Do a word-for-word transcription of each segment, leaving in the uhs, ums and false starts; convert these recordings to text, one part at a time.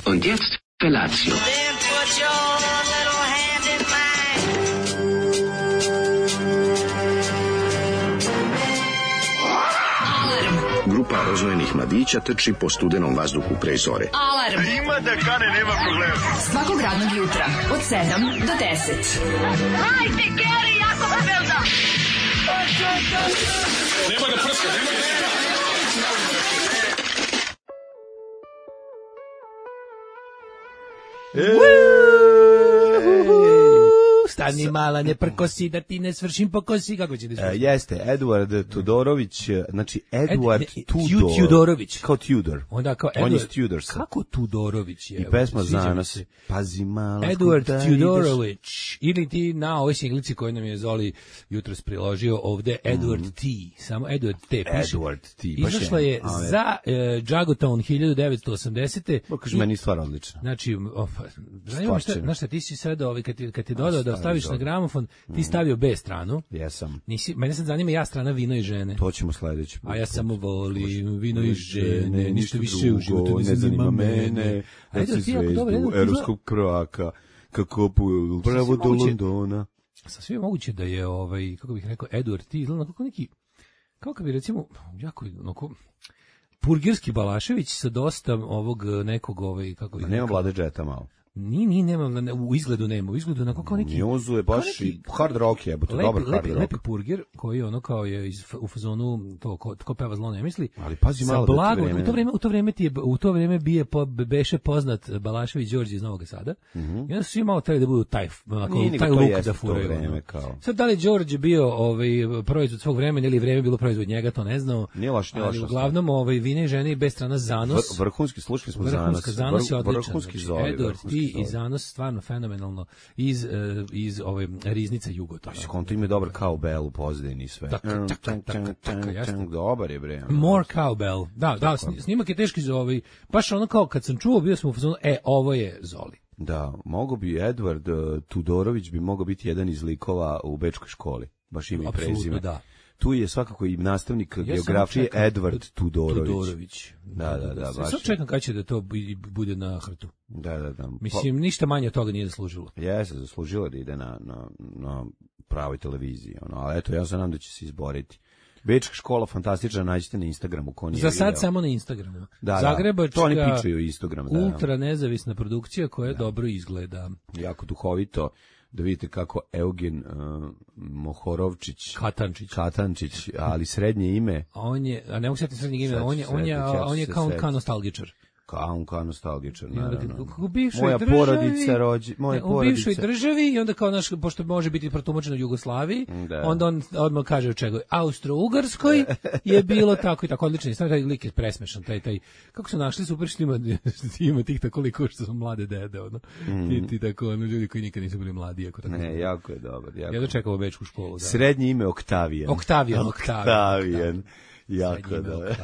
Und jetzt Felatio. Then put your little hand in mine. Grupa rozvojenih mladića trči po studenom vazduhu pre zore. Alarm! Ima da kane, nema problema. Svakog radnog jutra, od sedam do deset. Hajde, Geri, jako se velda! Nema da prska, nema da prska. Stani mala, ne prkosi da ti ne svršim po kosi, kako će da svršim? E, jeste, Edward Tudorović, znači Edward Ed, ne, Tudor. Tudorović. Kao Tudor. Onda kao On je Edward, Tudor. kako Tudorović je? I pesma Sviđa mi za nas. se. Pazi mala. Edward Tudorović. Ili ti na ovoj singlici koju nam je Zoli jutros priložio ovde, Edward T. Samo Edward T. Piše. Edward T. baš Izašla je A, za uh, Jagotown hiljadu devetsto osamdesete. Pa kaže, meni je stvar odlična. Znači, of, zanima me šta, znaš šta, ti si sad, ovaj, kad ti, kad ti dodao da staviš na gramofon, ti stavio B stranu. Jesam. Nisi, mene sad zanima ja strana vino i žene. To ćemo sledeći put. A ja samo volim vino i žene, ništa više u životu ne zanima mene. Ajde, zvezdu evropskog prvaka, kako puju pravo do Londona. Sasvim moguće da je, ovaj, kako bih rekao, Edward T. izgleda kako neki, kao kad bi recimo, jako, onako, purgirski Balašević sa dosta ovog nekog, ovaj, kako bih rekao. Nema Vlade Džeta malo. Ni, ni, nema, u izgledu nema, u izgledu onako kao neki... Njuzu je baš neki, i hard rock je, to dobar hard rock. Lepi purgir, koji ono kao je iz, u fazonu, to, ko, ko peva zlo ne misli. Ali pazi malo blago, da ti vreme... U to vreme, u to vreme, ti je, u to vreme bije, po, beše poznat Balašević Đorđe iz Novog Sada. Mm -hmm. I onda su svi malo trebali da budu taj, onako, taj look da furaju. Vreme, kao. Sad, da li Đorđe bio ovaj, proizvod svog vremena ili vreme bilo proizvod njega, to ne znamo. Nije loš, nije loš. Ali uglavnom, ovaj, vine i žene i bez strana Zanos. Vr, vrhunski, slušali smo Zanos. Vrhunska Zanos je odličan. Vrhunski znači, zoli. Edward T. i Zanos stvarno fenomenalno iz, uh, iz ove riznica Jugoto. Pa konto ima dobar cowbell u pozadini sve. Tak, tak, tak, tak, tak, dobar je bre. More cowbell. Da, da, snimak je teški za ovaj, baš ono kao kad sam čuo, bio sam u fazonu, e, ovo je Zoli. Da, mogo bi Edward uh, Tudorović bi mogao biti jedan iz likova u bečkoj školi. Baš ime i prezime. Da. Tu je svakako i nastavnik ja geografije Edward Tudorović. Tudorović. Da, da, da. Baš. Sad čekam kada će da to bude na hrtu. Da, da, da. Mislim, ništa manje od toga nije zaslužilo. Jeste, zaslužilo da ide na, na, na pravoj televiziji. Ono. Ali eto, ja se nadam da će se izboriti. Bečka škola, fantastična, nađite na Instagramu. Ko nije Za sad video. samo na Instagramu. Da, Zagrebačka, to oni pičuju Instagram. Da, ultra nezavisna produkcija koja da. dobro izgleda. Jako duhovito. Da vidite kako Eugen uh, Mohorovčić Katančić Katančić, ali srednje ime. A on je, a ne mogu setiti srednjeg imena, on je on je on je kao kao nostalgičar. Kao on kao nostalgičar, naravno. U bivšoj moja državi, porodica rođi, moja ne, u porodica. bivšoj državi i onda kao naš, pošto može biti protumačeno u Jugoslaviji, da. onda on odmah kaže u čega. Austro-Ugarskoj je bilo tako i tako odlično. Samo taj lik je presmešan, taj taj kako su našli super što ima, ima tih tako liko što su mlade dede, ono. Mm. Ti, ti tako ono ljudi koji nikad nisu bili mladi, ako tako. Ne, jako je dobar, jako. Ja dočekao bečku školu, da. Srednje ime Oktavijan. Oktavijan, Oktavijan. Jako da.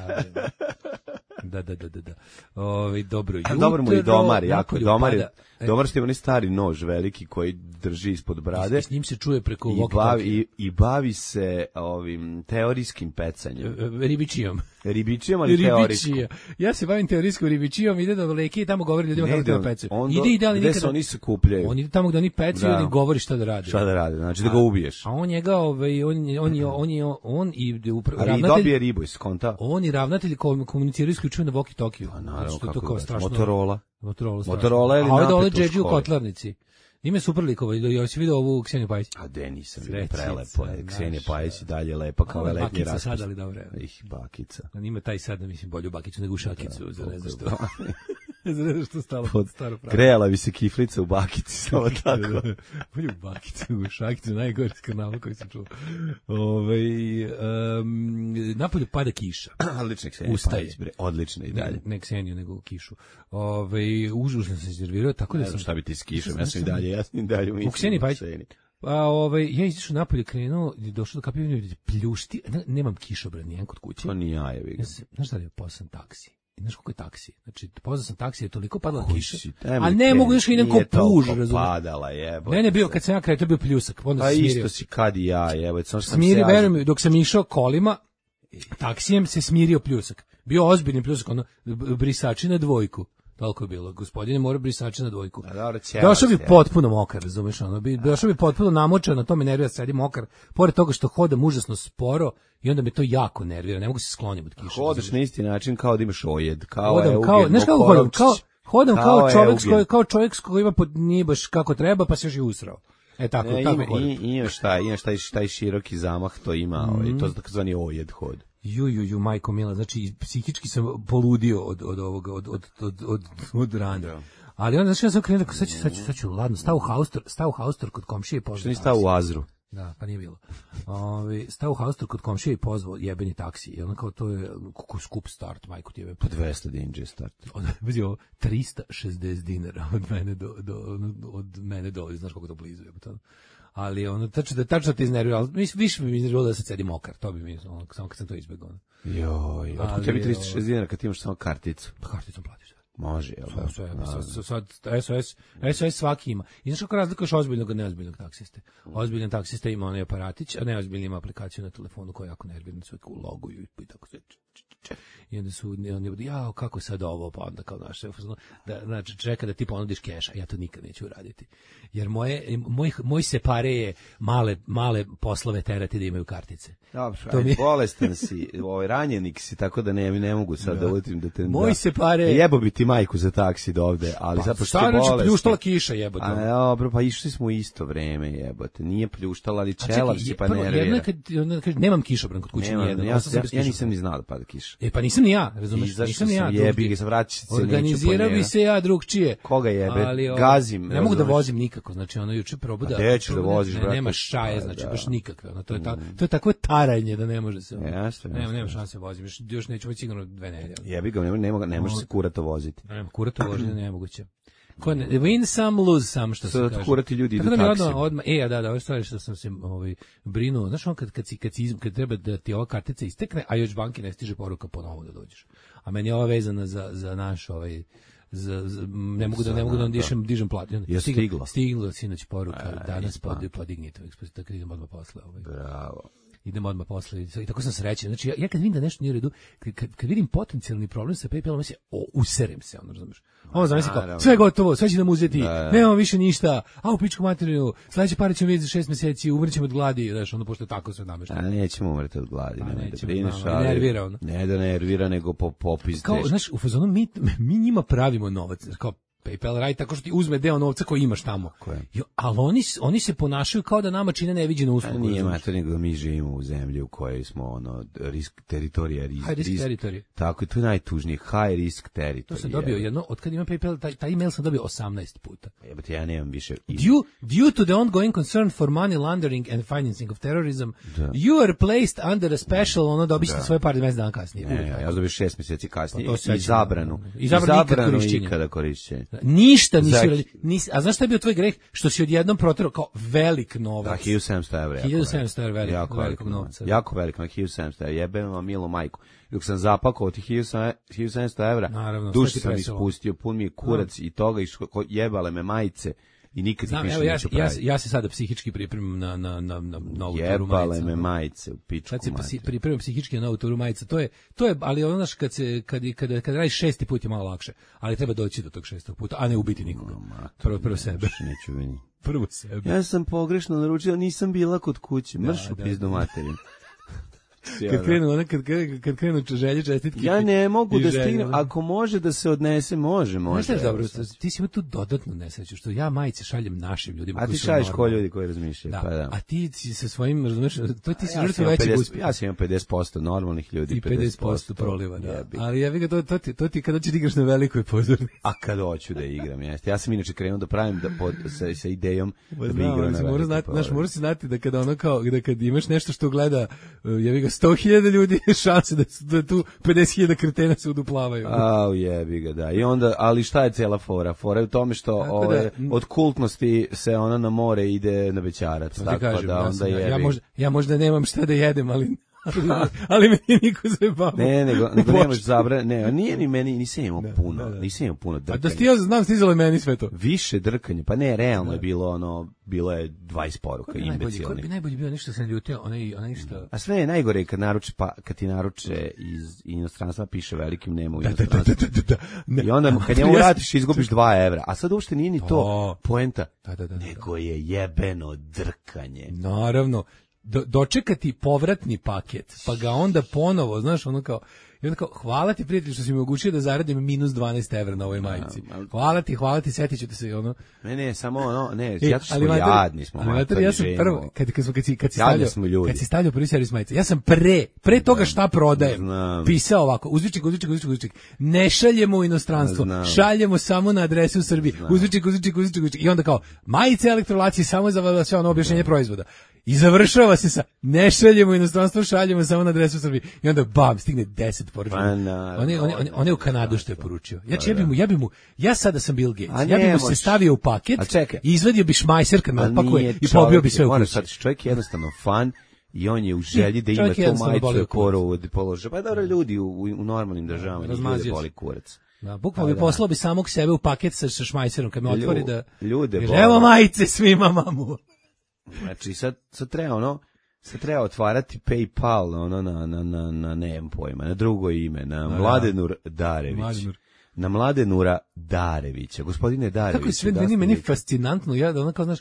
Da, da, da, da, da. Ovi, dobro jutro. Dobro mu i domar, jako domar. Pada. Domar što ima onaj stari nož veliki koji drži ispod brade. I s njim se čuje preko I bavi, i, i bavi se ovim teorijskim pecanjem. Ribičijom. Ribičijom, ali teorijskom. Ja se bavim teorijskom ribičijom, ide do leke i tamo govori ljudima kako treba pecaju. Ide i da li nikada... oni se kupljaju. On ide tamo gde oni pecaju i da. govori šta da rade. Šta da rade, znači da ga ubiješ. A on njega, ovaj, on, on, je, on, je, on i ravnatelj... Ali i dobije ribu iz konta. On i ravnatelj komuniciraju isključivo na walkie-talkie. Pa naravno, kako da. Motorola. Motorola, Motorola ili napet u školi. A ovdje dole Džedži u kotlarnici. Ime super likova, ja si vidio ovu Kseniju Pajić. A de nisam, prelepo je. Ksenija Pajić i dalje lepa kao ovaj letnji raspust. Bakica sad, ali dobro. Ih, bakica. A nima taj sad, mislim, bolju bakicu nego u šakicu, za ne znam što. Ne znam što stalo pod staro pravo. Grejala bi se kiflica u bakici, samo tako. Bolju bakicu nego u šakicu, najgore skarnava koji sam čuo. Ove, um, napolju pada kiša. Odlična Ksenija Pajić, bre, odlična i dalje. Ne, ne Kseniju, nego u kišu. Ove, užasno sam se iznervirao, tako da sam... Ne znam šta bi ti s kišom, ja sam i dalje, ja sam i dalje u Kseniji Pajić. A ovaj ja izašao napolje, krenuo i došao do kapije, pljušti, nemam kišobran nijedan kod kuće. To ni ja, jebi ga. Znaš šta je poslan taksi? Znaš koliko je taksi? Znači, pozvao sam taksi, je toliko padala kiša. A ne mogu još idem ko puž, razumiješ? Padala, jebote. Ne, ne bio, kad sam ja kraj, to je bio pljusak. Onda pa se smirio. Isto si kad i ja, jebote. Sam smiri, verujem mi, dok sam išao kolima, taksijem se smirio pljusak. Bio ozbiljni pljusak, ono, brisači na dvojku. Toliko je bilo. Gospodine mora brisače na dvojku. A dobro, ćelac, Došao bi ja. potpuno mokar, razumeš, ono bi došao bi potpuno namočan, na to me nervira, sedi mokar. Pored toga što hodam užasno sporo i onda me to jako nervira. Ne mogu se skloniti od kiše. Hodaš na isti način kao da imaš ojed, kao Hodam Eugen kao, znaš kako hodam, kao hodam kao, Kao čovjek s Eugen. koji kao čovjek s koji ima pod nije baš kako treba, pa se još i usrao. E tako, Ne, tako ima, hodam. i, imaš taj, imaš taj, taj široki zamah, to ima, Mhm. ovaj, to je takozvani ojed hod. Ju, ju, ju, majko mila, znači psihički sam poludio od, od ovoga, od, od, od, od, od rana. Ali onda, znači, ja sam krenuo, sad ću, sad ću, sad ću, ladno, stao u haustor, stao u haustor kod komšije i pozvao Što nisi taksi. stao u Azru? Da, pa nije bilo. Ovi, stao u haustor kod komšije i pozvao jebeni taksi. I ono kao, to je kako skup start, majko ti jebe. Po dvesta dinđe start. Od, vidi ovo, trista šezdeset dinara od mene do, do, od mene do, znaš kako to blizu je. To. Ali ono, tačno da tačno te iznervira, ali mis, više bi mi iznerviralo da se cedi mokar, to bi mi, ono, samo kad sam to izbegao. Ono. Joj, otkud Ali, tebi trista ovo- šezdeset dinara kad ti imaš samo karticu? Pa karticom platiš. Može, jel da? Sve, sve, sad, sad, S O S, S O S svaki ima. I znaš kako razlikuješ ozbiljnog od neozbiljnog taksiste? Ozbiljan taksista ima onaj aparatić, a neozbiljni ima aplikaciju na telefonu koja je jako nervirna, sve u loguju i tako sve. I onda su oni budu, jao, kako sad ovo, pa onda kao naš, da, znači čeka da ti ponudiš keš, a ja to nikad neću uraditi. Jer moje, moj, moj separe je male, male poslove terati da imaju kartice. Dobro, To mi ajde, je- bolestan si, ovaj, ranjenik si, tako da ne, ne mogu sad da, da utim da te... Moj da, separe- Jebo bi ti majku za taksi do ovde, ali Pa, sad pošto šta si znači bolestan... pljuštala kiša, jebote. A dobro, pa išli smo u isto vreme, jebote. Nije pljuštala, ali A čelav čekaj, si pa prvo, nervira. jedna kad, onda kaže, nemam kišobran kod kuće Nema, nijedan. ja, ostao sam ja, bez ja nisam kišobrana. ni znao da pada kiša. E pa nisam ni ja, razumeš? Izašao Nisam ni ja. sam, drugčije. jebi ga, se vraćati se neću po Organizirao bi njega. se ja drugčije. Koga jebe? Ali, ovo, Gazim, Ne mogu da razumeš? vozim nikako, znači ono juče probu da... A gde ćeš da probu voziš, ne, brate? Nema šaje, Pa, znači da. baš nikakve. Ono, to, je ta, to je takvo taranje da ne može se... ono, Jeste, nema, jeste, nema jeste. šanse vozim, još, još neću već sigurno dve nedelje. Jebi ga, nema, nema, ne može se kurato voziti. Nema, kurato vožnje nemoguće. Ko ne, win some, lose some, što se Sad kaže. kurati ljudi idu Tako da mi taksijem. odmah, odmah, e, a da, da, ovo stvari što sam se ovaj, brinuo, znaš on kad, kad, si, kad, si, iz- kad treba da ti ova kartica istekne, a još banki ne stiže poruka ponovo da dođeš. A meni je ova vezana za, za naš ovaj, za, za, ne mogu da ne mogu da da. dišem dižem plat. Je stigla? Stigla sinoć poruka, A, danas ispa. pod, podignite, tako idemo odmah posle. Ovaj. Bravo. Idemo odmah posle i tako sam srećan. Znači ja, ja kad vidim da nešto nije u redu, kad, kad, kad vidim potencijalni problem sa PayPalom, ja se o, userem se, ono razumeš. Ovo zamisli kao, naravno. sve je gotovo, sve će nam uzeti, Da, da. nemamo više ništa, a u pičku materiju, sledeće pare ćemo vidjeti za šest meseci, umrećemo od gladi, znaš, ono pošto je tako sve A namešteno. nećemo umreti od gladi, Pa nemoj da nećemo, brineš, znamo, ali... nervira ono. Ne da nervira, nego po popis Kao, znaš, u fazonu mi, mi njima pravimo novac, kao PayPal radi tako što ti uzme deo novca koji imaš tamo. je? Jo, ali oni, s- oni se ponašaju kao da nama čine neviđenu A uslugu. nije razumeš? mater, nego mi živimo u zemlji u kojoj smo ono risk teritorija, risk, High risk territory. Tako, to je najtužnije, high risk territory. To sam dobio jedno, od kad imam PayPal, taj, taj email sam dobio osamnaest puta. Jebote, ja nemam više. Due, due to the ongoing concern for money laundering and financing of terrorism, you are placed under a special, ono dobit ćete svoje pare mesec dana kasnije. Ne, Uvijek ja, tako. ja dobio šest mjeseci kasnije Pa to i sećam, zabranu. da. I zabranu nikad korišćenja. ikada korišćenja. Ništa nisi Za- uradio. Nisi, a znaš šta je bio tvoj greh? Što si odjednom proterao kao velik Da, novac. hiljadu sedamsto evra. jako hiljadu sedamsto evra velik. velik- Jako velikog velik novca. Jako velik, na hiljadu sedamsto evra. Jebem vam milu majku. Dok sam zapakovao tih hiljadu sedamsto evra, Naravno, duš sve ti sam preselo. ispustio, pun mi je kurac i toga, i što- jebale me majice i nikad ih Znam, više evo, ja, neću ja, praviti. ja se sada psihički pripremam na, na, na, na novu turu Jebale majica. me majice u pičku Sad se psi, mater. pripremam psihički na novu turu majica. To je, to je, ali ono znaš, kad se, kad, kad, kad radiš šesti put je malo lakše. Ali treba doći do tog šestog puta, a ne ubiti nikoga. Prvo, prvo sebe. Baš neću vini. Prvo sebe. Ja sam pogrešno naručio, nisam bila kod kuće. Mrš u da, pizdu materin. Kad krenu, ona, kad, krenu- kad krenu želje, čestitke. Ja ne mogu i da želje, stignem, ono. ako može da se odnese, može, Znaš može. šta je evo dobro, sad. ti si imao tu dodatnu nesreću, što ja majice šaljem našim ljudima. A koji ti su šalješ ko normalni. ljudi koji razmišljaju, Da. pa da. A ti si sa svojim, razumeš, to ti si Ja sam žrtva imao većeg pedeset uspeha. Ja sam imao pedeset posto normalnih ljudi, I pedeset posto proliva, da. jebi. Ali ja bih ga, to, to, ti, to ti kada ćeš da igraš na velikoj pozornici. A kad hoću da igram, jeste. Ja sam inače krenuo da pravim da pod, sa, sa idejom da bi Znam, igrao ali na si mora velikoj znati, znaš, pozornici. mora si znati da kada ono kao, da kad imaš nešto što gleda, uh, jebi ga sto hiljada ljudi, šanse da, su- da tu pedeset hiljada kretena se uduplavaju. Au, jebi ga, da. I onda, ali šta je cela fora? Fora je u tome što Tako ove, da, m- od kultnosti se ona na more ide na Bećarac. To ti Tako kažem, da ja, onda sam, ja, jebi. ja, možda, ja možda nemam šta da jedem, ali ali meni niko zajebava. Ne, nego, nego nemaš zabra, ne, nije ni meni, nisam imao puno, da, da. nisam imao puno drkanja. A da ti ja znam, stizalo je meni sve to. Više drkanja, pa ne, realno da. je bilo ono, bilo je dvadeset poruka, imbecilni. Ko bi najbolji bio, nešto se ljutio, onaj, onaj što... A sve je najgore kad naruče, pa, kad ti naruče iz inostranstva, piše velikim nema u da, inostranstvu. Da, da, da, da. I onda, kad njemu vratiš, izgubiš dva evra. A sad uopšte nije ni to oh. poenta, da, da, da, da. nego je jebeno drkanje. Naravno. Do, dočekati povratni paket, pa ga onda ponovo, znaš, ono kao, i onda kao, hvala ti prijatelj što si mi omogućio da zaradim minus dvanaest evra na ovoj majici. Hvala ti, hvala ti, setit ću te se, ono. Ne, ne, samo ono, ne, e, ja smo jadni smo. Ali mater, ja sam prvo, kad, kad, kad, si, kad, si stavljao, kad si stavljao prvi servis majice, ja sam pre, pre toga šta prodajem, Znam. pisao ovako, uzvičnik, uzvičnik, uzvičnik, uzvičnik, ne šaljemo u inostranstvo, Znam. šaljemo samo na adresu u Srbiji, uzvičnik, uzvičnik, uzvičnik, uzvičnik, i onda kao, majice elektrolacije samo za sve ono objašnjenje proizvoda. I završava se sa ne šaljemo u inostranstvo, šaljemo samo na adresu u Srbiji. I onda bam, stigne deset poručenja. On je on je on je u Kanadu što je poručio. Ja ja bi mu ja bi mu ja sada sam Bill Gates. Ja bi mu se stavio u paket i izvadio bi šmajser kad me opakuje i pobio bi sve u kući. Sad čovjek je jednostavno fan i on je u želji da ima tu majicu koru od položaja. Pa dobro, ljudi u, u normalnim državama ljudi boli kurac. Da, bukvalno bi poslao bi samog sebe u paket sa šmajserom kad me otvori da ljude. Evo majice svima, mamu. Znači sad, sad treba ono, sad treba otvarati PayPal ono na, na, na, na nemam pojma, na drugo ime, na Mladenur Darević. Mladenur. Na Mladenura Darevića, gospodine Darević. Kako je sve meni, meni fascinantno, ja da ono kao, znaš,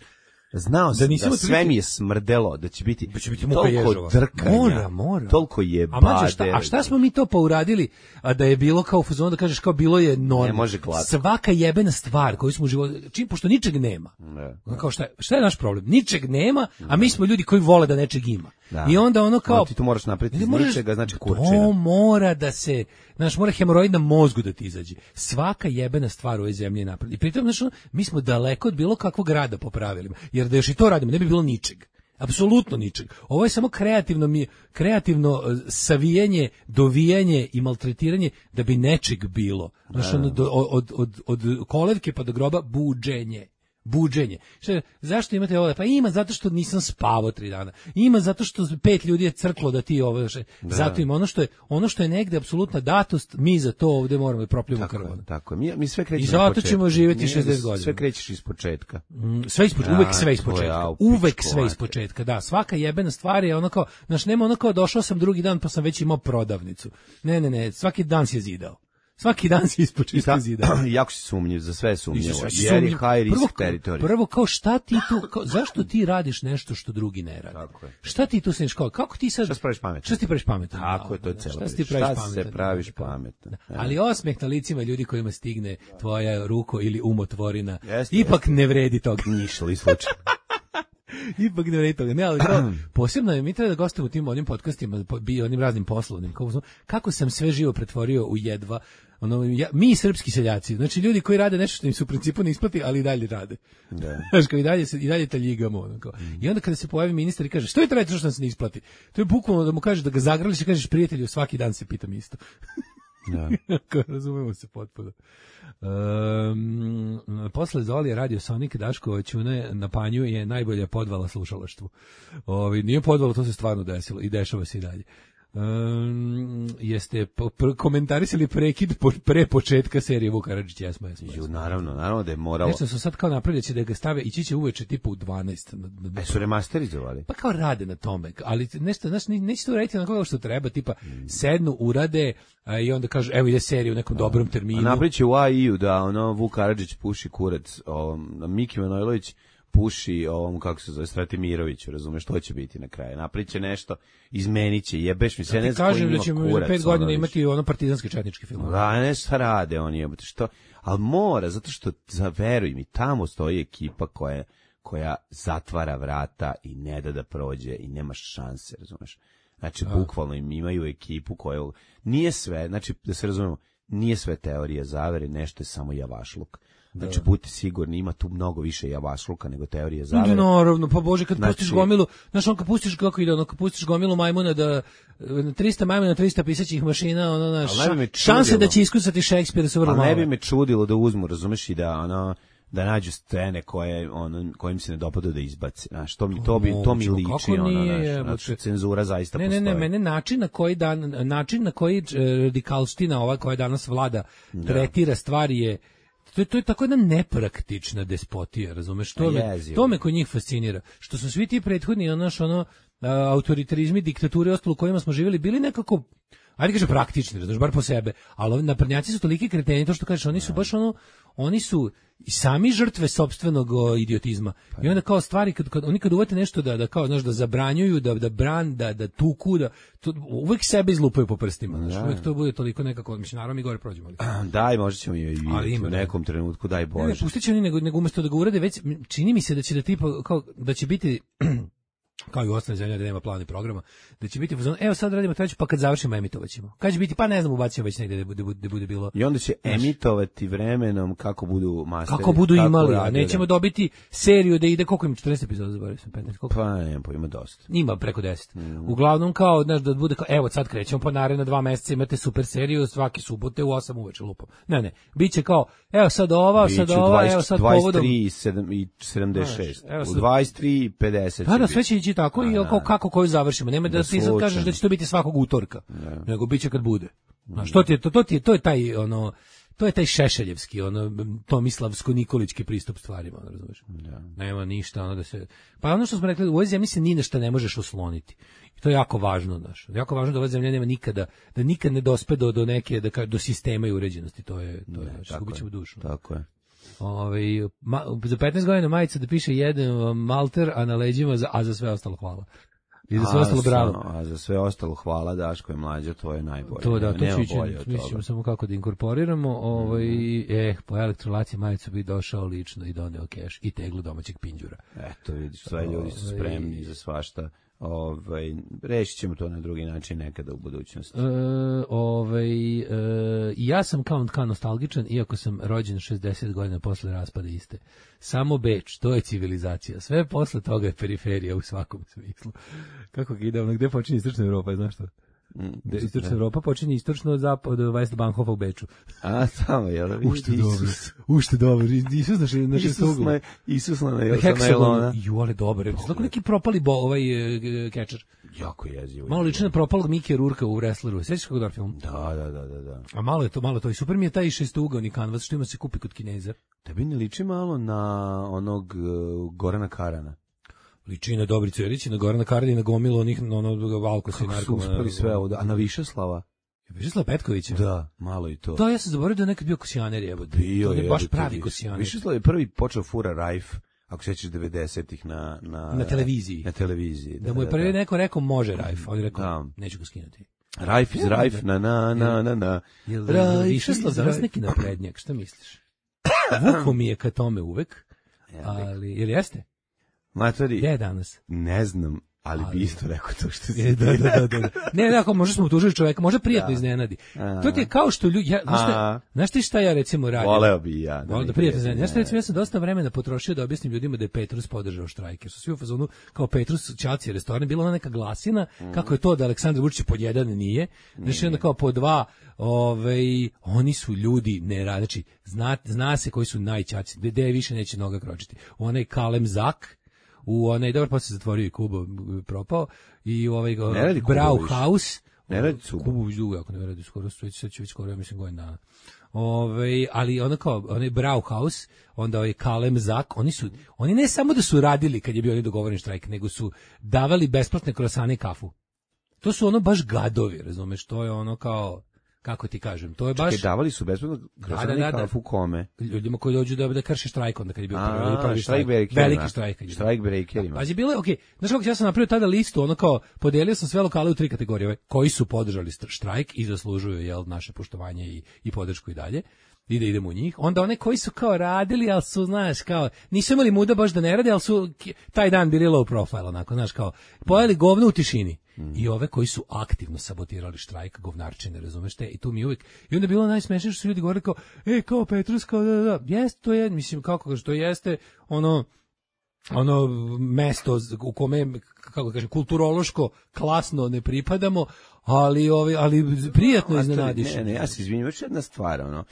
znao sam da, da sve mi je smrdelo, da će biti, da će biti toliko drkanja, mora, mora. toliko je a mađe, šta, a šta smo mi to pa uradili, a da je bilo kao u fazonu da kažeš kao bilo je normalno. Ne može glatko. Svaka jebena stvar koju smo u životu, čim, pošto ničeg nema. Ne. Kao šta, šta je naš problem? Ničeg nema, a mi smo ljudi koji vole da nečeg ima. Da. I onda ono kao... No, ti to moraš napraviti iz ničega, znači kurčina. To mora da se... Znaš, mora hemoroid na mozgu da ti izađe. Svaka jebena stvar u ovoj zemlji je napravljena. I pritom, znaš, mi smo daleko od bilo kakvog rada po pravilima. Jer da još i to radimo, ne bi bilo ničeg. Apsolutno ničeg. Ovo je samo kreativno, mi, kreativno savijanje, dovijanje i maltretiranje da bi nečeg bilo. Znaš, ono, do, od, od, od kolevke pa do groba buđenje. Buđenje. Šta, zašto imate ovo? Pa ima zato što nisam spavao tri dana. Ima zato što pet ljudi je crklo da ti ovo. Šta, zato ima ono što je ono što je negde apsolutna datost, mi za to ovde moramo da propljujemo krv. Tako je. Mi mi sve krećemo. I zato ćemo živjeti šezdeset godina. Sve krećeš ispočetka. Mm, sve ispočetka, uvek sve ispočetka. Uvek sve ispočetka. Da, svaka jebena stvar je ono kao, znaš, nema ono kao došao sam drugi dan pa sam već imao prodavnicu. Ne, ne, ne, svaki dan si je zidao. Svaki dan se ispočista zida. Jako si sumnjiv, za sve sumnjivo. Jer je high risk territory. Prvo, kao šta ti tu, kao, zašto ti radiš nešto što drugi ne rade? Tako je. Šta ti tu sniš kao, kako ti sad... Šta se praviš pametan? Šta ti praviš pametan? Tako je, to je celo. Šta ti praviš pametan? Šta se praviš pametan? Ali osmeh na licima ljudi kojima stigne tvoja ruko ili umotvorina, ipak ne vredi toga. Nišli slučaj. Ipak ne vredi toga. Ne, ali kao, posebno je, mi treba da gostujemo u tim onim podcastima, bi onim raznim poslovnim, kako sam sve živo pretvorio u jedva. Ono, ja, mi srpski seljaci, znači ljudi koji rade nešto što im se u principu ne isplati, ali i dalje rade. Da. Znaš, kao i dalje, se, i dalje taljigamo. Ono, kao. Mm. I onda kada se pojavi ministar i kaže, što je to raditi što nam se ne isplati? To je bukvalno da mu kažeš da ga zagrliš i kažeš, prijatelju, svaki dan se pitam isto. Da. Kao, razumemo se potpuno. Um, posle Zolije radio Sonik Daško Ćune na panju je najbolja podvala slušalaštvu. Ovi, nije podvala, to se stvarno desilo i dešava se i dalje. Um, jeste po, pr, komentarisali prekid po, pre početka serije Vuk Karadžić, jesmo, jesmo, jesmo. Ju, naravno, naravno da je moralo. Nešto su sad kao napravili da ga stave, ići će uveče tipa u dvanaest. Na, na, e, su remasterizovali? Pa kao rade na tome, ali nešto, znaš, neće to uraditi na koga što treba, tipa mm. sednu, urade a, i onda kažu, evo ide serija u nekom a, dobrom terminu. A napravit će u A I U da ono Vuk Karadžić puši kurac, o, Miki Manojlović puši ovom, kako se zove, Stratimiroviću, razumeš, što će biti na kraju. Napriče nešto, izmeniće, jebeš mi se, ne znam koji ima kurac. Kažem da ćemo pet godina imati ono partizanske četničke filmove. Da, ne šta rade oni, jebate, što, ali mora, zato što, veruj mi, tamo stoji ekipa koja, koja zatvara vrata i ne da da prođe i nema šanse, razumeš. Znači, a. bukvalno im imaju ekipu koja, nije sve, znači, da se razumemo, nije sve teorija zavere, nešto je samo javašluk. Znači, budite sigurni, ima tu mnogo više javašluka nego teorije zavere. Naravno, pa Bože, kad znači, pustiš gomilu, znaš, on kad pustiš, kako ide, ono, kad pustiš gomilu majmuna da, na trista majmuna, trista pisaćih mašina, ono, naš, ša, šanse da će iskusati Šekspira su vrlo malo. male. Ne bi me čudilo da uzmu, razumeš, i da, ono, da nađu scene koje ono kojim se ne dopada da izbace. Znaš, to mi to bi to mi liči ono, nije, znaš, znači, cenzura zaista ne, postoji. Ne, ne, mene način na koji dan način na koji radikalština ova koja danas vlada da. tretira stvari je to je, to je tako jedna nepraktična despotija, razumeš? To me, to me kod njih fascinira. Što su svi ti prethodni ono ono autoritarizmi, diktature i ostalo u kojima smo živjeli bili nekako ajde kaže praktični, znaš, bar po sebe, ali ovi naprednjaci su toliki kreteni, to što kažeš, oni su baš ono, oni su i sami žrtve sopstvenog o, idiotizma. Pa, i onda kao stvari, kad, kad, oni kad uvete nešto da, da kao, znaš, da zabranjuju, da, da bran, da, da tuku, da, to, uvek sebe izlupaju po prstima, znaš, uvek to bude toliko nekako, mislim, naravno mi gore prođemo. Ali. Daj, možda ćemo i vidjeti u nekom trenutku, daj Bože. Ne, ne, pustit će oni, nego, nego umesto da ga urade, već, čini mi se da će da tipa, kao, da će biti kao i u ostalim zemljama da nema plana i programa, da će biti fazon, evo sad radimo treću, pa kad završimo emitovaćemo. Kad će biti, pa ne znam, ubacimo već negde da bude, da bude bilo. I onda će emitovati vremenom kako budu masteri. Kako budu kako imali, a nećemo dobiti seriju da ide, koliko ima, četrnaest epizoda, zaboravio sam, petnaest, koliko? Pa ne, pa ima dosta. Ima preko deset. Mm. Uglavnom kao, znaš, da bude kao, evo sad krećemo, pa naredna dva meseca imate super seriju, svake subote u osam uveče lupom. Ne, ne, biće kao, evo sad ova, biću sad ova, evo sad povodom. dvadeset tri i sedamdeset šest, u dvadeset tri i pedeset. Da, da, sve će ići tako i kako, kako koju završimo. Nema da, da ti sad kažeš da će to biti svakog utorka, ne. Nego biće kad bude. Znaš, to ti je, to, to ti je, to je taj, ono, to je taj šešeljevski, ono, tomislavsko-nikolički pristup stvarima, ono, razumiješ? Da. Nema ništa, ono da se, pa ono što smo rekli, u ovoj zemlji se ni na šta ne možeš osloniti. I to je jako važno, znaš. Jako važno da ova zemlja nema nikada, da nikad ne dospe do, do neke, da, do sistema i uređenosti, to je, to je, znači, gubit ćemo dušu. Tako je. Ove, ma, za petnaest godina majica da piše jedan malter, a na leđima, za, a za sve ostalo hvala. I za sve ostalo bravo. A za sve ostalo hvala Daško je mlađa, to je najbolje. To da, to ću ići, mislimo samo kako da inkorporiramo. Ovaj, mm. Eh, po elektrolaciji majicu bi došao lično i doneo keš i teglu domaćeg pinđura. Eto, vidiš, sve ljudi su spremni za svašta. Ovaj, rešit ćemo to na drugi način nekada u budućnosti. E, ovaj, e, ja sam kao, kao nostalgičan, iako sam rođen šezdeset godina posle raspada iste. Samo Beč, to je civilizacija. Sve posle toga je periferija u svakom smislu. Kako ga ide, ono, gde počinje istočna Evropa, znaš što? Mm, istočna Evropa počinje istočno od zapad od Westbankhofa u Beču. A, tamo, jel? Ušte dobro. Ušte dobro. Isus naše naše sugla. Isus na Jelona. Ju, ali dobro. Znači neki propali bo ovaj kečer. Jako jezivo. Malo liči na propalog Mike Rurka u Wrestleru. Sećaš kako dobar film? Da, da, da, da, da. A malo je to, malo to i super mi je taj šestougavni kanvas što ima se kupi kod Kineza. Tebi ne liči malo na onog uh, Gorana Karana. Liči na Dobricu Jerić i na Gorana Karana i na gomilu onih onog Valkosa i narkomana. Kako su uspeli sve ovdje, a na Višeslava? Višeslav Petkovića? Da, malo i to. Da, ja sam zaboravio da je nekad bio kosijaner, jebote. Bio je, baš pravi kosijaner. Višeslav je prvi počeo fura rajf, ako se sećaš devedesetih na, na... Na televiziji. Na televiziji, da. Da mu je prvi neko rekao može rajf, on je rekao da. Neću ga skinuti. Rajf iz rajf, na na na na na. Višeslav danas neki naprednjak, šta misliš? Vuko mi je ka tome uvek, ali, ili jeste? Matori, gde je danas? Ne znam, ali, ali bi isto rekao to što si. E, da, da, da, da. Ne, ne, ako možda smo utužili čoveka, možda prijatno iznenadi. A, to ti je kao što ljudi, ja, znaš, šta, znaš ti šta ja recimo radim? Voleo bi ja. Voleo da prijatno iznenadi. Znaš šta recimo, ja sam dosta vremena potrošio da objasnim ljudima da je Petrus podržao štrajk, jer su svi u fazonu kao Petrus Ćaci restoran, bila ona neka glasina, mm. kako je to da Aleksandar Vučić pod jedan nije, znači onda kao po dva, ovaj, oni su ljudi ne rade, znači zna, zna se koji su najćaci, gde više neće noga kročiti. Onaj Kalem Zak, u onaj, dobro, pa se zatvorio i Kubo propao, i u ovaj Brauhaus, ne radi Kubo. Kubo već dugo, ako ne radi skoro, sad će već skoro, ja mislim, godin dana. Ove, ali ono kao, onaj Brauhaus, onda ovaj Kalem Zak, oni su, oni ne samo da su radili kad je bio onaj dogovoren štrajk, nego su davali besplatne krosane i kafu. To su ono baš gadovi, razumeš, to je ono kao, kako ti kažem, to je baš... Čekaj, davali su besplatno krosane i kafu kome? Ljudima koji dođu da, da krše štrajk, onda kad je bio A, prvi, prvi štrajk, štrajk, veliki štrajk. Štrajk breakerima. Pa je bilo, okej, okay, znaš kako ja sam napravio tada listu, ono kao, podelio sam sve lokale u tri kategorije, koji su podržali štrajk i zaslužuju, jel, naše poštovanje i, i podršku i dalje. I da idemo u njih. Onda one koji su kao radili, ali su, znaš, kao, nisu imali muda baš da ne rade, ali su taj dan bili low profile, onako, znaš, kao, pojeli govno u tišini. Mm. I ove koji su aktivno sabotirali štrajk, govnarčine, razumeš te, i tu mi uvijek, i onda je bilo najsmešnije što su ljudi govorili kao, e, kao Petrus, kao da, da, da, jeste, to je, mislim, kako što jeste, ono, ono mesto u kome, kako kažem, kulturološko, klasno ne pripadamo, ali, ove, ali prijatno iznenadiš. Ne, ne, ja se izvinjam, još jedna stvar, ono,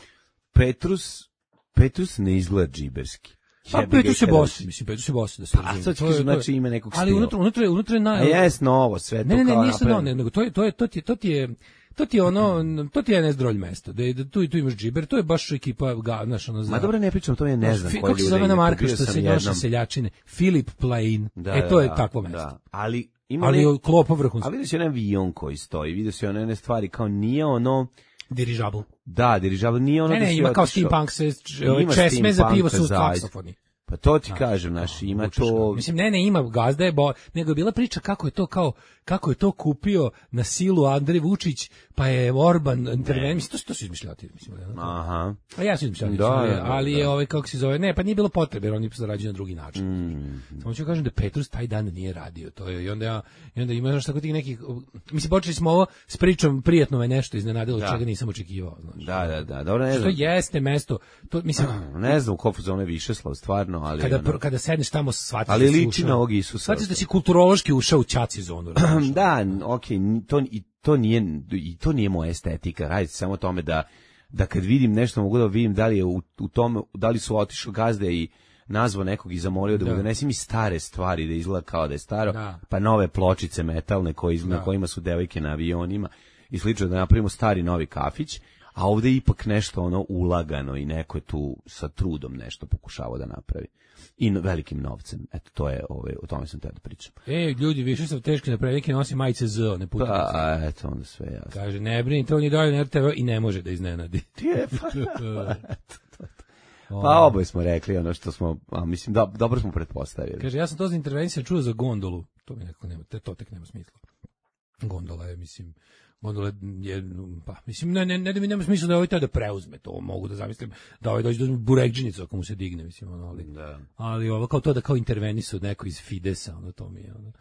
Petrus Petrus ne izgleda džiberski. Pa Petrus je boss, mislim, Petrus je boss, da se A sad ću znači ima nekog stila. Ali unutra, unutra, unutra je naj... A jes novo, sve to ne, ne, ne, kao ništa novo, nego to je, to je, to ti je, to ti je, to ti je ono, to ti je N S drolj mesto, da, da tu i tu imaš džiber, to je baš ekipa, ga, znaš, ono, Ma dobro, ne pričam, to je ne znam fi, koji ljudi. Kako se zove na marka što se jednom... noša seljačine? Filip Plain, da, e, to je da, takvo mesto. Da. Ali ima ali ne... klopa vrhunska. A vidio si onaj avion koji stoji, vidio si one stvari kao nije ono... Dirižabl. Da, dirižabl nije ono... Ne, ne, da ima kao otišao... steampunk se, česme za pivo su saksofoni. Pa to ti kažem, naš, ima to... Mislim, ne, ne, ima gazda je, bo, nego je bila priča kako je to kao, kako je to kupio na silu Andrej Vučić, pa je Orban intervenio, mislim, to, to su izmišljati, mislim. Aha. A ja su izmišljati, da, da, ali da. je ovaj, kako se zove, ne, pa nije bilo potrebe, jer oni zarađuju na drugi način. Mm. Samo ću kažem da Petrus taj dan nije radio, to je, i onda ja, i onda ima, znaš, tako tih nekih, mislim, počeli smo ovo s pričom, prijetno me nešto iznenadilo, da. Čega nisam očekivao, znaš. Da, da, da, dobro, ne znam. Što jeste mesto, to, mislim... Ne znam u kofu zone Višeslav, stvarno, ali... Kada, ono... kada sedneš tamo, shvatiš ali da si liči na ovog Isusa. Shvatiš da si kulturološki ušao u ćaci zonu. Da, okej, okay, to, i to nije, i to nije moja estetika, radi samo o tome da, da kad vidim nešto mogu da vidim da li je u, u tome, da li su otišli gazde i nazvao nekog i zamolio da, da mu donesi mi stare stvari da izgleda kao da je staro, da. Pa nove pločice metalne koji, na kojima su devojke na avionima i slično, da napravimo stari novi kafić, a ovde je ipak nešto ono ulagano i neko je tu sa trudom nešto pokušavao da napravi. I velikim novcem. Eto, to je, ove, o tome sam te da pričam. E, ljudi, više sam teški napravi, neki nosi majice Z, ne putnice. Pa, eto, onda sve jasno. Kaže, ne brini, to on je dalje na R T V i ne može da iznenadi. Je, pa, pa oboje smo rekli ono što smo, a mislim, da, dobro smo pretpostavili. Kaže, ja sam to za intervenciju čuo za gondolu. To mi nekako nema, to tek nema smisla. Gondola je, mislim... Gondola je, pa, mislim, ne, ne, ne da mi nema smisla da ovaj taj da preuzme, to mogu da zamislim, da ovaj dođe do burekđinicu ako mu se digne, mislim, ono, ali, da. Ali ovo kao to da kao intervenisu neko iz Fidesa, ono, to mi je, ono,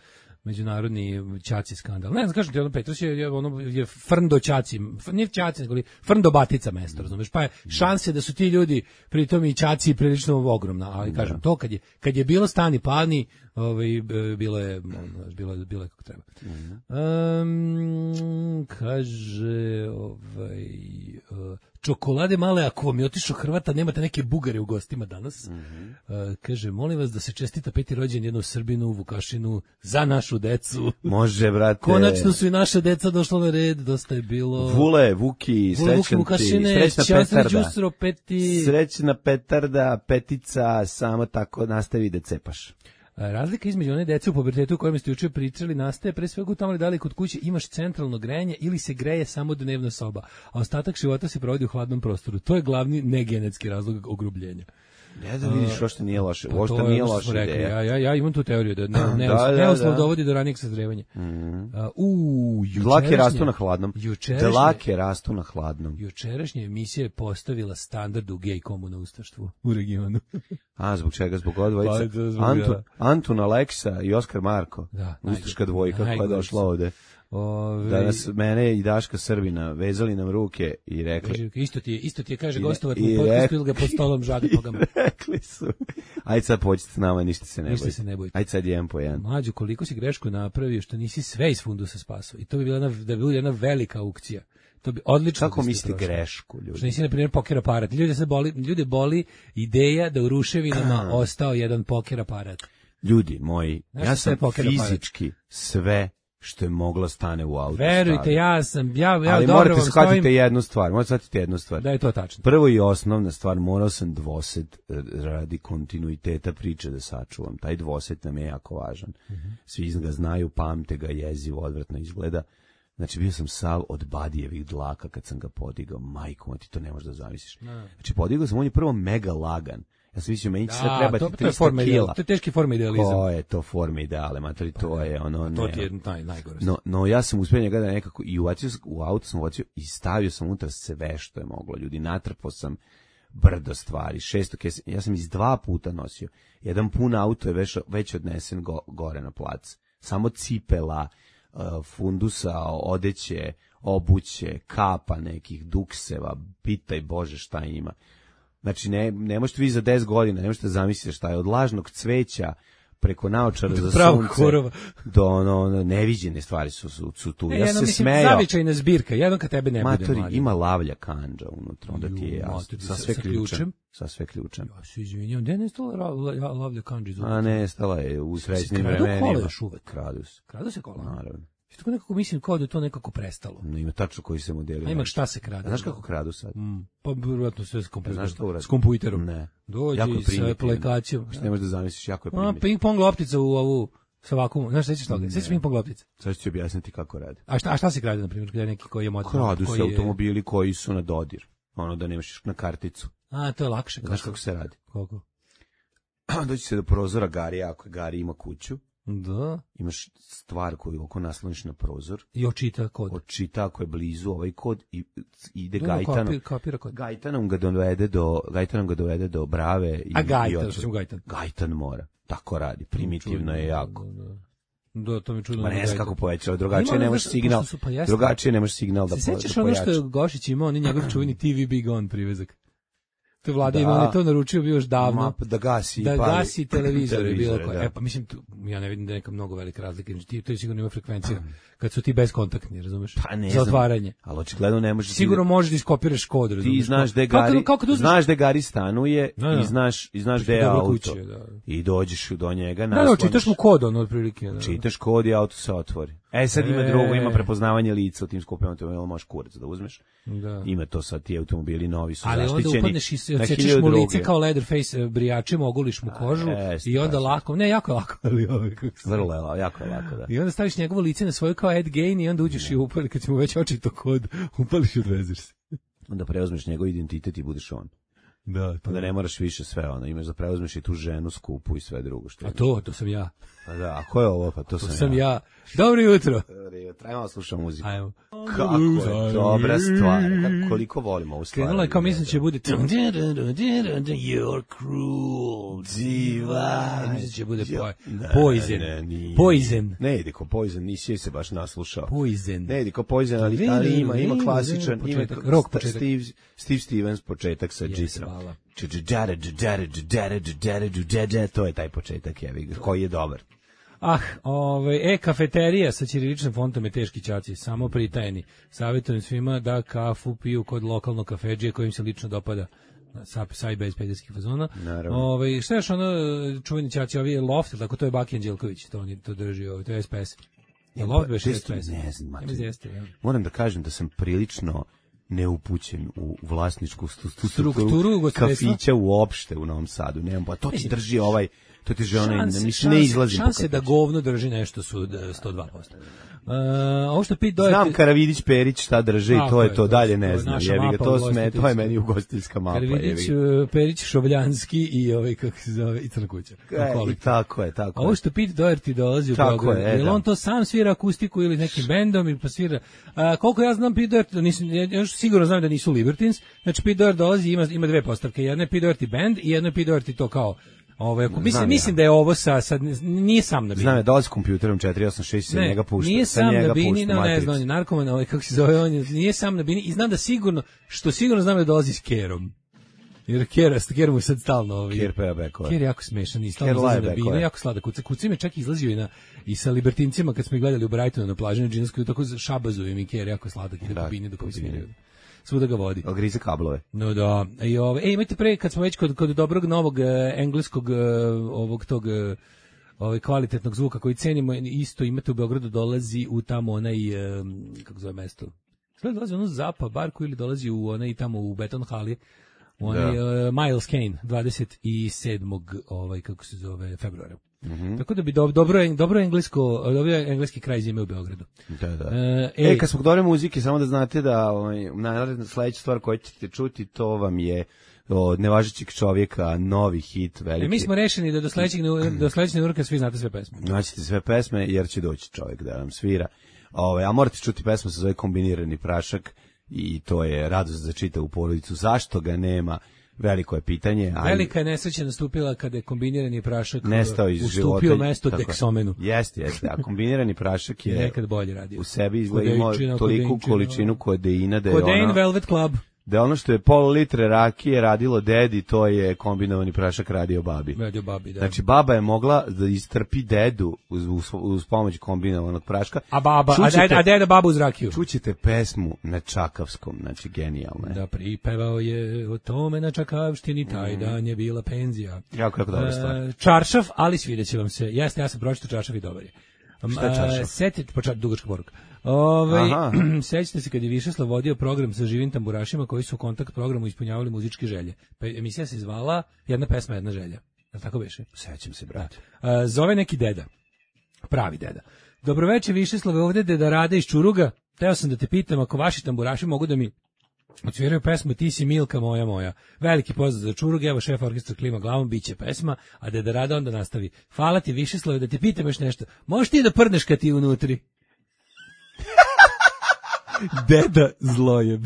međunarodni ćaci skandal. Ne znam, kažem ti, ono, Petrus je, ono, je frndo ćaci, nije ćaci, nego li frndo batica mesto, razumeš, pa je šanse da su ti ljudi, pritom i ćaci prilično ogromna, ali kažem, to kad je, kad je bilo stani pani, ovaj, bilo je, bilo je, bilo je kako treba. Um, kaže, ovaj, uh, čokolade male, ako vam je otišao Hrvata, nemate neke Bugare u gostima danas. Mm-hmm. Uh, kaže, molim vas da se čestita peti rođen jednom Srbinu, Vukašinu, za našu decu. Može, brate. Konačno su i naša deca došla na red, dosta je bilo. Vule, Vuki, Vule, Vuki, Vukašine, srećna petarda. Đusro, peti. Srećna petarda, petica, samo tako nastavi da cepaš. Razlika između one dece u pubertetu o kojima ste juče pričali nastaje pre svega u tome da li kod kuće imaš centralno grejanje ili se greje samo dnevna soba, a ostatak života se provodi u hladnom prostoru. To je glavni negenetski razlog ogrubljenja. Ne da vidiš, što nije loše, pa što nije loše ideja. Ja, ja, ja imam tu teoriju da ne, ne, da, neuslov da, dovodi do ranijeg sazrevanja. Mm. Uh, u, dlake rastu na hladnom. Jučerašnje, dlake rastu na hladnom. Jučerašnja emisija je postavila standard u gej komu ustaštvu u regionu. A, zbog čega? Zbog odvojica? Pa, Antun, Antun Aleksa i Oskar Marko. Da, ustaška dvojka koja je došla ovde. Ove... Danas mene i Daška Srbina vezali nam ruke i rekli... Isto ti je, isto ti je kaže gostovat u podcastu ili ga pod stolom žaga nogama. Rekli su, ajde sad pođite s nama, ništa se ne ništa bojite. Se ne bojite. Ajde sad jedan po jedan. Mlađo, koliko si grešku napravio što nisi sve iz fundusa spasao. I to bi bila jedna, da bi bila jedna velika aukcija. To bi odlično. Kako mislite grešku, ljudi? Što nisi, na primjer, poker aparat. Ljude se boli, ljude boli ideja da u ruševinama ostao jedan poker aparat. Ljudi moji, znaš, ja sam fizički aparat. Sve što je moglo stane u auto. Verujte, stavio. ja sam, ja, ja ali dobro morate vam shvatiti stojim... jednu stvar, morate shvatiti jednu stvar. Da je to tačno. Prvo i osnovna stvar, morao sam dvoset radi kontinuiteta priče da sačuvam. Taj dvoset nam je jako važan. Mm-hmm. Svi ga znaju, pamte ga, jezivo, odvratno izgleda. Znači, bio sam sav od Badijevih dlaka kad sam ga podigao. Majko, ti to ne možeš da zamisliš. No. Znači, podigao sam, on je prvo mega lagan. Ja sam mislio, meni sve treba ti trista kila. To je teški forma idealizam. To je to forma ideale, matori, to je ono... Ne, to ti je naj, najgore. No, no, ja sam uspio njega da nekako, i uvacio, u auto sam uvacio i stavio sam unutra sve što je moglo. Ljudi, natrpao sam brdo stvari, šesto kesa, ja sam iz dva puta nosio. Jedan pun auto je već, već odnesen go, gore na plac. Samo cipela, uh, fundusa, odeće, obuće, kapa nekih, dukseva, pitaj Bože šta ima. Znači, ne, ne možete vi za deset godina, ne možete zamisliti šta je od lažnog cveća preko naočara za sunce horova. Do ono, ono, neviđene stvari su, su, su tu. E, ja jedno, se mislim, smejao. Zavičajna zbirka, jedno kad tebe ne Matori, bude mlađe. Ima lavlja kanđa unutra, onda ti je jasno. Sa sve sa ključem. sa sve ključem. Ja se izvinjam, gde je nestala Love the Country? A nestala je u srećnim Kradu vremenima. kola još uvek. Kradu se. Kradu se kola? Naravno. I tako nekako mislim kao da je to nekako prestalo. No, ima tačno koji se modeli. A ima šta se krade. Znaš kako kradu sad? Mm, pa vjerojatno sve s kompjuterom. Znaš to s kompjuterom. Ne. Dođe jako je i sa primitivno. aplikacijom. Što ne možeš da zamisliš, jako je A, primitivno. ping-pong loptica u ovu sa vakuumom. Znaš, sećaš toga? Sećaš ping-pong loptica? Sad ću ti objasniti kako radi. A šta, a šta se krade, na primjer, kada je neki koji je model? Kradu koji se je... automobili koji su na dodir. Ono da nemaš na karticu. A, to je lakše. Znaš kako se radi? Kako? Doći se do prozora Garija, ako Gari ima kuću. Da. Imaš stvar koju oko nasloniš na prozor. I očita kod. Očita ako je blizu ovaj kod i ide Da, Gajtanom. kapira, kapira kod. Gajtanom ga dovede do Gajtanom ga dovede do Brave i A Gajtan, i otvori. što sam Gajtan. Gajtan mora. Tako radi, primitivno je jako. Da, da. Da, to mi čudno. Ma ne znam Gajtan. kako povećava, drugačije nemaš znaš, signal. pošto su, pa jeste. Drugačije nemaš signal da Se po, sećaš da ono što pojača. je Gošić imao, on je njegov čuveni T V Big On privezak. To je vlada Da. imao, on je to naručio bio još davno. Ma, da gasi, da pali. gasi televizor je bilo Televizore, koje. da. E pa mislim, tu, ja ne vidim da je neka mnogo velika razlika. Ti, to je sigurno ima frekvencija kad su ti bezkontaktni, razumeš? Pa ne Za znam. otvaranje. Ali očigledno ne možeš. Sigurno možeš da iskopiraš kod, razumeš? Ti znaš gde Kako- Gari, kako da uzmeš- znaš gde Gari stanuje Da, da. i znaš i znaš gde je Dobro auto. kuće, da. I dođeš do njega, Da, da, nasloniš. čitaš mu kod, ono, otprilike. Da. Čitaš kod i auto se otvori. E sad ima E. drugo, ima prepoznavanje lica u tim skupim automobilima, možeš kurac da uzmeš. Da. Ima to sad, ti automobili novi su Ali onda zaštićeni. upadneš i se- na odsečeš hiljadu mu lice druge. kao Leatherface e, brijačem, ogoliš mu kožu jeste, i onda baš. lako, ne, jako je lako, ali ovo, kako se- Vrlo je, la- jako je lako, da. I onda staviš njegovo lice na svoju kao Ed Gein i onda uđeš i upali, kad si mu već očito kod, upališ i odvezeš se. Onda preuzmeš njegov identitet i budeš on. Da, Pa da ne moraš više sve ono, imaš da preuzmeš i tu ženu skupu i sve drugo što A imaš. to, to sam ja. Pa da, a ko je ovo? Pa to, To sam, sam ja. Dobro jutro. ja. Trajmo da slušam muziku. Ajmo. Kako je dobra stvar. Kako, koliko volimo ovu stvar. Krenulo je kao mislim će bude You're cruel diva. Mislim će bude poj- Poison. Ne, nije. Poison. Ne ide ko Poison, nisi se baš naslušao. Poison. Ne ide ko Poison, ali, ali ima, ima klasičan, Početak, ima rock početak. Steve, Steve Stevens početak sa Jeste, Jisrom. hvala. To je taj početak, jevi, koji je dobar. Ah, ovaj, e, kafeterija sa ćiriličnim fontom je teški ćaci, samo pritajeni. Savjetujem svima da kafu piju kod lokalnog kafedžije kojim se lično dopada. Sa, sa i bez pedesetih fazona. Naravno. Ovaj, šta je još ono čuveni ćaci, ovi je Loft, tako to je Baki Anđelković, to, on, to drži, ovaj, to je S P S. Je Loft beš Gde S su- P S? ne znam, Ja Mati. mislim jeste, ja. Moram da kažem da sam prilično neupućen u vlasničku stu- stu- Strukturu ugostiteljstva? kafića uopšte u Novom Sadu. Nemam, pa to ti Mislim, drži ovaj, to ti drži onaj, Šanse, mislim, ne šanse- izlazim po šanse da kafiću. govno drži nešto su da, sto dva posto. Uh, ovo što Pete Doherty... Znam Karavidić Perić šta drže i Tako to je je, to, to dalje je- to ne je znam. naša Jebi ga, mapa to sme, to je ugostiteljska. meni ugostiteljska mapa. Karvidić, jebi ga. uh, Perić, Šovljanski i ovaj, kako se zove, i Crna kuća. E, i tako je, tako je. Ovo što Pete Doherty dolazi u Tako Beograd, je, e, je li da. on to sam svira akustiku ili nekim bendom ili pa svira? A, koliko ja znam Pete Doherty, nisam, ja još sigurno znam da nisu Libertines, znači Pete Doherty dolazi i ima, ima dve postavke, jedna je Pete Doherty band i jedna je Pete Doherty to kao, ovaj, ako- mislim, Znam ja. mislim da je ovo sa, sad, nije sam na bini. Znam je, dolazi s kompjuterom četiri osam šest se Ne, njega pušta. nije sa sam njega na bini, pušta no, ne Matrix. znam, on je narkoman, ovaj, kako se zove, on je, nije sam na bini i znam da sigurno, što sigurno znam da dolazi s Kerom. Jer Kera, Ker mu sad stalno ovaj. Ker peva bekove. Ker je jako smešan i Ker stalno izlazi laje na binu, bekove. jako sladak. Kuca, kuca mi čak izlazio i, na, i sa libertincima kad smo ih gledali u Brightonu na plaži na Džinskoj, tako šabazujem i Ker jako sladak ide Da, po bini dok po mi bini. sviraju. Svuda ga vodi. Ali grize kablove. No da, i ove, ej, imajte pre, kad smo već kod, kod dobrog novog e, engleskog e, ovog tog e, ovaj kvalitetnog zvuka koji cenimo, isto imate u Beogradu, dolazi u tamo onaj, e, kako zove mesto, sve dolazi u ono Zapa barku ili dolazi u onaj tamo u Beton Hali, u onaj e, Miles Kane, dvadeset sedmog ovaj, kako se zove, februara. Mhm. Tako da bi do, dobro, dobro englesko, dobro engleski kraj zime u Beogradu. Da, da. E, E, ej, kad smo kod dobre muzike, samo da znate da ovaj, naravno sledeća stvar koju ćete čuti, to vam je od nevažećeg čovjeka novi hit, veliki. e, mi smo rešeni da do sledećeg do sledećeg urka svi znate sve pesme. Naćete sve pesme, jer će doći čovjek da nam svira. Ove, a morate čuti pesmu sa zove Kombinirani prašak i to je radost za čitavu porodicu. Zašto ga nema? Veliko je pitanje. Ali Velika je nesreća nastupila kada je kombinirani prašak nestao iz života. ustupio mesto Tako je. Deksomenu. Jeste, jeste. A kombinirani prašak je Nekad bolje radio. u sebi izgleda imao Kodeinčina, toliku kodeinčina. količinu kodeina da je Codeine ono... Velvet Club. da ono što je pola litre rakije radilo dedi, to je kombinovani prašak radio babi. Radio babi, da. Znači, baba je mogla da istrpi dedu uz, uz, uz pomoć kombinovanog praška. A baba, Čućete, a, deda, a deda babu uz rakiju. Čućete pesmu na čakavskom, znači genijalno je. Da, pripevao je o tome na čakavštini, taj Mm. dan je bila penzija. Jako, jako dobra stvar. E, čaršaf, ali svidjet će vam se. Jeste, ja sam pročitao čaršaf i dobar je. Šta je čaršaf? Setite, počet, dugačka poruka. Ovaj Aha. sećate se kad je Višeslav vodio program sa živim tamburašima koji su u kontakt programu ispunjavali muzičke želje. Pa emisija se zvala Jedna pesma, jedna želja. Jel tako beše? Sećam se, brate. A, zove neki deda. Pravi deda. Dobroveče Višeslave, ovde deda Rade iz Čuruga. Teo sam da te pitam ako vaši tamburaši mogu da mi odsviraju pesmu Ti si Milka moja moja. Veliki pozdrav za Čurug, evo šef orkestra klima glavom, biće pesma, a deda Rada onda nastavi. Hvala ti Višeslave, da te pitam još nešto. Možeš ti da prdneš kad ti unutri? Deda zlojeb.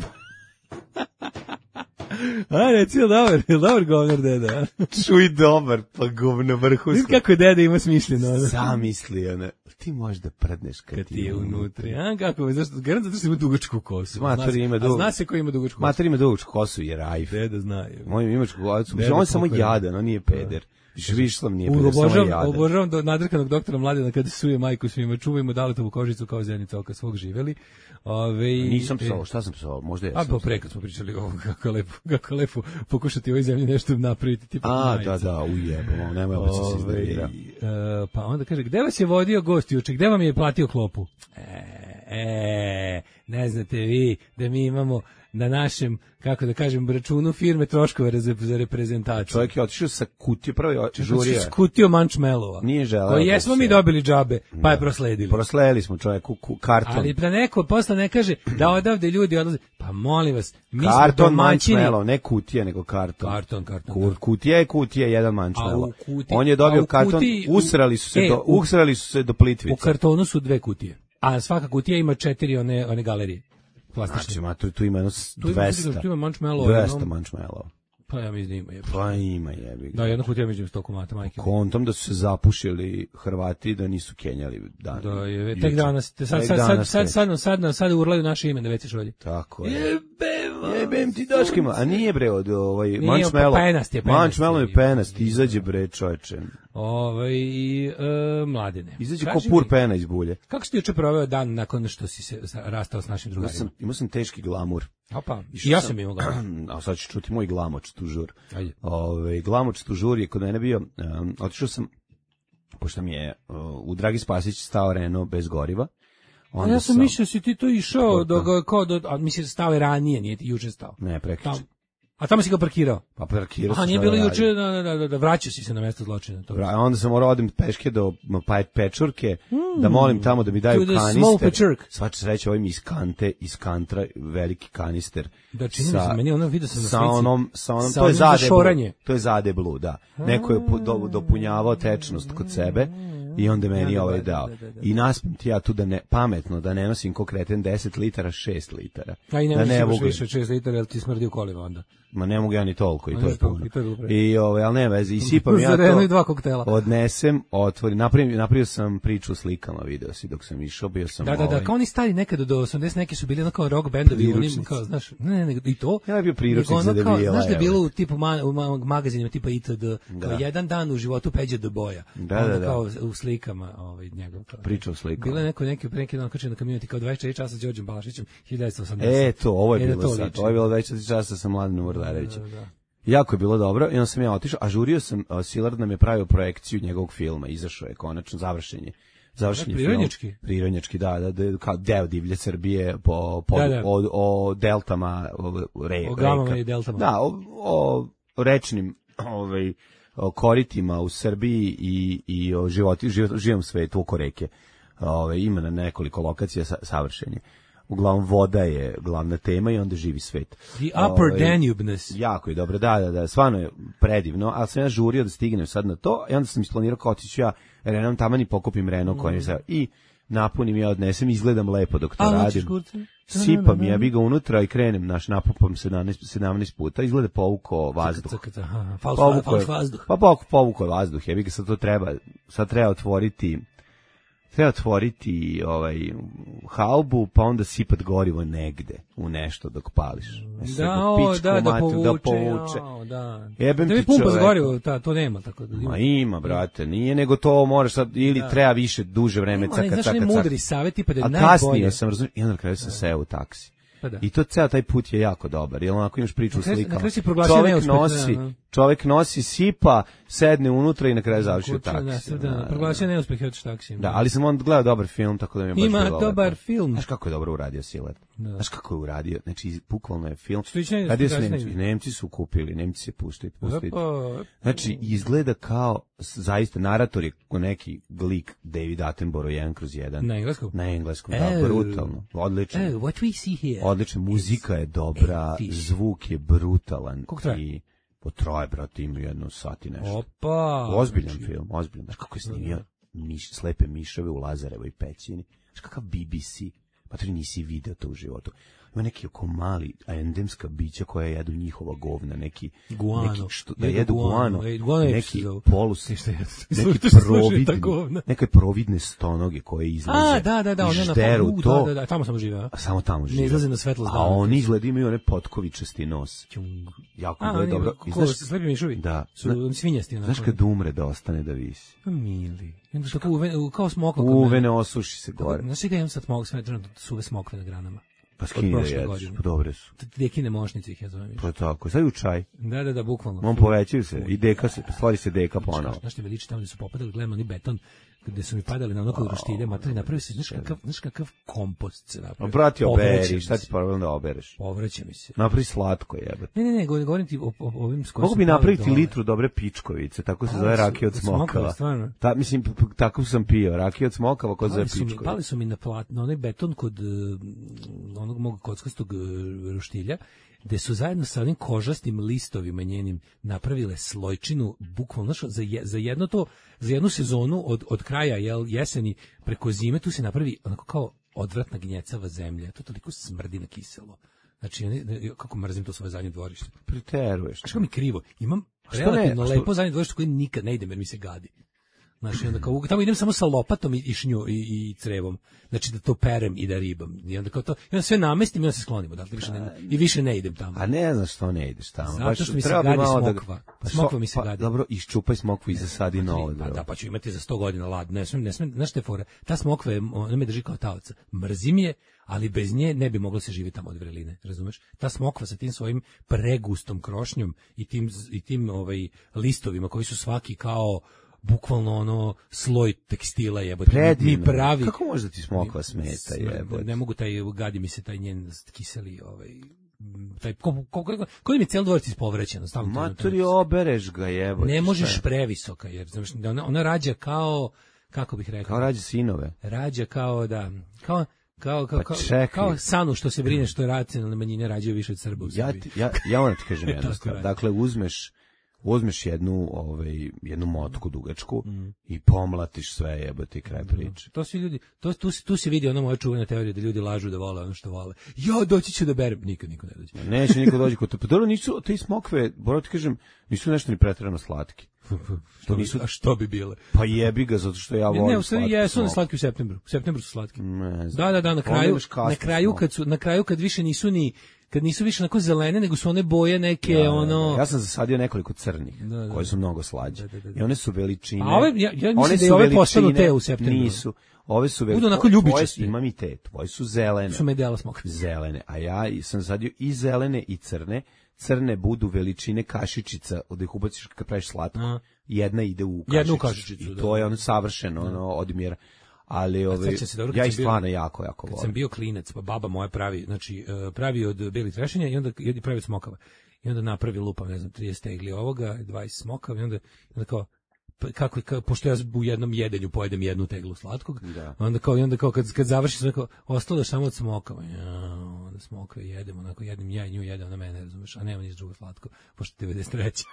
A, reci, je dobar, je dobar govnar deda. Čuj dobar, pa govno vrhunsko. Vidim kako deda ima smišljeno. Zamisli, ona, ti možeš da prdneš kad, Kad ti je unutri. A, kako je, zašto? Garant zato što ima dugačku kosu. Mater ima A dug- zna se ko ima dugačku kosu. Mater ima dugačku kosu i rajf. Deda zna. je. Moj imačku kosu. Deda On je samo pokojni. jadan, on nije peder. Višlav nije U, peder, samo je obožavam, jadan. obožavam do nadrkanog doktora Mladena kada suje majku svima, čuvajmo Daletovu kožicu kao zenica oka svog živeli. Ove, Nisam e, psao, šta sam psao? Možda A jesam. pa pre kad smo pričali o kako lepo, kako lepo pokušati u ovoj zemlji nešto napraviti tipa A, majica. da, da, ujebamo, nemoj opet se Ove, iznervira. e, pa onda kaže, gde vas je vodio gost juče, gde vam je platio klopu? E, e, ne znate vi da mi imamo na našem, kako da kažem, računu firme troškove za, za reprezentaciju. Čovjek je otišao sa kutije, prvo je žurio. Skutio mančmelova. Nije želeo Koji da jesmo se- mi dobili džabe, pa je Da. prosledili. Prosledili smo čovjeku ku, karton. Ali da neko posle ne kaže da odavde ljudi odlaze. Pa molim vas, mi Karton smo domaćini. mančmelo, ne kutije, nego karton. Karton, karton. Ku- Kutija je kutija, jedan mančmelo. A u kuti- On je a dobio u karton, kutiji- u- usrali su se, e, do, u- usrali su se do Plitvice. U kartonu su dve kutije. A svaka kutija ima četiri one, one galerije. Plastične. Znači, ma, tu, tu ima jedno s- Tu ima- dvesta. tu ima mančmelo, dvesta jedno- mančmelova. Pa ja mislim da ima. Je. Pa ima jebi. Da, jedna kutija među sto komata, majke. Kontom da su se zapušili Hrvati, da nisu kenjali dan. Da, je, juče. tek danas, te sad, Tek sad, sad, danas sad, tek. sad, sad, sad, sad urlaju naše ime da već šolji. Tako je. Jebem, Jebem ti daškima, a nije bre od ovaj Nije, mančmelo. pa penast je, penast Mančmelo je. je penast, izađe bre čoveče. Ove, i, e, mladene. Izađe ko Kaži pur mi, pena iz bulje. Kako si ti juče proveo dan nakon što si se sa- rastao s našim Imao drugarima? sam, imao sam teški glamur. Opa, Išao ja sam- sam imao ga. A sad ću čuti moj glamoč tužur. Ajde. Ove, glamoč tužur je kod mene bio, um, otišao sam, pošto mi je uh, u Dragi Spasić stao Renault bez goriva. A Onda ja sam mislio si ti to išao, Kako? do, ga- kao do, a mislim stao je ranije, nije ti juče stao. Ne, prekriče. Tam, a tamo si ga parkirao. Pa parkirao A sam nije šta bilo da juče, radim. da, da, da, da, vraćao si se na mesto zločina. To. Ra- Onda sam morao odem peške do pa- pečurke, da molim tamo da mi daju To the small kanister. pečurk. Svača sreća, ovim iz kante, iz kantra, veliki kanister. Da, čini mi se, meni ono vidio sam na sa slici. onom, sa onom, Sa to je onim za zadeblu, šoranje. to je zadeblu, da. Neko je pu- do, dopunjavao tečnost kod sebe i onda je meni Da, da, ovaj da, dao. da, da, da. I naspim ti ja tu da ne, pametno, da ne nosim ko kreten deset litara, šest litara. A i ne da možeš mogu- više od šest litara, jer ti smrdi u kolima onda. Ma ne mogu ja ni toliko i Ma to ne je toliko, puno. i to je bilo pre. I ovaj, ali ne veze, i sipam ja Za Renault to. i dva koktela. Odnesem, otvorim, napravim, napravio sam priču o slikama, video si dok sam išao, bio sam Da, da, ovaj, da, kao oni stari nekada do osamdeset neki su bili ono kao rock bendovi, onim Priručnici. kao, znaš, ne, ne, ne, i to. Ja je bio priručnik nego ono za kao, debila, znaš da je evo. bilo u tipu ma, u ma- magazinima tipa I T D, kao jedan dan u životu Peđe do boja. Da, Onda da, da. kao u slikama, ovaj njegov. Kao, Priča o slikama. Bilo je neko neki pre neki dan kačio na community kao dvadeset četiri časa s Đorđem Balašićem hiljadu devetsto osamdeset. E, to, ovo je E, da bilo to sad. liči. Ovo je bilo dvadeset četiri časa sa Mladenom Urdarevićem. Da, da. Jako je bilo dobro i onda sam ja otišao, a žurio sam, a, Silard nam je pravio projekciju njegovog filma, izašao je konačno završenje. Završenje Da, prirodnjački? film. Prirodnjački, da, da, da, kao deo divlje Srbije po, po Da, da. O, o deltama, o, re, O gamama reka. i deltama. Da, o, o rečnim ovaj, o koritima u Srbiji i, i o životi, živ, živom svetu oko reke. Ove, ima na nekoliko lokacija sa, savršenje. Uglavnom voda je glavna tema i onda živi svet. The upper Ovaj, Danube-ness. Jako je dobro, da, da, da, stvarno je predivno, ali sam ja žurio da stignem sad na to i onda sam isplanirao kao otiću ja Renom taman i pokupim Renault Mm. koji je sad i napunim ja odnesem, izgledam lepo dok to A, radim. hoćeš kurce? Sipam ja bi ga unutra i krenem, naš napupam sedamnaest, sedamnaest puta, izgleda povuko vazduh. Caka, caka, aha, fals, Povukao fals je- vazduh. Pa povuko, povuko je vazduh, ja bi ga sad to treba, sad treba otvoriti treba otvoriti ovaj, haubu, pa onda sipat gorivo negde u nešto dok pališ. Da, o, da, da povuče. Da povuče. O, da. Jebem da ti mi pumpa čoveka. za gorivo, ta, to nema. Tako da ima. Ma ima, brate, nije, nego to moraš sad, ili Da. treba više, duže vreme, Ima, caka, znaš, caka, ne caka. mudri savjet, tipa da je A najbolje. kasnije sam razumio, i onda na kraju sam seo u taksi. Pa da. I to ceo taj put je jako dobar, jer onako imaš priču Na u kraju- na slikama. kraju si proglasio Čovek neuspeh, nosi, da, da. čovek nosi, sipa, sedne unutra i na kraju završi u Kuća, da, taksi. da, da, proglasio neuspeh od taksijem. Da, ali sam onda gledao dobar film, tako da mi je baš Ima bilo dobar lepo. film. Znaš kako je dobro uradio Siler? Da. Znaš kako je uradio? Znači, bukvalno je film. Slično je- Radio su slično je- Nemci, Nemci su kupili, Nemci se puštaju, puštaju. Opa, Znači, izgleda kao, s- zaista, narator je ko neki lik David Attenborough jedan kroz jedan. Na engleskom? Na engleskom, da, Oh. brutalno. Odlično. Oh, what we see here. Odlično, muzika je dobra, fish. zvuk je brutalan. Koliko traje? I potraje, brate, ima jednu sat i nešto. Opa. Ozbiljan Znači, film, ozbiljan. Znaš kako je snimio miš, slepe miševe u Lazarevoj pećini? Znaš kakav B B C? Pa to nisi video to u životu. Ima neki oko mali endemska bića koja jedu njihova govna, neki... Guano. Neki što, da Jedu jedu guano. guano, E, guano je neki se zove. polus, Ti šta jedu? neki Što se slušaju ta providni, govna? neke providne stonoge koje izlaze A, da, da, da, i one na žderu u, to, da, da, da, tamo sam živeo. a samo tamo žive. Ne izlaze na svetlost A dana. oni izgleda imaju one potkovičasti nos. Ćung. Jako A, je oni, dobro. I ko, znaš- slepi mišovi? Da. Su Zna- oni svinjasti. onako. Znaš kad umre da ostane da visi? Pa mili. I onda tako uve, u- kao smokva. kod mene. Uve ne osuši se gore. Znaš da imam sad smok, sve trenutno suve smokve na granama. Pa od skini da prošle jedeš, godine. pa dobre su. Dekine mošnice ih ja zovem. Pa tako, sad u čaj. Da, da, da, bukvalno. On povećaju se i deka se, stvori se deka ponovo. Znaš što me liči tamo gde su popadali, gledam oni beton, gde su mi padali na ono kod roštilja, materi, napravi se, znaš kakav, znaš kakav kompost se A napravi. brati, Povraća oberi, mi šta se. ti problem da obereš? Povraća mi se. Napravi slatko jebate. Ne, ne, ne, govorim, govorim ti o, o, o ovim s kojim Mogu su bi pali napraviti dole. litru dobre pičkovice, tako se Pali zove su- rakija od od smokava, smokava. stvarno? Ta, mislim, p- p- tako sam pio, rakija od smokava ko zove Pali su, mi, pičkovice. pali su mi na plat, na onaj beton kod uh, onog mog kockastog uh, roštilja, gde su zajedno sa onim kožastim listovima njenim napravile slojčinu, bukvalno, znaš, za, je, za jedno to, za jednu sezonu od, od kraja jel, jeseni preko zime, tu se napravi onako kao odvratna gnjecava zemlja, to toliko smrdi na kiselo. Znači, oni- kako mrzim to svoje zadnje dvorište. Priteruješ. Znaš kako mi krivo, imam A što ne? relativno A što- lepo zadnje dvorište koje nikad ne idem jer mi se gadi. Znači, onda kao, tamo idem samo sa lopatom i, i šnju i, i crevom. Znači, da to perem i da ribam. I onda kao to, i onda sve namestim i onda se sklonimo. Dakle, više ne, i više ne idem tamo. A ne znaš što ne ideš tamo. Zato Baš što mi se treba bi gadi malo da- smokva. Pa Smokva što- mi se pa gadi. Dobro, iščupaj smokvu i zasadi novo Pa drvo. da, pa ću imati za sto godina lad. Ne smem, ne smem, znaš te fore, ta smokva je, ona me drži kao taoca. Mrzim je, ali bez nje ne bi moglo se živjeti tamo od vreline, razumeš? Ta smokva sa tim svojim pregustom krošnjom i tim, i tim ovaj, listovima koji su svaki kao bukvalno ono sloj tekstila jebote. Predivno. Mi pravi. Kako može da ti smokva smeta, Smr- jebote? Ne mogu taj, gadi mi se taj njen kiseli, ovaj, taj, ko, ko, ko, koji mi je cijel dvorac ispovrećeno. stalno to- Matori, obereš ga, jebote. Ne možeš šta je? previsoka, jer znaš, da ona, ona rađa kao, kako bih rekao, Kao rađe sinove. rađa kao da, kao, kao, kao, Pa kao, čekaj. kao Sanu što se brine što je racionalne manjine rađaju više od Srba u Ja, Srbiji. ti, ja, ja moram ti kažem jednu Tako stvar. radi. Dakle, uzmeš uzmeš jednu, ovaj, jednu motku dugačku i pomlatiš sve, jebote, i kraj priče. To svi ljudi, to, tu, se- tu se vidi ona moja čuvena teorija da ljudi lažu da vole ono što vole. Ja, doći ću da berem. Nikad niko ne dođe. Neće niko dođi kod te. Pa dobro, nisu, te smokve, moram ti kažem, nisu nešto ni pretjerano slatki. Što nisu- bi, a što bi bile? Pa jebi ga, zato što ja volim Ne, u stvari slatke jesu one smokve. slatki u septembru. U septembru su slatki. Ne znam. Da, da, da, na Onda kraju, imaš kasne na kraju smokve. kad su, na kraju kad više nisu ni, kad nisu više onako zelene, nego su one boje neke, Da, da, da. ono... Ja sam zasadio nekoliko crnih, Da, da, koje su da. mnogo slađe. Da, da, da, da. I one su veličine. A ove, ja, ja mislim one da su i ove postanu veličine- te u septembru. Nisu. Ove su Budu velike. onako ljubičaste. Tvoje, imam i te, tvoje su zelene. Su medela smokve. Zelene, a ja i- sam sadio i zelene i crne. Crne budu veličine kašičica, od ih ubaciš kad praviš slatko. A. Jedna ide u kašičicu. Jedna u kašičicu, I da. to je ono savršeno, ono, odmjera. Ali ove, sećam se dobro kad ja sam ih bio- stvarno jako, jako Kad volim. sam bio klinac, pa baba moja pravi, znači e, pravi od belih trešenja i onda i pravi od smokava. I onda napravi lupa, ne znam, trideset tegli ovoga, dvadeset smokava i onda, onda kao pa kako, kako pošto ja u jednom jedenju pojedem jednu teglu slatkog, Da. onda kao i onda kao kad kad završi sve kao ostalo je samo od smokava. Ja, onda smokve jedemo, onako jedem ja i nju jedem na mene, razumeš, a nema ništa drugo slatko, pošto devedeset treća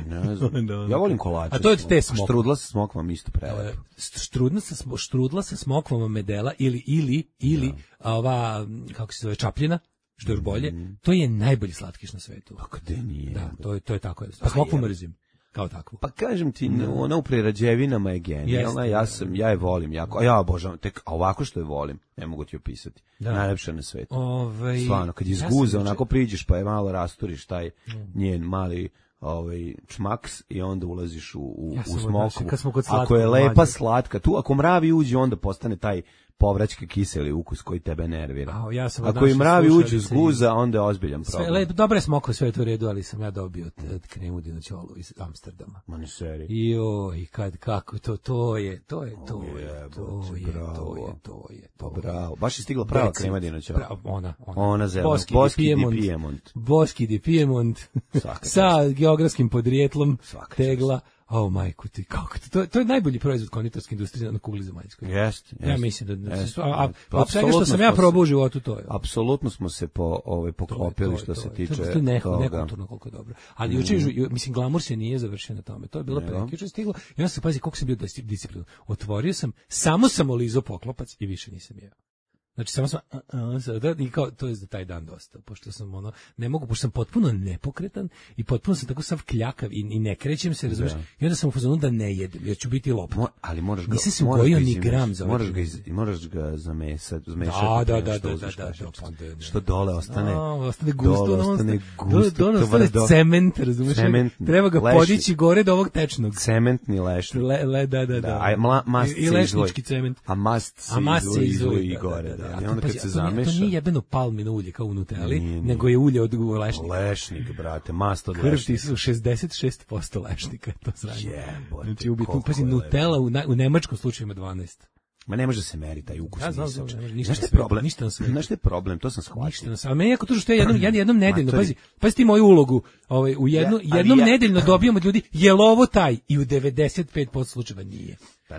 Ne znam. Da, Ja volim kolače. A to je od te A smokve. Štrudla sa smokvom isto E, prelepo. štrudla sa smo- štrudla sa smokvama medela ili ili ili a ova m, kako se zove čapljina, što je još bolje, to je najbolji slatkiš na svetu. Pa gde nije? Da, to je to je tako. A smokvu je. mrzim. kao takvu. Pa kažem ti, ona u prerađevinama je genijalna, ja sam, ja je volim jako, a ja obožavam, tek, a ovako što je volim, ne mogu ti opisati, da. Najlepša na svetu. Ovaj, stvarno, kad izguze, ja onako priđeš pa je malo rasturiš taj njen mali ovaj čmaks i onda ulaziš u, u, ja u smoku. Slatko, ako je lepa manje. Slatka, tu ako mravi uđe, onda postane taj povraćki kiseli ukus koji tebe nervira. A, ja sam ako i mravi uđe iz guza, onda je ozbiljan problem. Sve, lep, dobre smokve, sve je to u redu, ali sam ja dobio od kremu dinoćolu iz Amsterdama. Ma ne seri. I oj, kad, kako, to, to je, to je, to je, je, to je, to je, to je, to je. Bravo, baš je stigla prava krema dinoćola. Ona, ona. Ona zelena, Boski, Boski di Piemont. Piemont. Boski di Piemont. Sa geografskim podrijetlom tegla. O, majku ti, kako ti, to, to je najbolji proizvod konditorske industrije na kugli zemaljskoj. Jeste, ja mislim da, jest. a, a od svega što sam ja probao u životu, to je. Apsolutno smo se po, ovaj, poklopili što se tiče toga. To je neko, nekulturno koliko je dobro. Ali juče, mm. mislim, glamur se nije završio na tome. To je bilo pre, juče stiglo, i onda se pazi koliko sam bio disciplinu. Otvorio sam, samo sam olizao poklopac i više nisam jeo. Znači samo sam a, a, da, i kao to je za taj dan dosta, pošto sam ono ne mogu, pošto sam potpuno nepokretan i potpuno sam tako sav kljakav i, i ne krećem se, razumiješ? I onda sam u fazonu da ne jedem, jer ću biti lopta. Mo, ali moraš ga, nisam se ugojio ni gram za moraš ga, iz, moraš ga zamesati, zmešati. Da, da, da, da, da, da, da, što dole ostane, a, ostane gusto, dole ostane gusto, dole ostane cement, razumiješ? Treba ga podići gore do ovog tečnog. Cementni lešnik. Le, le, da, da, da. A mast i lešnički cement. A mast se izvoji i gore, da. I onda kad se zameša. To nije jebeno palmino ulje kao u Nutelli, nego je ulje od lešnika. Lešnik, brate, mast od lešnika. Krv ti su šezdeset šest posto lešnika, to znači. Jebote, znači, ubitno, pazi, Nutella u, na, u nemačkom slučaju ima dvanaest. Ma ne može da se meri taj ukus. Ja znam, znam, ništa je problem. Ništa na svetu. Znaš šta je problem, to sam shvatio. Ništa na svetu. A meni jako to što ja jednom, jednom nedeljno, pazi, pazi ti moju ulogu, ovaj, u jednu, ja, jednom ja, nedeljno dobijam od ljudi, je li ovo taj? I u devedeset pet posto slučajeva nije. Pa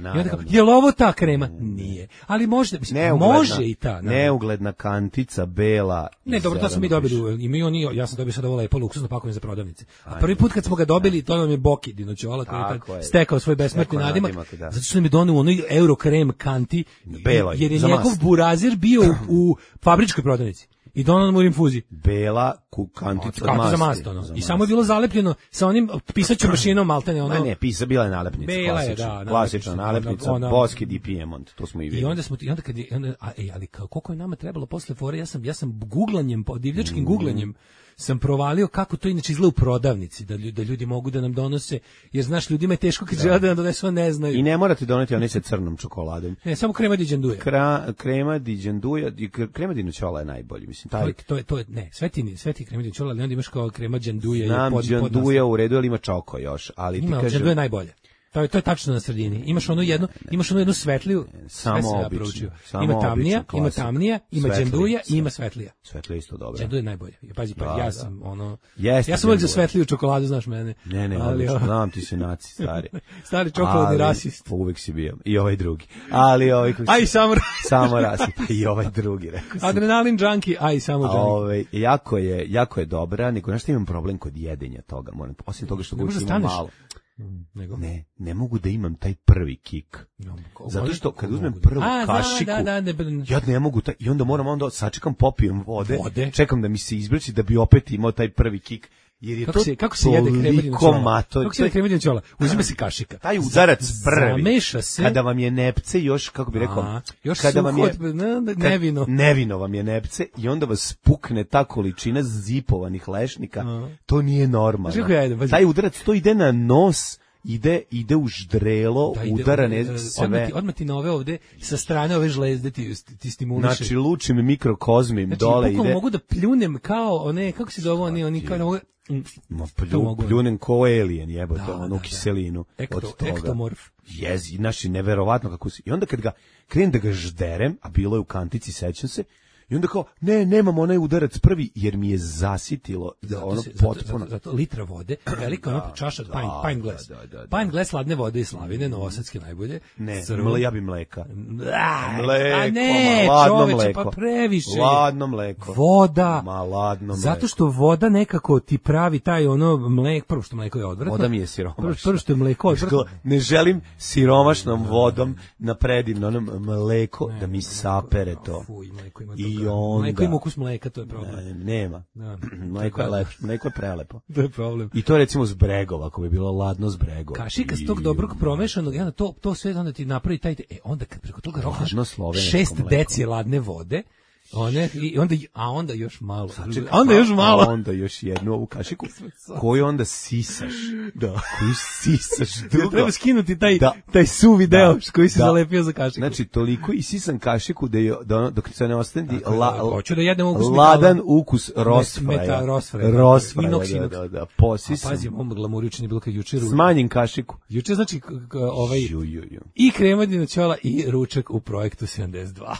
je li ovo ta krema? Nije. Ali može, mislim, neugledna, može i ta. Naravno. Neugledna kantica, bela. Ne, dobro, to smo mi dobili. I mi oni, ja sam dobio sad ovo lepo luksuzno pakovanje za prodavnice. A prvi put kad smo ga dobili, to nam je Boki dinoćola koji je tak stekao svoj besmrtni nadimak. Da. Zato što nam je doneo onaj euro krem kanti, Beloj, jer je njegov burazir bio u, u fabričkoj prodavnici. I donao mu u infuzi. Bela kukantica od masti. Za mast, ono. I samo je bilo zalepljeno sa onim pisaćom mašinom maltene. Ono. Ne, ne, pisa, bila je nalepnica. Bela je, da. Klasična nalepnica, ona, Boski di Piemont, to smo i vidjeli. I onda smo, i onda kad je, onda, a, ej, ali koliko je nama trebalo posle fore, ja sam, ja sam guglanjem, divljačkim mm. guglanjem, sam provalio kako to inače izgleda u prodavnici, da ljudi, da ljudi mogu da nam donose, jer znaš, ljudima je teško kad žele da nam donesu, ne znaju. I ne morate doneti one sa crnom čokoladom. Ne, samo krema di đanduja. Kra, krema di đanduja, krema di noćola je najbolji, mislim. Taj... To, je, to je, ne, sve ti, sve ti krema di noćola, ali onda imaš kao krema đanduja. Znam, đanduja u redu, ali ima čoko još. Ali ima, ti kaže... đanduja je najbolje. To je, to je tačno na sredini. Imaš onu jednu, imaš onu jednu svetliju, samo sve obično. Ja ima tamnija, obično, ima tamnija, ima đanduja i ima svetlija. Svetlija isto dobro. Đanduja je najbolje. Pazi, pa da, ja sam da. ono Jeste, ja sam uvijek za svetliju čokoladu, znaš mene. Ne, ne, ali o... znam ti si naci, stari. Stari čokoladni rasist. Uvijek si bio. I ovaj drugi. Ali ovaj kako aj samo samo rasist. I ovaj drugi, rekao sam. Adrenalin junkie, aj samo junkie. Ovaj jako je, jako je dobra, nego nešto imam problem kod jedenja toga, moram. Osim toga što god ima malo. Nego? Ne, ne mogu da imam taj prvi kik. No, zato što kad uzmem prvu A, kašiku, da, da, da, ne, ja ne mogu taj, i onda moram onda sačekam, popijem vode, vode, čekam da mi se izbrči da bi opet imao taj prvi kik. Jer je kako to se, kako se jede krema dinoćola? Kako se jede krema dinoćola? Uzima se kašika. Taj udarac prvi. Zameša se. Kada vam je nepce još, kako bi rekao, a, još kada vam je ne, nevino. Nevino vam je nepce i onda vas pukne ta količina zipovanih lešnika. A. To nije normalno. Ja taj udarac to ide na nos. Ide, ide u ždrelo, da, udara ne sve. Odmah ti, odmah ti nove ovde, sa strane ove žlezde ti, ti stimuliše. Znači, lučim mikrokozmim znači, dole ide. Mogu da pljunem kao, one, kako se zove, oni, oni kao ne mogu... Ma plju, pljunem kao alien, jebote, da, onu da, kiselinu. Ekto, od toga. Ektomorf. Jezi, znači, neverovatno kako si. I onda kad ga, krenem da ga žderem, a bilo je u kantici, sećam se, i onda kao, ne, nemam onaj udarac prvi, jer mi je zasitilo zato ono se, potpuno. Zato, zato litra vode, velika ona čaša, da, pine, pine glass. Da, da, da, pine glass ladne vode iz Slavine, novosadske najbolje. Ne, mle, ja bi mleka. A, mleko, a ne, ma, ladno čoveče, mleko. Pa previše. Ladno mleko. Voda. Ma, ladno mleko. Zato što voda nekako ti pravi taj ono mleko, prvo što mleko je odvratno. Voda mi je siromašna. Prvo što je mleko odvratno. Ne želim siromašnom vodom na predivno onom mleko ne, da mi sapere to. Fuj, mleko ima I I onda. Mleko ima ukus mleka, to je problem. Ne, nema. Da. Mleko je lepo, mleko je prelepo. To je problem. I to recimo s bregova, ako bi bilo ladno s bregova. Kašika s tog dobrog promešanog, onda to, to sve onda ti napravi taj, e, onda kad preko toga rokaš šest deci ladne vode, one, i onda, a onda još malo. Sačekaj, onda još malo. A onda još jednu ovu kašiku, koju onda sisaš. Da. Koju sisaš. Drugo. Treba skinuti taj, da. taj suvi deo da. koji se da. zalepio za kašiku. Znači, toliko isisan kašiku da, je, da ono, dok se ne ostane la, hoću da jedem ukus ladan metala. ukus rosfraja. Rosfraja. Rosfraja, da, da, da. Posisan. A pazi, mom glamurični bilo kad jučer. Smanjen kašiku. Jučer znači ovaj ju, ju, ju. i kremadina ćola i ručak u projektu sedamdeset dva.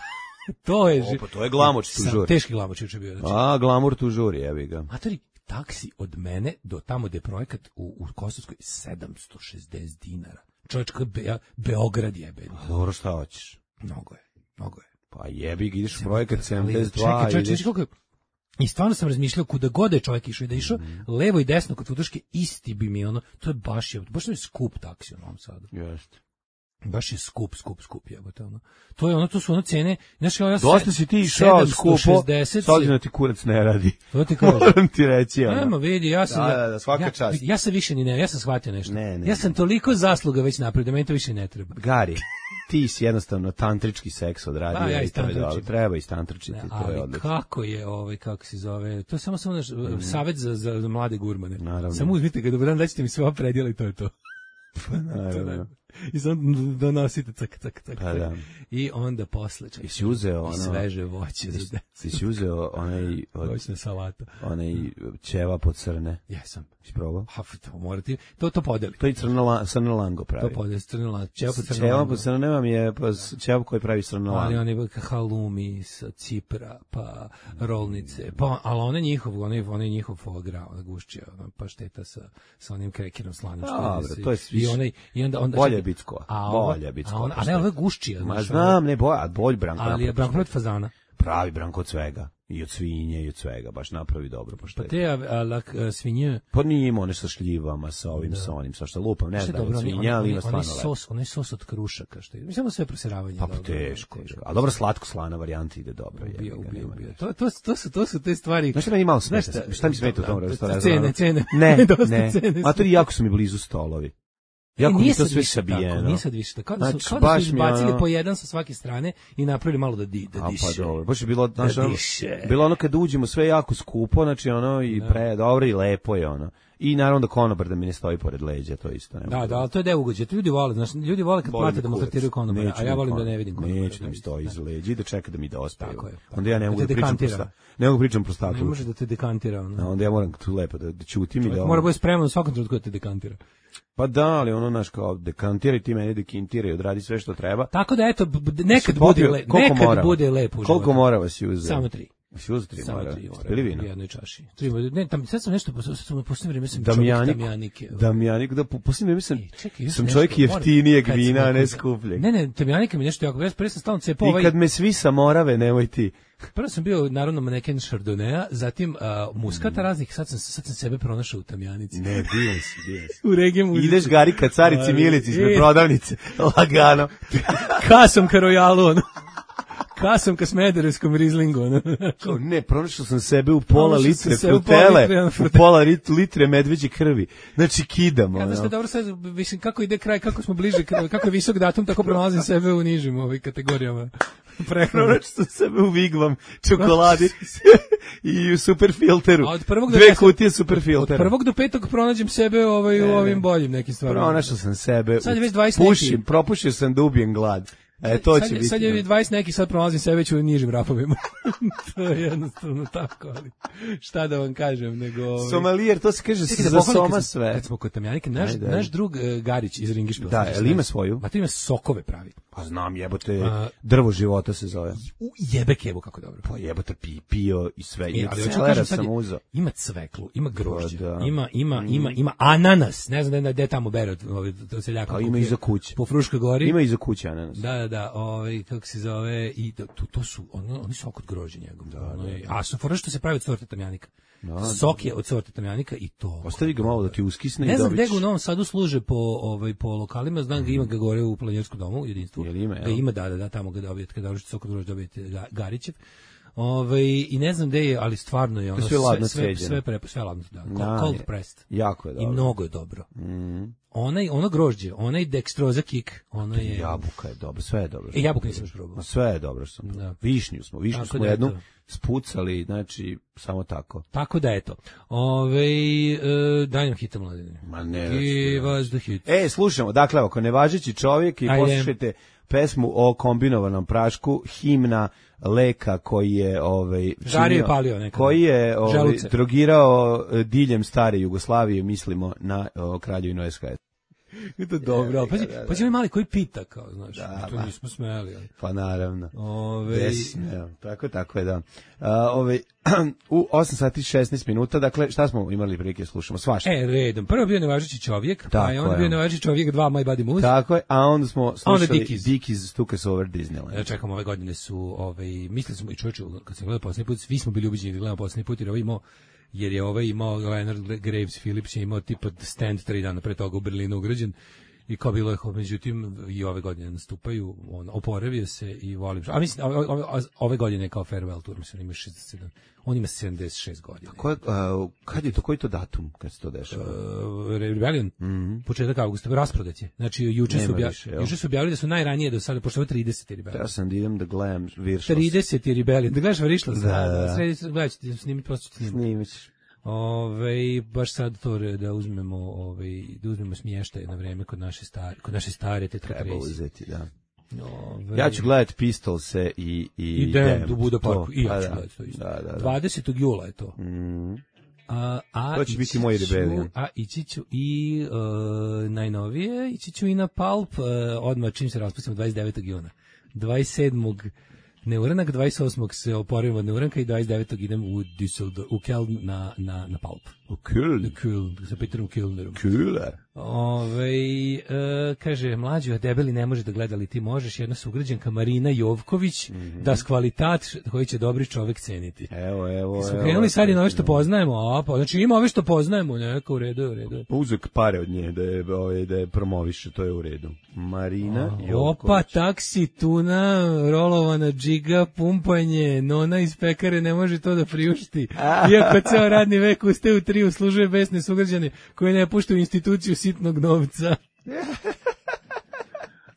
To je Opa, to je glamour tu žuri. Teški glamour juče bio. Znači. A, glamour tu žuri, jebi ga. Matori, taksi od mene do tamo gde je projekat u, u Kosovskoj sedamsto šezdeset dinara. Čovječka Be, Beograd jebe. Dobro, šta hoćeš? Mnogo je, mnogo je. Pa jebi ga, ideš u projekat sedamdeset dva. Čekaj, čekaj, ideš... čekaj, i stvarno sam razmišljao kuda god je čovjek išao i da išao mm. levo i desno kod futoške, isti bi mi ono, to je baš je, baš je skup taksi u Novom Sadu. Jeste. Baš je skup, skup, skup jebote ono. To je ono, to su ono cene. Znaš, ja dosta si ti išao skupo, sad ti kurac ne radi. To ti kažem. Moram ti reći. Ono. Nema, vidi, ja sam... Da, da, da, svaka ja, čast. Ja sam više ni ne, ja sam shvatio nešto. Ne, ne, ja sam toliko zasluga već napravio da meni to više ne treba. Gari, ti si jednostavno tantrički seks odradio. Da, ja i to je dobro. Treba istantričiti, ne, to je odlično. Kako je, ovaj, kako se zove, to je samo samo naš mm. savjet za, za, za mlade gurmane. Naravno. Samo uzmite ga, dobro dan, daćete mi sve predjela i to je to. Naravno. I sad donosite cak, cak, cak. Pa da. I onda posle čak. I si uzeo ono... I sveže voće za decu. I si uzeo onaj... Voćna salata. Onaj ćevap od crne. Jesam. Si probao? Ha, to morate... To, to podeli. To je crno, crno lango pravi. To podeli, crno lango. Ćevap od crno lango. Ćevap od crno nema mi je pa ćevap koji pravi crno lango. Ali oni halumi sa Cipra, pa rolnice, pa, ali one njihov, one, one njihov foie gras, ona gušća, ona pašteta sa, sa onim krekirom slanim. Dobre, to je i onaj, i onda, onda bolje bitsko. A bolje bitsko. A, ona, a ne, ovo je gušćija. Ma znam, ne boja, bolj Branko. Ali je Branko od fazana. Pravi Branko od svega. I od svinje, i od svega. Baš napravi dobro poštetu. Pa te a, a, lak, a, svinje... Pa nije imao one sa šljivama, sa ovim, da. Sa onim, sa šta lupam, ne znam, od svinja, ali ima stvarno lepo. Sos, onaj sos od krušaka, što je. Mislim da sve proseravanje. Pa teško. A dobro, slatko slana varijanta ide dobro. Ubio, ubio, ubio. To, to, to, su, to su te stvari... Znaš šta meni malo smeta? Šta, šta mi smeta u tom restoranu? Cene, cene. Ne, ne. A to jako su mi blizu stolovi. Jako e, nije to sve sabijeno. Tako, nije sad više tako. Kao da su, znači, kao da su izbacili ono... po jedan sa svake strane i napravili malo da, di, da diše. A pa dobro, baš je bilo, znaš, da ono, bilo ono kad uđemo sve jako skupo, znači ono i pre, dobro i lepo je ono. I naravno da konobar da mi ne stoji pored leđa, to isto ne. Da, da, ali to je deo ugođe. To ljudi vole, znači ljudi vole kad plate da mu tretiraju konobara, a ja volim da ne vidim konobara. Neće da mi stoji iza leđa i da čeka da mi dospeju. Tako je. Onda ja ne mogu da pričam prosta. Ne mogu pričam prostatu. Ne može da te dekantira ono. Onda ja moram tu lepo da, da ćutim i da. Mora biti spreman u svakom trenutku da te dekantira. Pa da, ali ono naš kao dekantiraj ti meni dekintiraj, odradi sve što treba. Tako da eto nekad bude le, nekad mora? bude lepo. Koliko mora vas uzeti? Samo tri. Si uzeti tri mora. Ili vino? U jednoj čaši. Tri, ne, tam sad sam nešto sam poslednje vreme sam Damjanik, Damjanike. Damjanik, da poslednje vreme sam sam čovjek jeftinijeg vina, a ne skupljeg. Ne, ne, Damjanike mi nešto jako, ja pre sam stalno cepao ovaj. I kad me svi sa Morave, nemoj ti. Prvo sam bio naravno maneken Chardonnaya, zatim uh, muskata raznih, sad sam, sad sam sebe pronašao u Tamjanici. Ne, bio si, bio si. U regije muzici. Ideš gari ka carici Milici ispred prodavnice, lagano. Kasom ka Royalu, ono. Kasom ka Smederevskom Rizlingu. Ono. Ne, pronašao sam sebe u pola litre frutele, u pola litre medveđe krvi. Znači, kidam. Kada ste dobro sad, mislim, kako ide kraj, kako smo bliže, kako je visok datum, tako pronalazim sebe u nižim ovih kategorijama. Pronašao sam sebe u Vigvam, čokoladi i u superfilteru. Dve kutije superfiltera. Od prvog do petog pronađem sebe ovaj, u ovim boljim nekim stvarima. Pronašao sam sebe, sad je već dvadeset pušim, propušio sam da ubijem glad. E, to sad, će biti. Sad je dvadeset neki, sad pronalazim sebe već u nižim rafovima. To je jednostavno tako, ali šta da vam kažem, nego... Ovaj... Somalijer, to se kaže za da soma sve. Kad smo kod Tamjanike, naš, Ajde. naš drug uh, Garić iz Ringišpila. Da, ali ima svoju? Ma to ima sokove pravi. Pa znam, jebote, uh, drvo života se zove. U jebe kebu, kako dobro. Pa jebote, pi, pio i sve. E, ali celera sam uzeo. Ima cveklu, ima grožđe, da. ima, ima, ima, ima ananas. Ne znam da je tamo bere od, od seljaka. Ali ima i za kuće. Po Fruškoj gori. Ima i za kuće ananas. Da, da, da, ovaj kako se zove i to, to su ono, oni su oko grožđa njegov. Da, ono je, a su fora što se pravi od sorte Tamjanika. Da, sok je od sorte Tamjanika i to. Ostavi ga malo da ti uskisne ne i znam dobić. gde ga u Novom Sadu služe po ovaj po lokalima, znam ga ima ga gore u Planinjarskom domu, jedinstvu. Jel ima, ga ima, da, da, da, tamo ga dobijete, kada dođete sok od grožđa dobijete Garićev. Ovaj i ne znam gde je, ali stvarno je ono sve ladno sve ceđeno. sve pre, sve ladno, da. Da, Cold je. pressed. Jako je I dobro. mnogo je dobro. Mhm. Onaj ono grožđe, onaj dextroza kick, ono je Jabuka je dobro, sve je dobro. E, jabuku nisam još probao. Ma sve je dobro što sam. Da. Višnju smo, višnju Tako smo da je jednu to. spucali, znači samo tako. Tako da eto. Ovaj e, daj nam hita mladine. Ma ne. Give us the hit. E, slušamo, dakle, ako nevažeći čovjek i Ajde. poslušajte pesmu o kombinovanom prašku, himna Leka koji je ovaj Žario i činio- palio nekada. koji je ovaj, Želuce. drogirao eh, diljem stare Jugoslavije, mislimo na o, kraljevinu S K S. Je to dobro, ali pazi, pazi ovaj mali koji pita kao, znaš, Da, to ma. nismo smeli, ali. Pa naravno. Ove, Desno, evo, tako, tako je, da. A, ove, u osam sati i šesnaest minuta, dakle, šta smo imali prilike slušamo? Svašta. E, redom. Prvo je bio nevažeći čovjek, pa Tako je onda je. bio nevažeći čovjek dva My Buddy Moose. Tako je, a onda smo slušali Dickies. Dickies Took Us Over Disneyland. Ja čekam, ove godine su, ovaj, mislili smo i čovječu, kad sam gledao posljednji put, svi smo bili ubeđeni da gledamo posljednji put, jer ovaj imao, jer je ovaj imao, Leonard Graves Phillips je imao tipa stand tri dana pre toga u Berlinu ugrađen. I kao bilo je, međutim, i ove godine nastupaju, on oporavio se i volim. A mislim, ove, ove, ove godine je kao farewell tour, mislim, on ima šezdeset sedam, on ima sedamdeset šest godina. Ko je, a, kad je to, koji je to datum kad se to dešava? Uh, Rebellion, Mhm. početak avgusta, rasprodat je. Znači, juče su, Nema obja, više, jel? juče su objavili da su najranije do sada, pošto ovo je trideset Rebellion. Ja sam da idem da gledam Viršos. trideset Rebellion, da gledaš Varišlos? Da, da. Sredi, gledat ću ti snimiti, posto ću ti snimiti. Snimić. Ove, baš sad to re- da uzmemo, ove, da uzmemo smještaj na vreme kod naše stare, kod naše stare Tetra Treba Tracy. uzeti, da. Ove, Ja ću gledati Pistolse i i I Damned u Buda to, Parku, i pa ja ću da. gledati to isto. Da, da, da. dvadesetog jula je to. Mhm. A, a To će biti ići moj ću- Rebellion. A ići ću i uh, najnovije, ići ću i na Pulp, uh, odmah čim se raspustimo dvadeset devetog juna. dvadeset sedmog neuranak, dvadeset osmog se oporavim od neuranka i dvadeset devetog idem u Düsseldorf, u Keln na, na, na Pulp. U Köln. Köln, sa Peterom Kölnerom. Kühler. Ove, e, kaže, mlađo, debeli ne može da gleda, ali ti možeš, jedna sugrađanka Marina Jovković, Mhm. da kvalitat koji će dobri čovek ceniti. Evo, evo, Smo evo. krenuli sad i na ove što poznajemo, a pa, znači ima ove što poznajemo, neka u redu, je, u redu. je. Uzek pare od nje da je, ovaj, da je promoviše, to je u redu. Marina Opa, Jovković. taksi, tuna, rolovana džiga, pumpanje, nona iz pekare ne može to da priušti. Iako ceo radni vek ustaje u tri, uslužuje besne sugrađane koji ne puštaju instituciju sitnog novca.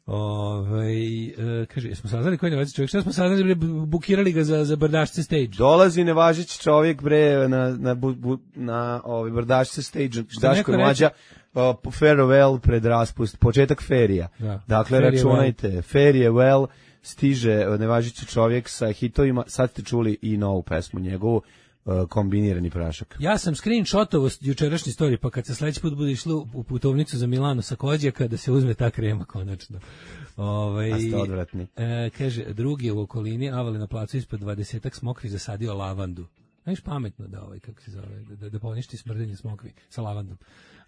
Ovaj e, kaže, jesmo saznali koji je nevažeći čovjek? Šta smo saznali, bre, bukirali ga za, za brdašce stage? Dolazi nevažeći čovjek bre na na bu, bu, na ovaj brdašce stage Daško neko i Mlađa uh, farewell pred raspust, početak ferija. Da. Dakle, Farewell. računajte, farewell stiže uh, nevažeći čovjek sa hitovima. Sad ste čuli i novu pesmu njegovu, uh, kombinirani prašak. Ja sam screenshotovo jučerašnji story, pa kad se sledeći put bude išlo u putovnicu za Milano sa Kođaka, da se uzme ta krema konačno. Ovaj A ste odvratni. E, kaže, drugi je u okolini, avali na placu ispod dvadesetak smokvi zasadio lavandu. Znaš, pametno da ovaj, kako se zove, da, da poništi smrdenje smokvi sa lavandom.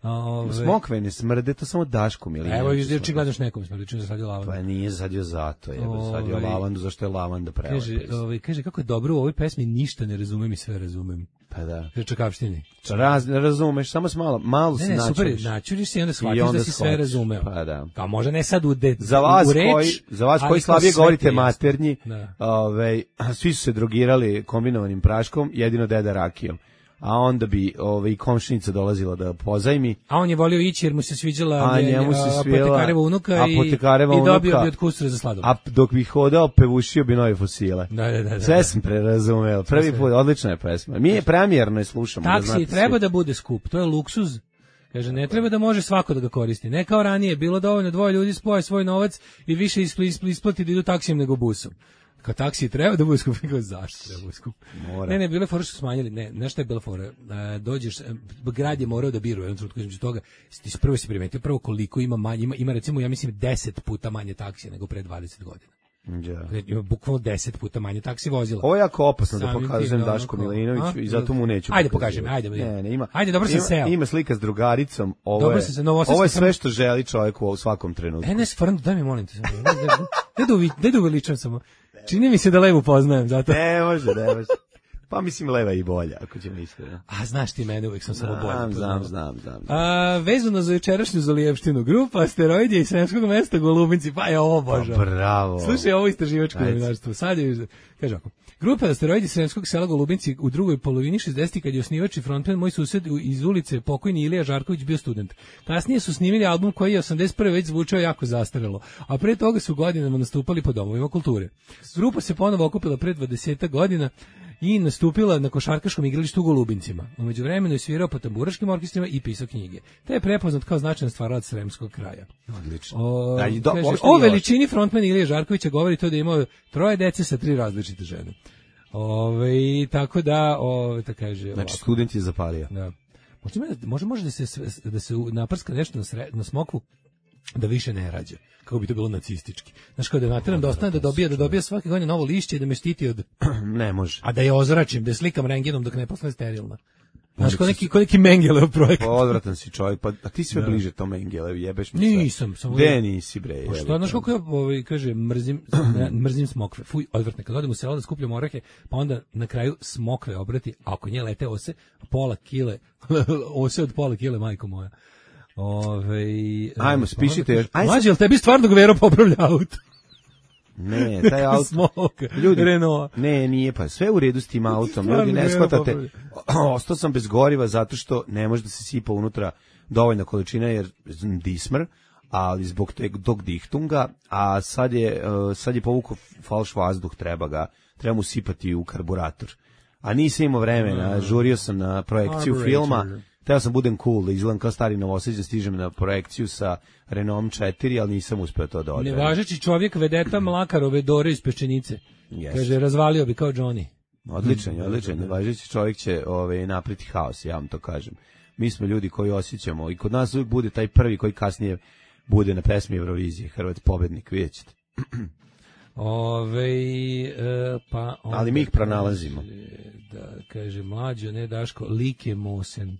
Ove, Smokve ne smrde, to samo Daško Milinović. Evo, izde očigledno još nekom smrdi, čim zasadio lavandu. Pa nije zasadio zato, je zasadio Ovaj, lavandu, zašto je lavanda prelepa. Kaže, ovaj, kaže, kako je dobro u ovoj pesmi, ništa ne razumem i sve razumem. Pa da. Kaže, čakavštini. Raz, ne razumeš, samo s malo, malo Ne, se ne, super, načuriš. načuriš se i onda shvatiš I onda da si sve shvatiš. razumeo. Pa da. Kao možda ne sad u, de, Za vas u reč, koji, za vas ali koji kao slabije sve govorite ti je jasno. maternji, Da. ovaj, svi su se drogirali kombinovanim praškom, jedino deda rakijom. A onda bi ovaj, i komšinica dolazila da pozajmi. A on je volio ići jer mu se sviđala A njemu se svijela apotekareva unuka i, apotekareva i dobio unuka, bi od kusura za sladoled. A dok bi hodao, pevušio bi nove fosile. Da, da, da, da, Sve da. sam prerazumeo. Prvi Sve. put, odlična je pesma. Mi je premijerno je slušamo. da Taksi znate treba svi. da bude skup, to je luksuz. Kaže, ne treba da može svako da ga koristi. Ne kao ranije, bilo dovoljno dvoje ljudi spoje svoj novac i više ispl- isplati da idu taksijem nego busom. Kao taksi treba da bude skup, kao zašto treba da bude skup? Mora. Ne, ne, bile fore što su smanjili, ne, znaš šta je bila fora? E, dođeš, e, grad je morao da biru, jednom trenutku između toga, ti si prvo si primetio, prvo koliko ima manje, ima, ima recimo, ja mislim, deset puta manje taksija nego pre dvadeset godina. Ja. Ima bukvalno deset puta manje taksi vozila. Ovo je jako opasno da Samim pokazujem tim, ono, Daško kao, Milinoviću a? i zato mu neću Ajde, pokazivati. pokaži mi, ajde, ajde. Ne, ne, ima. Ajde, dobro sam ima, seo. Ima slika s drugaricom, ovo Dobro je, sam se, novosadski ovo je sam- sve što želi čovjek u svakom trenutku. E, ne, stvarno, daj mi molim te samo. Ne, ne, ne, da uvi- ne da uveličam samo. Čini mi se da levo poznajem, zato. Ne može, ne može. Pa mislim leva i bolja, ako ćemo iskreno. A znaš ti mene, uvijek sam samo bolja. Znam, znam, znam, znam. A, vezano za jučerašnju Zalijevštinu, grupa asteroidi iz Sremskog mesta Golubinci, pa je ovo bože. Pa bravo. Slušaj, ovo istraživačko novinarstvo. Sad je, kaže ovako, grupa asteroidi iz Sremskog sela Golubinci u drugoj polovini šezdesetih kad je osnivač i frontman moj sused iz ulice pokojni Ilija Žarković bio student. Kasnije su snimili album koji je osamdeset prve već zvučao jako zastarelo, a pre toga su godinama nastupali po domovima kulture. Grupa se ponovo okupila pre dvadeset godina i nastupila na košarkaškom igralištu u Golubincima. U međuvremenu je svirao po tamburaškim orkestrima i pisao knjige. Te je prepoznat kao značajan stvarac sremskog kraja. Odlično. O, da, do, kaže, o veličini frontman Ilije Žarkovića govori to da je imao troje dece sa tri različite žene. Ove, tako da, ove, tako kaže... Znači, ovako. student je zapalio. Da. Može, može, može da se, da se naprska nešto na, sre, na smokvu da više ne rađa. Kako bi to bilo nacistički. Znaš, kao da nateram da ostane da dobija, da dobija svake godine novo lišće i da me štiti od... Ne može. A da je ozračim, da je slikam rengenom dok ne postane sterilna. Znaš, kao neki, kao neki Mengelev projekt. Pa odvratan si čovjek, pa a ti sve da. Bliže to Mengelev, jebeš mi sve. Nisam. Samo De nisi, bre. Pa što, znaš kako ja, ovaj, kaže, mrzim, ne, mrzim smokve. Fuj, odvrtne. Kad odem u selo da skupljam orehe, pa onda na kraju smokve obrati, a ako nje lete ose, pola kile, ose od pola kile, majko moja. Ove, ajmo, spišite još. Mlađe, jel tebi stvarno Gvero popravlja auto? Ne, taj auto. Smoka, ljudi, Renault. Ne, nije, pa sve u redu s tim autom. Ljudi, ne shvatate. Ostao sam bez goriva zato što ne može da se sipa unutra dovoljna količina jer dismr, ali zbog tog dihtunga, a sad je, sad je povukao falš vazduh, treba ga, treba mu sipati u karburator. A nisam imao vremena, žurio sam na projekciju filma. Teo sam budem cool, da izgledam kao stari Novosađan, stižem na projekciju sa Renault četiri, ali nisam uspeo to da odvedem. Nevažeći čovjek vedeta Mlakarove Dore iz Peščenice. Yes. Kaže, razvalio bi kao Johnny. Odličan, odličan. Nevažeći čovjek će ove, napriti haos, ja vam to kažem. Mi smo ljudi koji osjećamo i kod nas uvijek bude taj prvi koji kasnije bude na pesmi Eurovizije, Hrvat pobednik, vidjet ćete. Ove, e, pa ali mi ih pronalazimo. Da, kaže, mlađo, ne Daško, Like Mosen.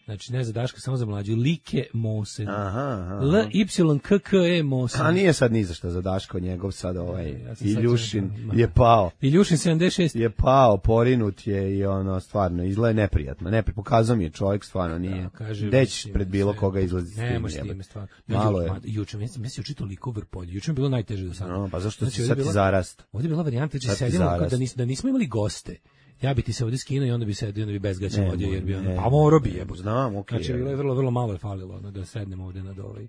Znači, ne za Daška, samo za mlađu. Like Mosen. Aha, aha. L Y K K E Mosen. A nije sad ni za šta za Daško, njegov sad ovaj ja Iljušin sad je pao. Iljušin sedamdeset šest. Je pao, porinut je i ono, stvarno, izgleda neprijatno. Nepri, pokazao mi je čovjek, stvarno nije. Da, Deć pred bilo koga izlazi s tim. Nemo s time, stvarno. Malo je. Juče, mislim, mislim, juče toliko vrpolje. Juče je bilo najteže do sada. No, pa zašto znači, si sad ti zarast? Ovdje je bila varijanta, da sedimo, da, nis, da nismo imali goste. Ja bi ti se ovdje skinuo i onda bi sedio, onda bi bez gaća vodio, jer bi ono, a moro bi jebo. Znam, okej. Okay, znači, bilo je vrlo, vrlo malo je falilo, ono, da sednem ovdje nad ovaj,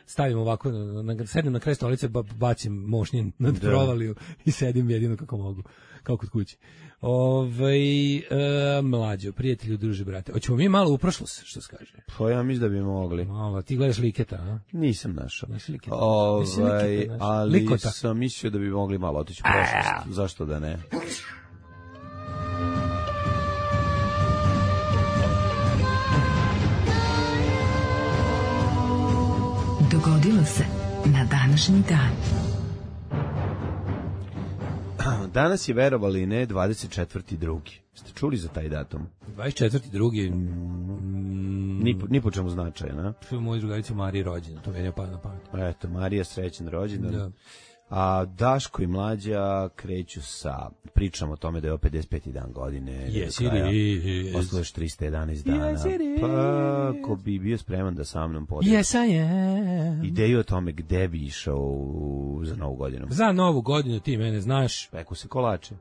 stavim ovako, na, na, sednem na kraj stolice, ba, bacim mošnjen nad provaliju i sedim jedino kako mogu, kao kod kući. Ove, e, mlađo, prijatelju, druži, brate. Hoćemo mi malo u prošlost, što se kaže? Pa ja mislim da bi mogli. Malo, ti gledaš Liketa, a? Nisam našao. Nisi Liketa? Ovaj, Liketa, ali Likota. Sam mislio da bi mogli malo otići u prošlost. Zašto da ne? Dogodilo se na današnji dan. Danas je, verovali ne, dvadeset četvrti drugi. Ste čuli za taj datum? dvadeset četvrti drugi Mm, ni, po, ni po čemu značaja, na? To je moj drugarica Marija rođena, to meni je pada na pamet. Eto, Marija srećan rođendan. Da. A Daško i Mlađa kreću sa pričom o tome da je ovo pedeset peti dan godine. Yes, it is. Ostalo još trista jedanaest dana. Yes, it is. Pa, ko bi bio spreman da sa mnom podeli. Yes, I am. Ideju o tome gde bi išao u, za novu godinu. Za novu godinu ti mene znaš. Peku se kolače.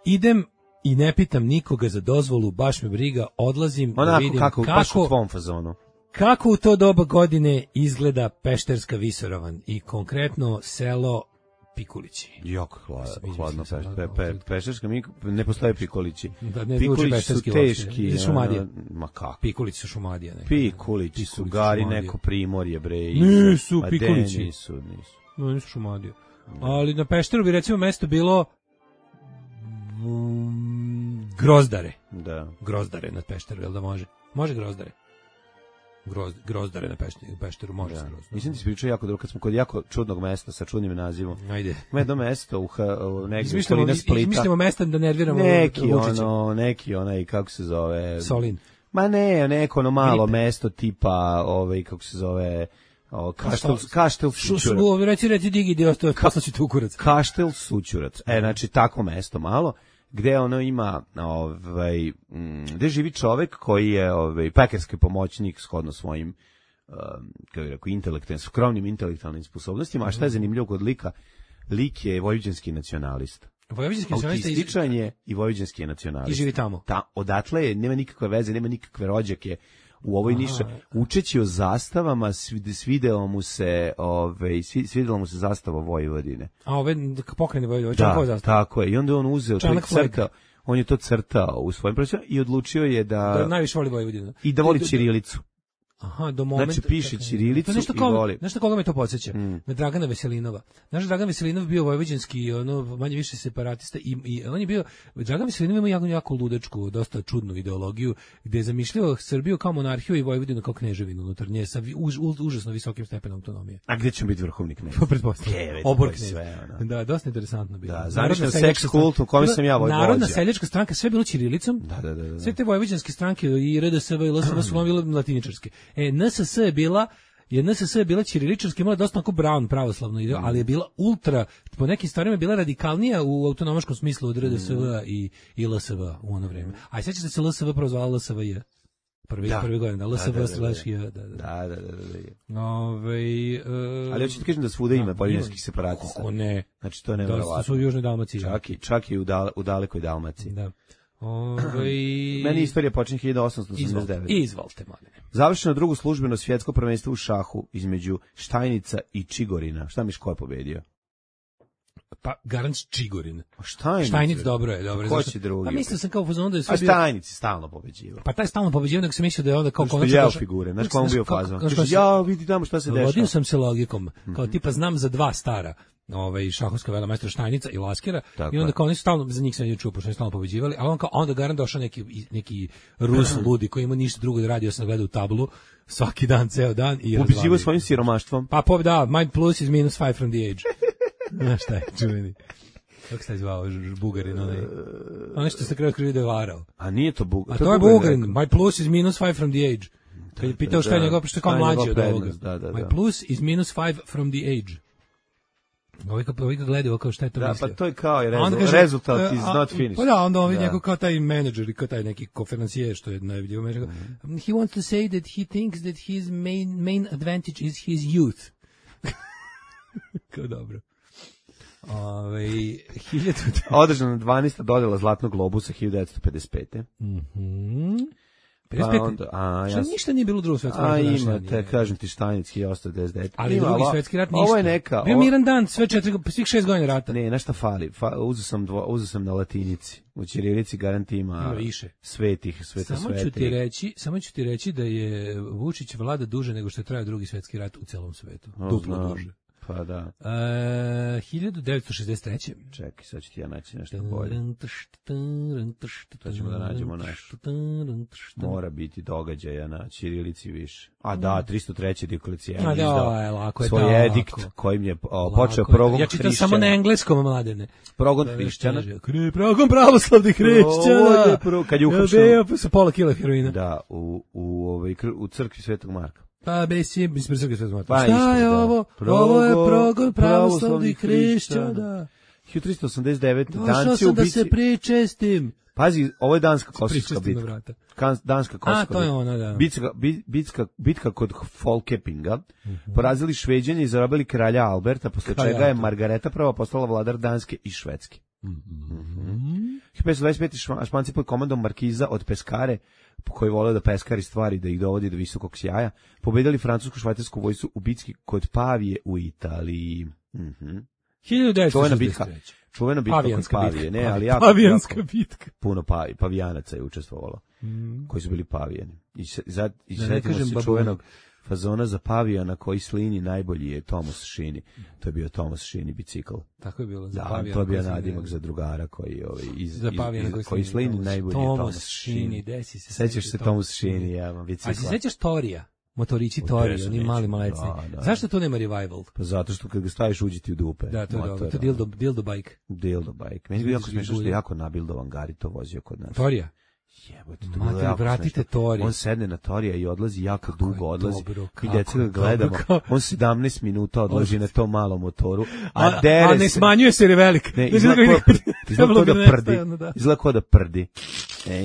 Idem i ne pitam nikoga za dozvolu, baš me briga, odlazim onako, da vidim kako, kako, baš u tvom fazonu. Kako u to doba godine izgleda Pešterska visoravan i konkretno selo Pikulići. Jako hladno, hladno peš, pe, pe, Pešterska, ne postoje Pikulići. Da, ne Pikulići su teški. Iz Šumadije. Ma kako? Pikulići su Šumadija. Ne, Pikulići su gari neko primorje, bre. Nisu Pikulići. Nisu, nisu. No, nisu Šumadije. Ali na Pešteru bi recimo mesto bilo um, Grozdare. Da. Grozdare na Pešteru, jel da može? Može Grozdare. Groz, grozdare na Pešteru, Pešteru može se grozdare. Mislim ti se pričao jako dobro, kad smo kod jako čudnog mesta sa čudnim nazivom. Ajde. Ima jedno mesto u, u negdje u Splita. Izmišljamo mesta da nerviramo neki Lučića. Ono, neki onaj, kako se zove? Solin. Ma ne, neko ono malo Gripe. Mesto tipa, ovaj, kako se zove... O, kaštel, kaštel Sućurac. Reci, reci, digi, dio, poslaću tu kurac. Kaštel Sućurac. E, znači, tako mesto malo. gde ono ima, ovaj, m, gde živi čovek koji je ovaj, pekarski pomoćnik shodno svojim, um, kako bih rekao, intelektualnim, skromnim intelektualnim sposobnostima, a šta je zanimljivo kod lika? Lik je vojvođanski nacionalista. Vojvođanski nacionalista autističan je i vojvođanski nacionalista. I živi tamo. Ta, odatle je, nema nikakve veze, nema nikakve rođake u ovoj niši. Učeći o zastavama, svidelo mu se, ove, svidelo mu se zastava Vojvodine. A ove pokrene Vojvodine, da, tako je. I onda on uzeo to i crtao, on je to crtao u svojim profesionalnom i odlučio je da... Da najviše voli Vojvodinu. I da voli ćirilicu. Aha, do momenta. Znači piše ćirilicu i ko, voli. Znaš koga me to podsjeća? Mm. Na Dragana Veselinova. Znaš, Dragan Veselinov bio vojvođanski, ono, manje više separatista i, i on je bio, Dragan Veselinov ima jako, jako ludačku, dosta čudnu ideologiju, gde je zamišljao Srbiju kao monarhiju i Vojvodinu kao kneževinu unutar nje, sa už, už, užasno visokim stepenom autonomije. A gde će biti vrhovni knez? Pretpostavljam. Obor knez. Da, dosta interesantno bilo. Da, zamišljam seks kult u kojem sam ja vođa. Narodna seljačka stranka, sve bilo ćirilicom. Da, da, da, da. Sve te vojvođanske stranke i R D S V i L S V su bile latiničarske. E, N S S je bila je N S S je bila ćiriličarska, imala dosta onako brown pravoslavno ideo, ali je bila ultra, po nekim stvarima je bila radikalnija u autonomaškom smislu od R D S V i, i L S V u ono vreme. A sećaš da se L S V prozvala L S V J? Prvi, da. prvi godin, L S V slash J. Da, da, da. da, da, da. Ove, uh, ali hoću ti kažem da svuda ima poljanskih separatista. Kako ne? Znači to ne verovatno. Da su u Južnoj Dalmaciji. Čak i, čak i u, dal, u dalekoj Dalmaciji. Da. Ove... Meni istorija počinje hiljadu osamsto osamdeset devet. Izvolite, izvolite, mladine. Završeno drugo službeno svjetsko prvenstvo u šahu između Štajnica i Čigorina. Šta miš ko je pobedio? Pa Garanc Čigorin. Štajnic. Štajnic dobro je, dobro. Ko će drugi? Pa mislio sam kao fazon da je sve bio... A Štajnic je stalno pobeđivao. Pa taj stalno pobeđivao, nego sam mislio da je onda kao konačno došao. Što je figure, znaš kom bio fazon. Ja vidi tamo šta se dešava. Vodio sam se logikom, kao tipa znam za dva stara. Ovaj šahovska velemajstora Štajnica i Laskera i onda kao oni stalno za njih se je čuo, pošto su stalno pobeđivali, a on kao onda Garant došao neki neki Rus ludi koji ima ništa drugo da radi osim da gleda u tablu svaki dan ceo dan i pobeđivao svojim siromaštvom. Pa po da, my plus is minus five from the age. Znaš šta je čuveni. Kako se zvao Bugarin onaj? Onaj što se kraju krivide varao. A nije to Bugarin. A to je Bugarin. My plus is minus five from the age. Kad je pitao šta je njegov, što je kao mlađi od ovoga. My plus is minus five from the age. Ovi ga, ovi ga gledaju kao šta je to da, mislio. Pa to je kao je rezultat, rezultat is a, not finished. Pa da, onda ovi njegov kao taj menadžer i kao taj neki konferencijer što je najvidio menadžer. Mm-hmm. He wants to say that he thinks that his main, main advantage is his youth. Kao dobro. Ove, hiljadu... Održana dvanaesta dodela Zlatnog globusa hiljadu devetsto pedeset pete. Mhm. Pa onda, a, ja ništa nije bilo u drugom svetskom ratu. A imate, kažem ti Štajnic hiljadu osamsto devedeset devet. Ali ima, drugi svetski rat ništa. Ovo je neka... Bio miran dan, sve četiri, svih šest godina rata. Ne, nešto fali. Fa, uzeo sam, dvo, uzeo sam na latinici. U ćirilici garant ima, ima više. Svetih, sveta samo ću ti reći, samo ću ti reći da je Vučić vlada duže nego što je trajao drugi svetski rat u celom svetu. O, Duplo znam. duže. Pa da. Uh, hiljadu devetsto šezdeset treće. Čekaj, sad ću ti ja naći nešto bolje. To ćemo da nađemo nešto. Mora biti događaja na ćirilici više. A da, tristo treće Dioklecijan izdao svoj edikt kojim je o, počeo progon hrišćana. Ja čitam samo na engleskom, mladene. Progon hrišćana. Progon pravoslavnih hrišćana. Kad je uhapšen. Sa pola kila heroina. Da, u, u, ovaj, u crkvi Svetog Marka. Pa besi, mislim srpski svet Marka. Pa, šta je da. ovo? Progo, ovo je progon pravoslavnih hrišćana. hiljadu tristo osamdeset devet Došao Danci sam u bici. da se pričestim. Pazi, ovo je Danska Kosovska bitka. Danska Kosovska bitka. A, to je ona, da. Bitka, bitka, bitka kod Folkepinga. Mm-hmm. Porazili Šveđane i zarobili kralja Alberta, posle Kralja čega je Margareta prva postala vladar Danske i Švedske. Mm-hmm. hiljadu petsto dvadeset pete Španci pod komandom Markiza od Peskare, koji vole da peskari stvari, da ih dovodi do visokog sjaja, pobedili francusku švajcarsku vojsku u bitki kod Pavije u Italiji. Mm-hmm. hiljadu devetsto šezdeset treće Čuvena bitka kod Pavije, ne, ali jako, pavijanska jako, bitka. Puno pavi, pavijanaca je učestvovalo, mm. koji su bili pavijani. I, za, i da, setimo se babu. Čuvenog fazona za pavijana koji slini najbolji je Thomas Shini. To je bio Thomas Shini bicikl. Tako je bilo. Za da, to je bio nadimak za drugara koji, ovaj, iz, za iz, iz, koji, koji slini najbolji je Thomas Shini. Desi se. Sećaš se Thomas Shini, ja, bicikla. A se sećaš Torija? Motorići Tori, oni mali malecni. Da, da. Zašto to nema revival? Pa zato što kad ga staviš uđi ti u dupe. Da, to je dobro. To je dildo, dildo bike. Dildo bike. Meni je jako smiješno što je jako nabildovan Gari to vozio kod nas. Torija? Jebote, to Mater, bilo jako vratite smešno. Tori. On sedne na Torija i odlazi jako Kako je dugo, odlazi. dobro, I kako deca ga je gledamo. dobro, kao- On sedamnaest minuta odlazi na tom malom motoru. A, A, dere a ne se- smanjuje se jer je velik. Ne, Znači, izgleda da ga kao ide- izgleda trebalo kao bi da nestaje, prdi. ono, da. Izgleda kao da prdi. E,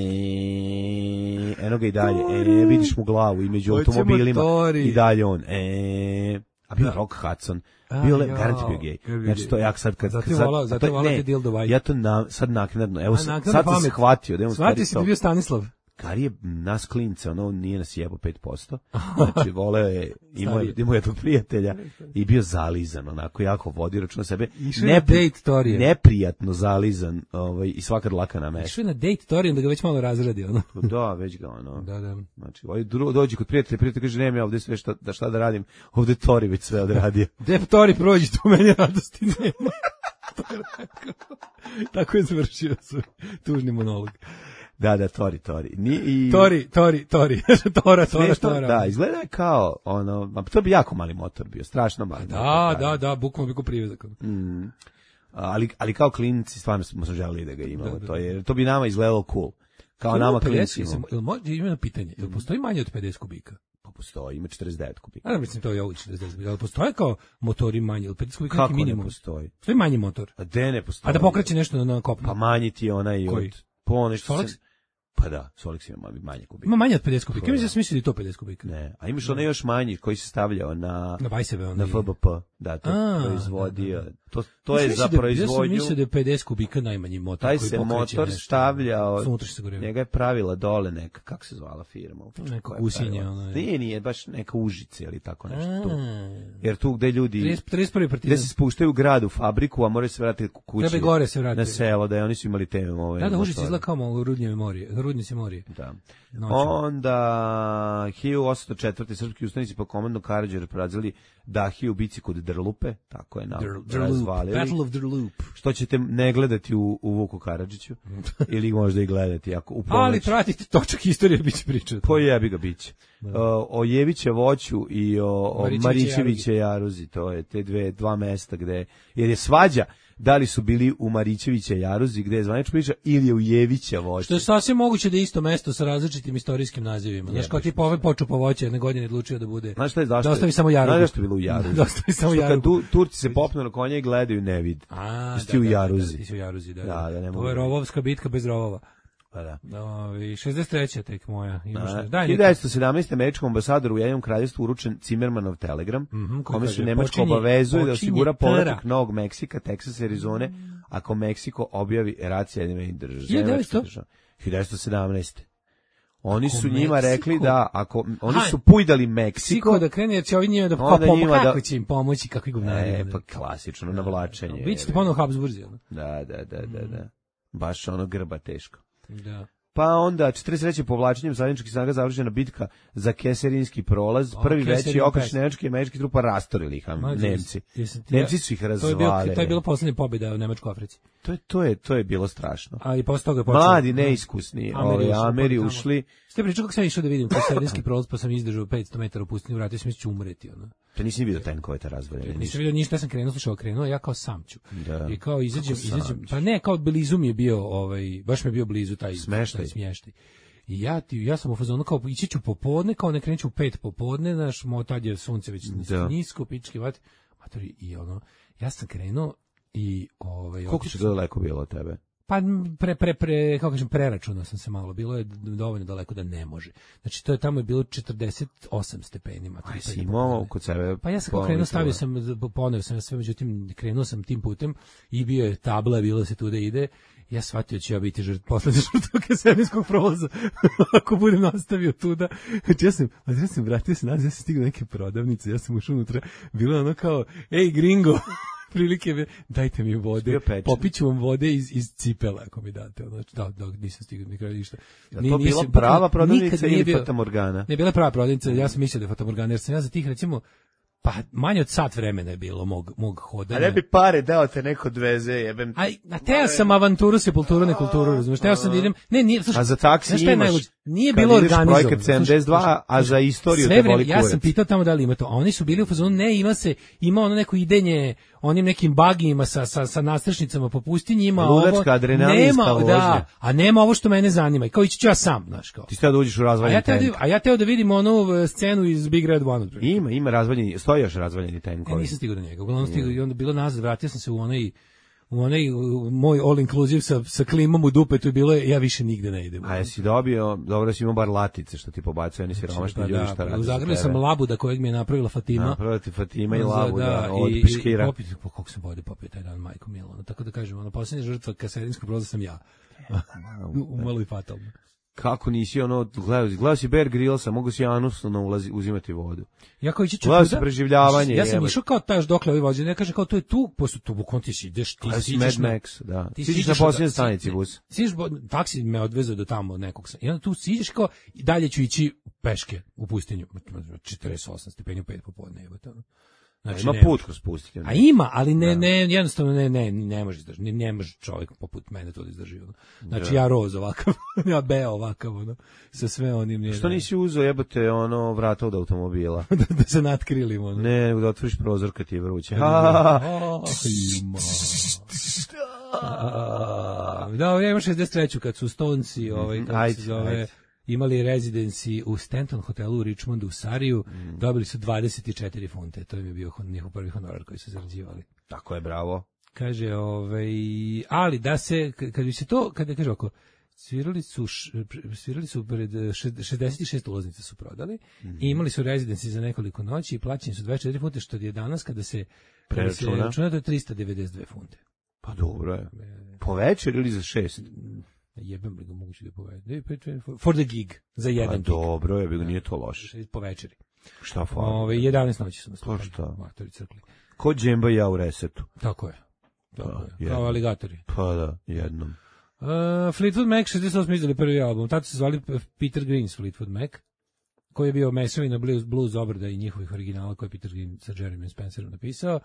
eno ga i dalje. E, vidiš mu glavu i među Hoćemo automobilima. Tori. I dalje on. E, a bio Rock Hudson. A, Bio le, jao, garant bio gej. bio bi Znači gej. to ja sad kad Zato je sad- volao- zato to- je volao ne, te dildo vajke. Ja to na, sad naknadno. Evo A, sad naknadno sad sam pamet. shvatio da je on stvari Shvatio si da to. je bio Stanislav. Kar je nas klince, ono nije nas jebo pet posto. Znači voleo je, imao je, imao je tog prijatelja i bio zalizan, onako jako vodi računa sebe. Išao je na date Torija. Neprijatno zalizan, ovaj i svaka dlaka na mestu. Išao je na date Tori, onda ga već malo razradi, ono. Da, već ga ono. Da, da. Znači, ovaj dru- dođe kod prijatelja, prijatelj kaže nema ja ovde sve šta da šta da radim. Ovde Tori već sve odradio. Gde Tori prođi, tu meni radosti nema. To je rekao. Tako je završio svoj tužni monolog. Da, da, Tori, Tori. Ni i Tori, Tori, Tori. Tora, Tora, Smešno, Tora. da, izgleda je kao ono, a to bi jako mali motor bio, strašno mali. Da, motor, da, da, bukvalno bi ko privezak. Mm. Ali, ali kao klinci stvarno smo se želeli da ga imamo, Da, da, to je, to bi nama izgledalo cool. Kao nama klincima. Jel može, ima jedno pitanje, jel postoji manje od pedeset kubika? Pa postoji, ima četrdeset devet kubika. A da, mislim, to je ovo četrdeset kubika, ali postoje kao motori manji, od pedeset kubika Kako neki ne minimum? postoji? Postoji manji motor. A de ne postoji? A da pokreće nešto na kopnu? Pa manji ti je onaj Koji? od... Po nešto Solex? se- Pa da, Solix ima manje kubika. Ima manje od pedeset kubika. To Ja je. mislim da sam mislio da je to pedeset kubika. Ne, a imaš onaj još manji koji se stavljao na... Na bajsebe onda. Na F B P, da, to A, proizvodio. da, da. To, to je Ja sam za mislio da- proizvodnju... Ja sam mislio da je pedeset kubika najmanji motor Taj koji se pokreće motor nešto. stavljao, Sa unutrašnjim sagorijevom. njega je pravila dole neka, kako se zvala firma? Neko Koja je gusinje, pravila? ono je. Nije, nije, baš neka Užice ili tako nešto tu. A. Jer tu gde ljudi, trideset trideset prvi gde partizan. se spuštaju u grad, u fabriku, a moraju se vratiti kući. Treba i gore se vratiti. Na selo, da je oni su imali te ove... Da, da, Užice motore. izgleda kao malo Rudnjeve morije, Rudnici morije. Da. Noću. Onda hiljadu osamsto četvrte srpski ustanici po komandnom Karađoru porazili Dahiju u bici kod Drlupe, tako je nam Dr- Drloop, razvalili. Battle of Drloop. Što ćete ne gledati u, u Vuku Karadžiću ili možda i gledati ako u ponoć. Ali pratite točak istorije, bit će priča. Po jebi ga biće. O, o Jeviće voću i o, o Marićeviće Marićeviće jaruzi, to je te dve, dva mesta gde, jer je svađa da li su bili u Marićeviće jaruzi gde je zvanična priča ili je u Jevića voću. Što je sasvim moguće da je isto mesto sa različitim istorijskim nazivima. Znaš, kao tipa ovaj počup po voće jedne godine odlučio da bude. Znaš šta je zašto? Da ostavi samo jarugu. Znaš zašto je bilo u jaruzi? Da ostavi samo Što kad jarugu. tu, Turci se popnu na konje i gledaju ne vid. A, Ti si u jaruzi. Da, ti si u jaruzi, da. Da, da, ne mogu To je da- rovovska bitka bez rovova. Pa da. Ovi, šezdeset treća tek moja. Imaš A, ne, daj hiljadu neka. devetsto sedamnaeste. američkom ambasadoru u Ujedinjenom kraljevstvu uručen Cimermanov telegram, Mhm, koji kome kaže, se Nemačka počinje- obavezuje da počinje osigura povratak tera. Novog Meksika, Teksasa i Arizone, ako Meksiko objavi rat Sjedinjenih država. hiljadu devetsto? hiljadu devetsto sedamnaeste. Oni Ako su njima Meksiko- rekli da ako oni Aha. su pujdali Meksiko, Siko da krene, jer će ovi njima da, kao, Onda pom- njima da- kako će im pomoći, kakvi govnari. e, ono. pa klasično navlačenje. Biće ponovo Habsburzi. ono. Da, da, da, da, da. Baš ono grba teško. Da. Pa onda četrdeset treće povlačenjem zajedničkih snaga završena bitka za Keserinski prolaz. O, Prvi veći Keserin okreš Pest. nemačkih i američkih trupa rastorili ih, a Mlađe, Nemci. jesam ti- Nemci su ih To je, bio, razvalili. to je bila poslednja pobjeda u Nemačkoj Africi. To je, to je, to je bilo strašno. A i posle toga je počelo. Mladi, neiskusni, Ameri ovi ušli, Ameri tamo. ušli. Ste pričali kako sam išao da vidim Keserinski prolaz, pa sam izdržao petsto metara u pustinju, vratio sam, mislim ću umreti. Ono. To nisi vidio tenkove te razvaljene. Nisam vidio ništa, ja sam krenuo, slušao, krenuo, ja kao sam ću. Da. I kao izađem, Kako sam izađem, ću? pa ne, kao blizu mi je bio, ovaj, baš mi je bio blizu taj Smeštaj. taj smještaj. I ja ti ja sam u fazonu kao ići ću popodne, kao ne krenuću u pet popodne, znaš, mo tad je sunce već Da. nisko, pički vat. Matori, i ono, ja sam krenuo i ovaj Koliko otišao- se daleko bilo od tebe? Pa pre, pre, pre, kako kažem, preračunao sam se malo, bilo je dovoljno daleko da ne može. Znači, to je tamo je bilo četrdeset osam stepeni. matori, Aj, pre si popodne. imao kod sebe... Pa ja sam kao pola krenuo, litrova. stavio sam, poneo sam sve, međutim, krenuo sam tim putem i bio je tabla, bilo se tu da ide. Ja shvatio da ću ja biti žrt, poslednja žrtva Keserinskog prolaza, ako budem nastavio tuda. Znači, ja sam, znači, ja sam vratio se nazad, ja sam stigao do neke prodavnice, ja sam ušao unutra, bilo je ono kao, ej, gringo, prilike, me, dajte mi vode, Bio pečen. popiću vam vode iz, iz cipela, ako mi date. Ono, znači, da, da, nisam stigao mi kraj ništa. Je Ni- to bila nisam- prava nikad prodavnica nije ili bio- Fatamorgana? Ne, bila je prava prodavnica, ja sam mislio da je Fatamorgana, jer sam ja za tih, recimo, Pa manje od sat vremena je bilo mog, mog hodanja. A ne bi pare dao te neko odveze, jebem. A, a teo sam avanturu, sepulturu, nekulturu, razumiješ, teo sam da idem, ne, nije, slušaj, a za taksi imaš, najluđe? Nije bilo organizovano. Projekat sedamdeset dva, a za istoriju sve te vreme, boli ja kurac. sam pitao tamo da li ima to, a oni su bili u fazonu, ne, ima se, ima ono neko idenje, onim nekim bagijima sa, sa, sa nastrešnicama po pustinji, ima Ludačka, ovo, adrenalinska nema, vožnja. da, a nema ovo što mene zanima, i kao ići ću ja sam, znaš, kao. Ti ste da uđeš u A razvaljeni ja, teo tank. da, a ja teo da vidim onu scenu iz Big Red One. Ima, ima razvaljeni, stoji još razvaljeni Ja tenkovi. nisam stigao do njega. Uglavnom stigao i onda bilo nazad, vratio sam se u onaj u onaj u moj all inclusive sa sa klimom u dupetu i bilo je ja više nigde ne idem. A jesi dobio, dobro si imao bar latice što ti pobacuje, oni siromašni Pa ljudi da, šta rade. u Zagrebu sam labuda kojeg mi je napravila Fatima. Napravila ti Fatima i Za- labu, da, od i- piškira. I popit, po koliko sam vode popio taj dan, majko Milo. Ono, tako da kažem, ono, posljednja žrtva kasedinskog broza sam ja. Umalo i fatalno. Kako nisi ono, gledao, gledao si Bear Grillsa, mogu si anusno ulazi, uzimati vodu. Ja kao ići ću Gledao tuda, si preživljavanje, Ja sam jebote. išao kao taš dokle ovi vođe, ne kaže kao to je tu, posle tu bukom ti si ideš, ti Gledao si siđeš Mad na- Max, da. ti Siđeš siđeš na od- posljednjoj si- stanici ne, bus. Siđeš, bo- taksi me odvezao do tamo nekog, sam- i onda tu siđeš kao, i dalje ću ići peške u pustinju, četrdeset osam stepeni u pet popodne, jebote, ono. Znači, Ima ne put može. kroz pustinju. A ima, ali ne, ne, jednostavno ne, ne, ne može izdržati, ne, ne može čovjek poput mene to da izdrži, ono. Znači, ja roz ovakav, ja beo ovakav, ono, sa sve onim nije. Što nisi uzeo jebote ono vrata od automobila? da, da se natkrilim, ono. Ne, da otvoriš prozor kad ti je vruće. Oh, ima. A, Da, ja imam šezdeset treću kad su Stonesi, ovaj, kako Ajde, se zove, ajde. imali rezidenci u Stanton hotelu u Richmondu u Sariju, Mm. dobili su dvadeset četiri funte, to im je bio hon- njihov prvi honorar koji su zarađivali. Tako je, bravo. Kaže, ovaj, ali da se, k- kad bi se to, kada kaže oko, svirali su, š- svirali su pred šed- šezdeset šest ulaznica su prodali i imali su rezidenci za nekoliko noći i plaćeni su dvadeset četiri funte, što je danas kada se, kada se Preračuna. računa, to je trista devedeset dve funte. Pa dobro je. Po večer ili za šest? Jebem li ga moguće da povede. For the gig, za jedan Pa gig. dobro je, bilo nije to loše. Po večeri. Šta fali? Ove, jedanaest noći su nas. Pa šta? Matori crkli. Ko džemba i ja u resetu. Tako je. Tako Pa, je. jedno. Kao aligatori. Pa da, jednom. Uh, Fleetwood Mac šezdeset osam izdali prvi album. Tato se zvali Peter Green's Fleetwood Mac, koji je bio mesovina blues, blues obrada i njihovih originala koje je Peter Green sa Jeremy Spencerom napisao.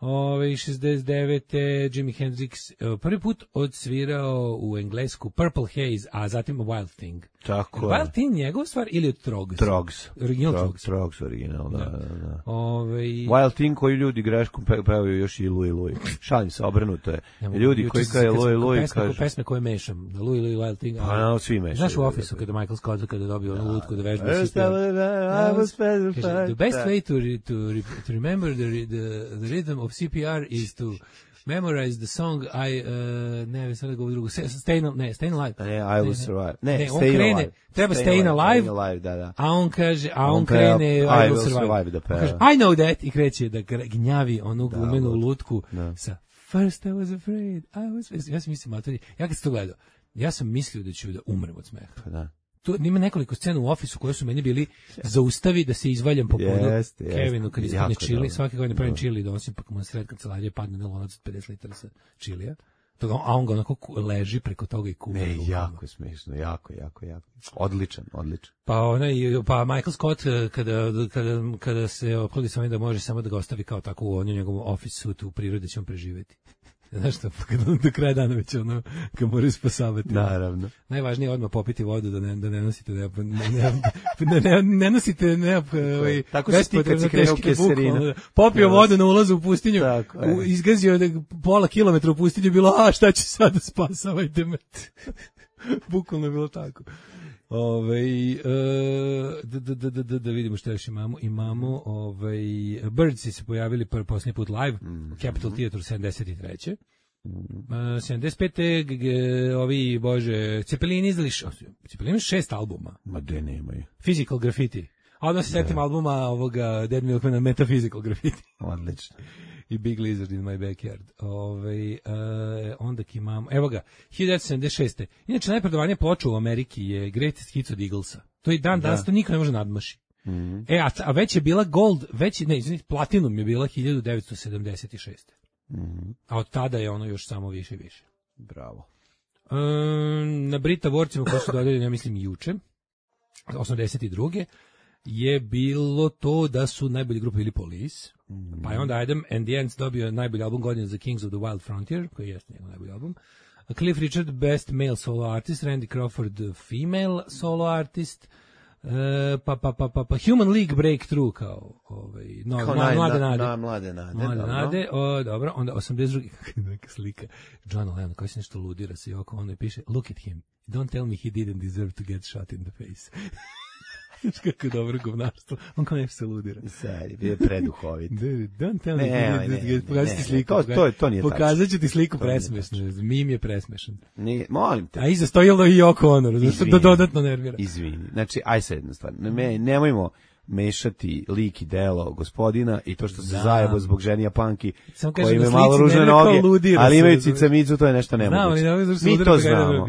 Ove, šezdeset devete Jimi Hendrix uh, prvi put odsvirao u englesku Purple Haze, a zatim Wild Thing. Tako je. Wild Thing njegov stvar ili od Trogs? Trogs. Original Trog- Trogs. Trogs original, da, Da. da, da. Ove, Wild Thing koji ljudi greškom pe, pevaju još i Louis Louis. Šalim se, obrnuto je. ne mogu, Ljudi juče koji sam- kaže kad sam Louis oko Louis pesme, oko kažu. pesme koje mešam, da Louis Louis Wild Thing. Pa ali- no, svi mešaju. Znaš u Office-u kada Michael Scott kada je dobio onu lutku da vežba I si peva. was specified. Kaže, the best way to, re, to, re, to remember the, re- the, the rhythm of C P R is to memorize the song I, uh, ne, sad da govorim drugo, Stay, ne, Stay Alive. Ne, I will survive. Ne, Ne, on Stay krene, alive. treba Stay Alive. Stay alive, da, da. A on kaže, a On on, peva, krene I I will will survive. survive da On peva. kaže, I know that, i kreće da gra- gnjavi onu gumenu lud. lutku Da. sa First I was afraid, I was... Ja sam mislim, matori, ja kad sam to gledao, ja sam mislio da ću da umrem od smeha. Pa da. Tu ima nekoliko scena u Ofisu koje su meni bili zaustavi da se izvaljam po podu Jeste, jeste. Kevinu kad ispadne Jako čili, dobro. svake godine pravim Da. čili i donosim pa mu na sred kancelarije padne na lonac od pedeset litara sa čilija. Toga, a on ga onako ku- leži preko toga i kuva. Ne, rukama. jako je smiješno, jako, jako, jako. Odličan, odličan. Pa onaj, pa Michael Scott eh, kada, kada, kada se oplodi sa ovim da može samo da ga ostavi kao tako u onom njegovom office suitu u prirodi će on preživeti. Znaš što, kada on do kraja dana već ono, ga moraju spasavati. Naravno. Najvažnije je odmah popiti vodu da ne, da ne nosite ne, ne, ne, ne, ne nosite ne, ovaj, Tako si ti kad si bespotrebno krenuo teške keserina. buke, ono, popio vodu na ulazu u pustinju, Tako je. u, izgazio je pola kilometra u pustinju, bilo, a šta ću sada, spasavajte me. Bukvalno je bilo tako. Ove, e, da, da, da, da, da vidimo šta još imamo. Imamo ovaj, Birdsi se pojavili prvi posljednji put live, Mm. Capitol Theatre sedamdeset treće Uh, sedamdeset pete g- g- ovi, bože, Cepelini izdali š- Cepelini imaju šest albuma. Ma de nemaju. Physical Graffiti. A onda se setim albuma ovoga Dead Milkmana Metaphysical Graffiti. Odlično. I Big Lizard in my backyard. Ove, uh, onda imamo, evo ga, hiljadu devetsto sedamdeset šeste Inače, najprodavanje ploča u Ameriki je Greatest Hits od Eaglesa. To i dan danas, to niko ne može nadmaši. Mhm. E, a, a već je bila Gold, već je, ne, izvinite, Platinum je bila hiljadu devetsto sedamdeset šeste Mhm. A od tada je ono još samo više i više. Bravo. Um, na Brit Awardsima koji su dodeljeni, ja mislim, juče, osamdeset druge je bilo to da su najbolji grupe bili Police, mm. pa je onda Adam and the Ants dobio najbolji album godine za Kings of the Wild Frontier, koji je njegov najbolji album. Cliff Richard, Best Male Solo Artist, Randy Crawford, Female Solo Artist, uh, pa, pa, pa, pa, pa Human League Breakthrough, kao, ovaj, no, kao na, naj, mlade na, nade. Na, mlade nade. Mlade dobro. nade, o, dobro, onda osamdeset drugi neka slika, John Lennon, koji se nešto ludira se i oko, onda piše, look at him, don't tell me he didn't deserve to get shot in the face. Kako je dobro govnarstvo. On kao nešto se ludira. Seri, bio je preduhovit. Don't tell me. Ne, ne, ne. Pokazat ću ti sliku. To, to, to nije tačno. Pokazat ću ti sliku presmešno. Mim je presmešan. Ne, molim te. A iza stojilo i oko ono, što da dodatno nervira. Izvini. Znači, aj sad jedna stvar. Ne, nemojmo mešati lik i delo gospodina i to što se zajebo zbog ženi Japanki koji imaju malo ružne noge, ali imaju cicamicu, to je nešto nemoguće. Mi to znamo.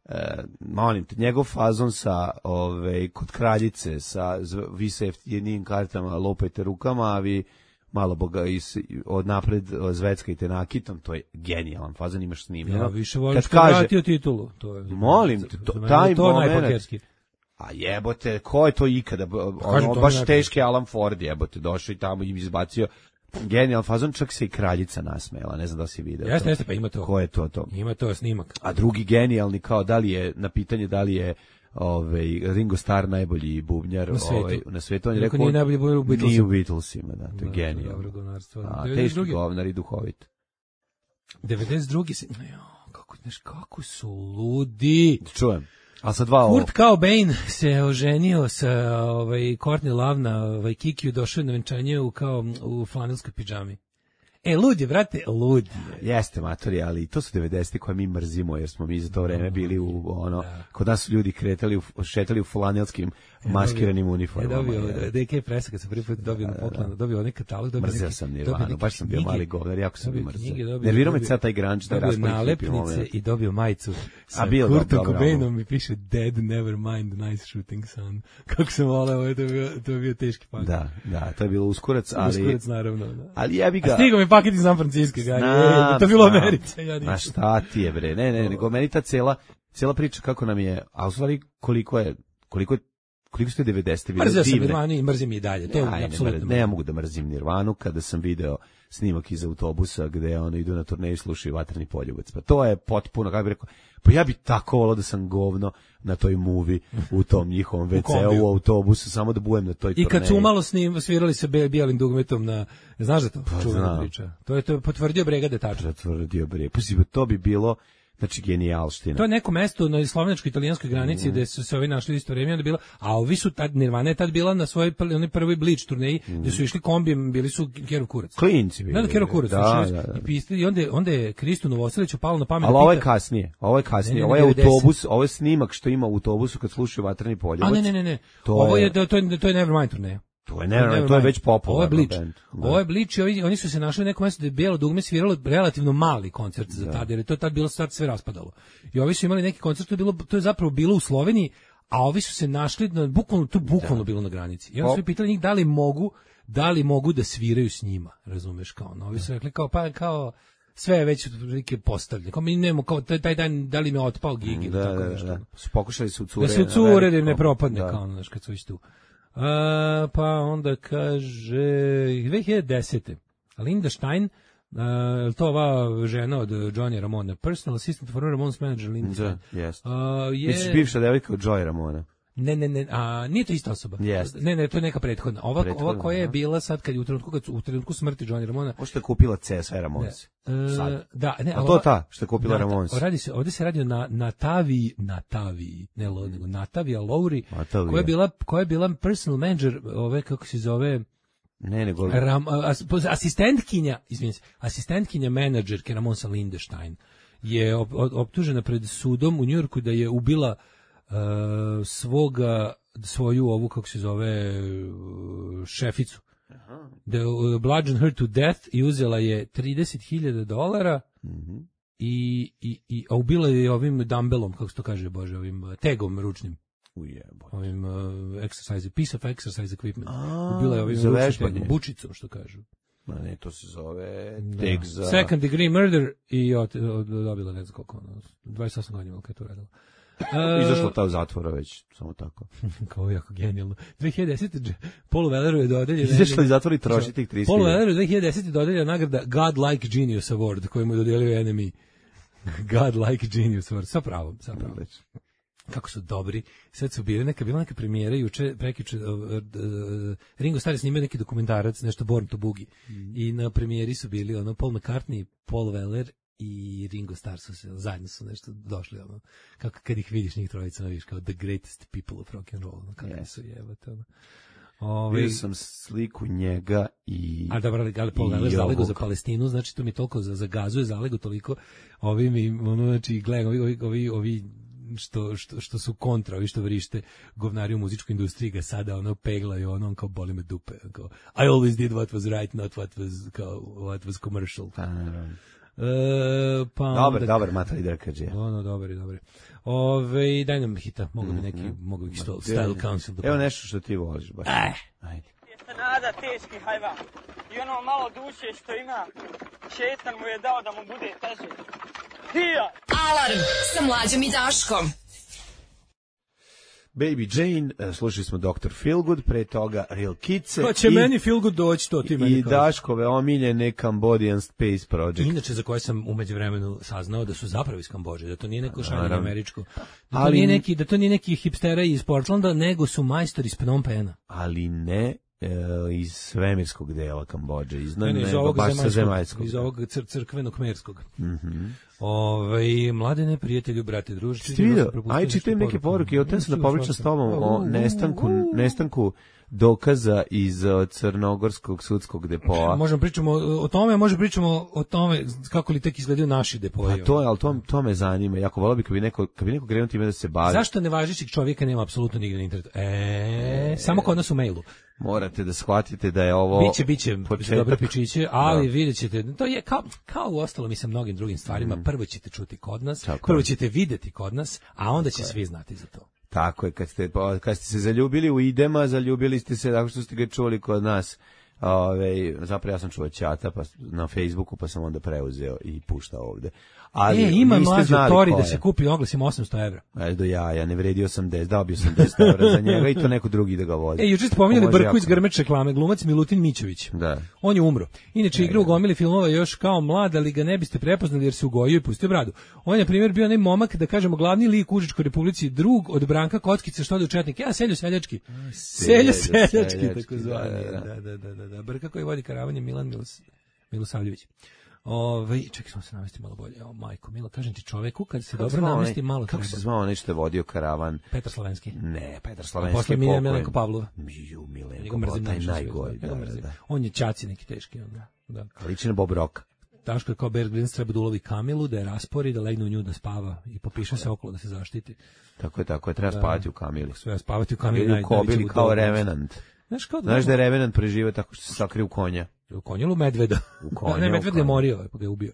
Uh, molim te, njegov fazon sa ove, kod kraljice sa vi se jeftinim kartama lopajte rukama, a vi malo boga is, od napred zveckajte nakitom, to je genijalan fazon, imaš snimljeno. Ja više volim što je vratio titulu. To je, molim te, to, taj to moment. A jebote, ko je to ikada? Ono, baš teški Alan Ford jebote, došao i tamo im izbacio genijalan fazon, čak se i kraljica nasmejala, ne znam da si video. Jeste, jeste, pa ima to. Ko je to to? Ima to snimak. A drugi genijalni, kao da li je, na pitanje da li je ovaj, Ringo Starr najbolji bubnjar na svetu, ovaj, na svetu on je rekao, nije najbolji bubnjar u Beatlesima. Nije u Beatlesima, da, to je da, genijalno. A, teški govnar i duhovit. devedeset drugi se, jo, kako, znaš, kako su ludi. Čujem. A sa dva Kurt Cobain se oženio sa ovaj Courtney Love na ovaj Kikiju, došao na venčanje u kao u flanelskoj pidžami. E, lud je, brate, lud je. Jeste, matori, ali to su devedeseti koje mi mrzimo, jer smo mi za to vreme bili u, ono, da. Kod nas su ljudi kretali, u, šetali u flanelskim maskiranim e, uniformama. Je dobio, D K Presa, kad sam prvi put dobio na poklonu, dobio onaj katalog, dobio mrzio neki, sam Nirvanu, baš sam bio mali govnar, jako sam bio mrzio. Nervirao me sad taj grunge, taj dobio raspali nalepnice i dobio majicu sa Kurtom Cobainom i piše Dead, never mind, nice shooting son. Kako sam voleo, to je bio, to je bio teški pakt. Da, da, to je bilo uskurac, ali... Uskurac, naravno, da. Ali jebi ga... A stigo mi paket iz San Francisco, ga, je, to je bilo Americe. Ja ma šta ti je, bre, ne, ne, nego meni ta cela, cela priča kako nam je, a u stvari koliko je, koliko je, koliko su te devedesete bile divne. Mrzio sam Nirvanu i mrzim i dalje, to je ja, apsolutno. Ne, ne mogu da mrzim Nirvanu kada sam video snimak iz autobusa gde ono idu na turneju i slušaju Vatreni poljubac. Pa to je potpuno, kako bih rekao, pa ja bi tako volao da sam govno na toj muvi u tom njihovom ve ce u, u autobusu, samo da bujem na toj turneji. I kad su umalo snim, svirali se bijelim dugmetom na, znaš da to? Pa, čuvena priča. To je to potvrdio Brega Detača. Potvrdio Brega. Pa to bi bilo, znači genijalština. To je neko mesto na slovenačko-italijanskoj granici mm. gde su se ovi našli isto vreme, onda bila, a ovi su tad, Nirvana je tad bila na svojoj onoj prvoj Bleach turneji, mm. gde su išli kombijem, bili su Kerov kurac. Klinci bili. Da, da, Kerov kurac. Da, da, da. I, piste, i onda, onda je Kristu Novoseliću palo na pamet. Ali ovo je kasnije, ovo je kasnije, ovo je autobus, ovo je snimak što ima u autobusu kad slušaju Vatreni poljubac. A ne, ne, ne, ne. To ovo je, je to je, to je Nevermind turneja. To je Nevermind, to je već popularno. Ovo je Bleach. Ovo je Bleach i oni, oni su se našli u nekom mjestu da je bijelo dugme sviralo relativno mali koncert za tad, jer je to tad bilo sad sve raspadalo. I ovi su imali neki koncert, to je, bilo, to je zapravo bilo u Sloveniji, a ovi su se našli, na, bukvalno, to bukvalno da. bilo na granici. I onda su pitali njih da li mogu, da li mogu da sviraju s njima, razumeš, kao, no, ovi su rekli kao, pa kao, sve je već prilike postavljeno. Kao mi nemamo, kao taj, taj dan, da li me otpao gig ili tako nešto. Da, da. Pokušali su cure. Da se cure, da im ne propadne, da. Kao, znaš, kad su već tu. A, pa onda kaže dve hiljade desete. Linda Stein, uh, to ova žena od Johnny Ramona, personal assistant for Ramon's manager Linda Stein. Da, yes. uh, je... Misliš bivša devojka od Joey Ramona? Ne, ne, ne, a nije to ista osoba. Yes. Ne, ne, to je neka prethodna. Ova, prethodna, ova koja je bila sad kad je u trenutku kad u trenutku smrti Johnny Ramona. Ovo što je kupila C S Ramones. Sad. Da, ne, a to je ta što je kupila na, Ramones. Radi se, ovdje se radi na Natavi, Natavi, ne Lodnigu, Natavija Lowry, koja je bila koja je bila personal manager, ove kako se zove, ne, nego Ram, as, asistentkinja, izvinite se, asistentkinja menadžerke Ramonsa Linda Stein je op, optužena pred sudom u Njujorku da je ubila uh, svoga svoju ovu kako se zove uh, šeficu. Aha. Da uh, bludgeoned her to death i uzela je trideset hiljada dolara. Mhm. I, i, i a ubila je ovim dumbbellom, kako se to kaže, bože, ovim uh, tegom ručnim. Ujebo. Ovim uh, exercise, piece of exercise equipment. A, ubila je ovim ručnim, bučicom, što kažu. Ma ne, to se zove teg za... Second degree murder i od, od, dobila ne znam koliko, ono, dvadeset osam godina kad je to radila. Izašla ta u zatvora već, samo tako. Kao jako genijalno. dve hiljade desete. Paul Welleru je dodeljena... Izašla iz zatvora i troši tih trideset Paul Welleru je dve hiljade desete. dodeljena nagrada God-like Genius Award, koju mu je dodelio N M E. God-like Genius Award. Sa pravom, sa pravom. Kako su dobri. Sad su bili neka, bila neka premijera juče, prekjuče, uh, uh, Ringo Starr je snimao neki dokumentarac, nešto Born to Boogie. Mm. I na premijeri su bili ono Paul McCartney, Paul Weller i Ringo Starr su se, zajedno su nešto došli, ono, kako kad ih vidiš njih trojica, vidiš kao the greatest people of rock and roll, ono, kako yes. su jebate, ono. Ove, vidio sam sliku njega i... A dobro, ali Paul Weller zalego za Palestinu, znači to mi toliko za, za gazu je zalego toliko, ovi mi, ono, znači, gledam, ovi, ovi, ovi, ovi Što, što, što su kontra, ovi što vrište govnari u muzičkoj industriji ga sada ono peglaju, ono on kao boli me dupe, kao I always did what was right, not what was, kao, what was commercial. Pa, naravno. E, pa dobar, onda, dobar, Matali Drkađe. Ono, dobar, dobar. Ove, daj nam hita, mogu bi neki, mm-hmm. mogu bi sto, style council. Evo nešto što ti voliš baš. Aj. Ajde. Jeste nada teški hajvan. I ono malo duše što ima, šetan mu je dao da mu bude teže. Hija! Alarm sa Mlađom i Daškom. Baby Jane, slušali smo doktor Feelgood, pre toga Real Kitse. Pa će i, meni Feelgood doći, to ti meni I Daškove omiljene Cambodian Space Project. Inače, za koje sam umeđu vremenu saznao da su zapravo iz Kambodže, da to nije neko šaljenje američko. Da to, ali, nije neki, da to nije neki hipstera iz Portlanda, nego su majstori iz Phnom Penha. Ali ne e, iz svemirskog dela Kambodže, iz, ne, ne, iz ovog baš zemaljskog, zemaljskog. Iz ovog cr crkvenog merskog. Mhm. Ove, mladene, prijatelju, brate, družići. Ti vidio, aj čitam neke poruke, ja te sam da popričam s tobom o nestanku, nestanku dokaza iz crnogorskog sudskog depoa. Možemo pričamo o tome, možemo pričamo o tome kako li tek izgledaju naši depoi. Pa to je, ali to, to me zanima. Jako volio bi kad bi neko, kad bi neko krenuo time da se bavi. Zašto nevažećeg čovjeka nema apsolutno nigde na internetu? E, e, samo kod nas u mailu. Morate da shvatite da je ovo biće biće dobre pičiće, ali da. Vidjet ćete, to je kao kao u ostalom i sa mnogim drugim stvarima, mm. prvo ćete čuti kod nas, tako prvo ćete videti kod nas, a onda će svi znati za to. Tako je, kad ste, kad ste se zaljubili u idema, zaljubili ste se tako što ste ga čuli kod nas. Ove, zapravo ja sam čuo Ćata pa, na Facebooku, pa sam onda preuzeo i puštao ovde. Ali, e, ima mlađo Tori da se kupi oglasima osamsto evra. E, do ja, ja ne vredi osamdeset, dao bi osamdeset evra za njega i to neko drugi da ga vozi. E, juče ste pominjali Brku iz Grmeč reklame, glumac Milutin Mićović. Da. On je umro. Inače, igra u gomili filmova još kao mlad, ali ga ne biste prepoznali jer se ugojio i pustio bradu. On je, na primjer, bio onaj momak, da kažemo, glavni lik u Užičkoj Republici, drug od Branka Kockice, što ode u Četnik. Ja, Seljo Seljački. Seljo Seljački, tako zvani. Da, da, da, da, da. Brka koji vodi karavan je Milan Milos, Milosavljević. Ove, čekaj, smo se navesti malo bolje. O, majko, Milo, kažem ti čoveku, kad se dobro navesti malo kako treba. Se zvao onaj što je vodio karavan? Petar Slavenski. Ne, Petar Slavenski. A posle Milena Milenko Pavlova. Miju, Milenko, taj najgori. Da, da. On je Ćaci neki teški. Onda. Da. Liči na Bob Rock. Daško je kao Bear Grylls, treba da ulovi Kamilu, da je raspori, da legne u nju da spava i popiše se okolo da se zaštiti. Tako je, tako je, treba da, spavati u Kamili. Sve spavati u Kamili. Ili u Kobili kao Revenant. Znaš, kao da, Znaš da je Revenant prežive tako što se sakrije u konja. U konju ili u medveda? U konja, ne, medved je morio, pa ga je ubio.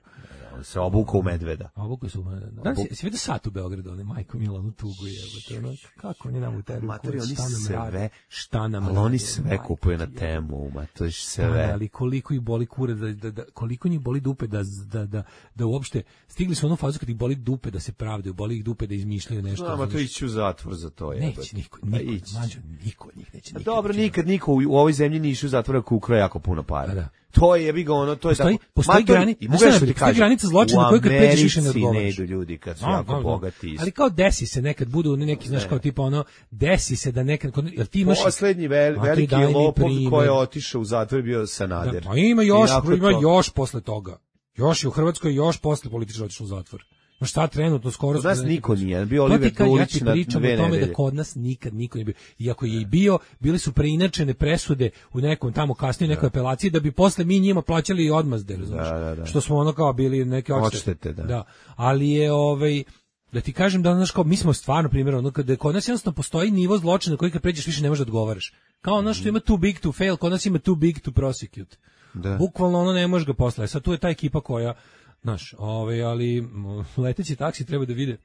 On se obukao u medveda. Obukao se u medveda. Da, si, si vidio sat u Beogradu, onaj majko Milanu tugu je. Ono, kako oni nam u tebi? Materi, oni sve, šta nam ali oni sve kupuju na temu, ma to je sve. Ali koliko ih boli kure, da, da, da, koliko njih boli dupe da, da, da, da uopšte, stigli su u onu fazu kad ih boli dupe da se pravdaju, boli ih dupe da izmišljaju nešto. No, ma to ići u zatvor za to. Je, neće niko, niko, mađo, niko od njih neće. Nikad, dobro, nikad niko u, u ovoj zemlji nije išao u zatvor ako ukrao jako puno para. Da. To je, jebi ga, ono, to je postoji, tako. Postoji, grani, i mogu nešto ti postoji granica zločina koju kad pređeš više ne odgovaraš. U Americi ne idu ljudi kad su no, jako no, no. bogati. Ali kao desi se nekad, budu neki, znaš, kao tipa ono, desi se da nekad, jer ti imaš... Poslednji vel, veliki lopov koji je otišao u zatvor bio Sanader. Da, pa ima još, ima to... još posle toga. Još je u Hrvatskoj, još posle političara otišao u zatvor. No šta trenutno skoro... Kod nas niko nije, bio Oliver Dulić na dve nedelje. Ja ti pričam o tome da kod nas nikad niko nije bio. Iako je i bio, bili su preinačene presude u nekom tamo kasnije nekoj apelaciji da bi posle mi njima plaćali odmazde, znaš. Da, da, da. Što smo ono kao bili neke odštete. Da. da. Ali je ovaj... Da ti kažem da znaš kao mi smo stvarno primjer ono kada kod nas jednostavno postoji nivo zločina koji kad pređeš više ne možeš da odgovaraš. Kao ono što ima too big to fail, kod nas ima too big to prosecute. Da. Bukvalno ono ne možeš ga posle. Sad tu je ta ekipa koja znaš, ovaj, ali leteći taksi treba da vide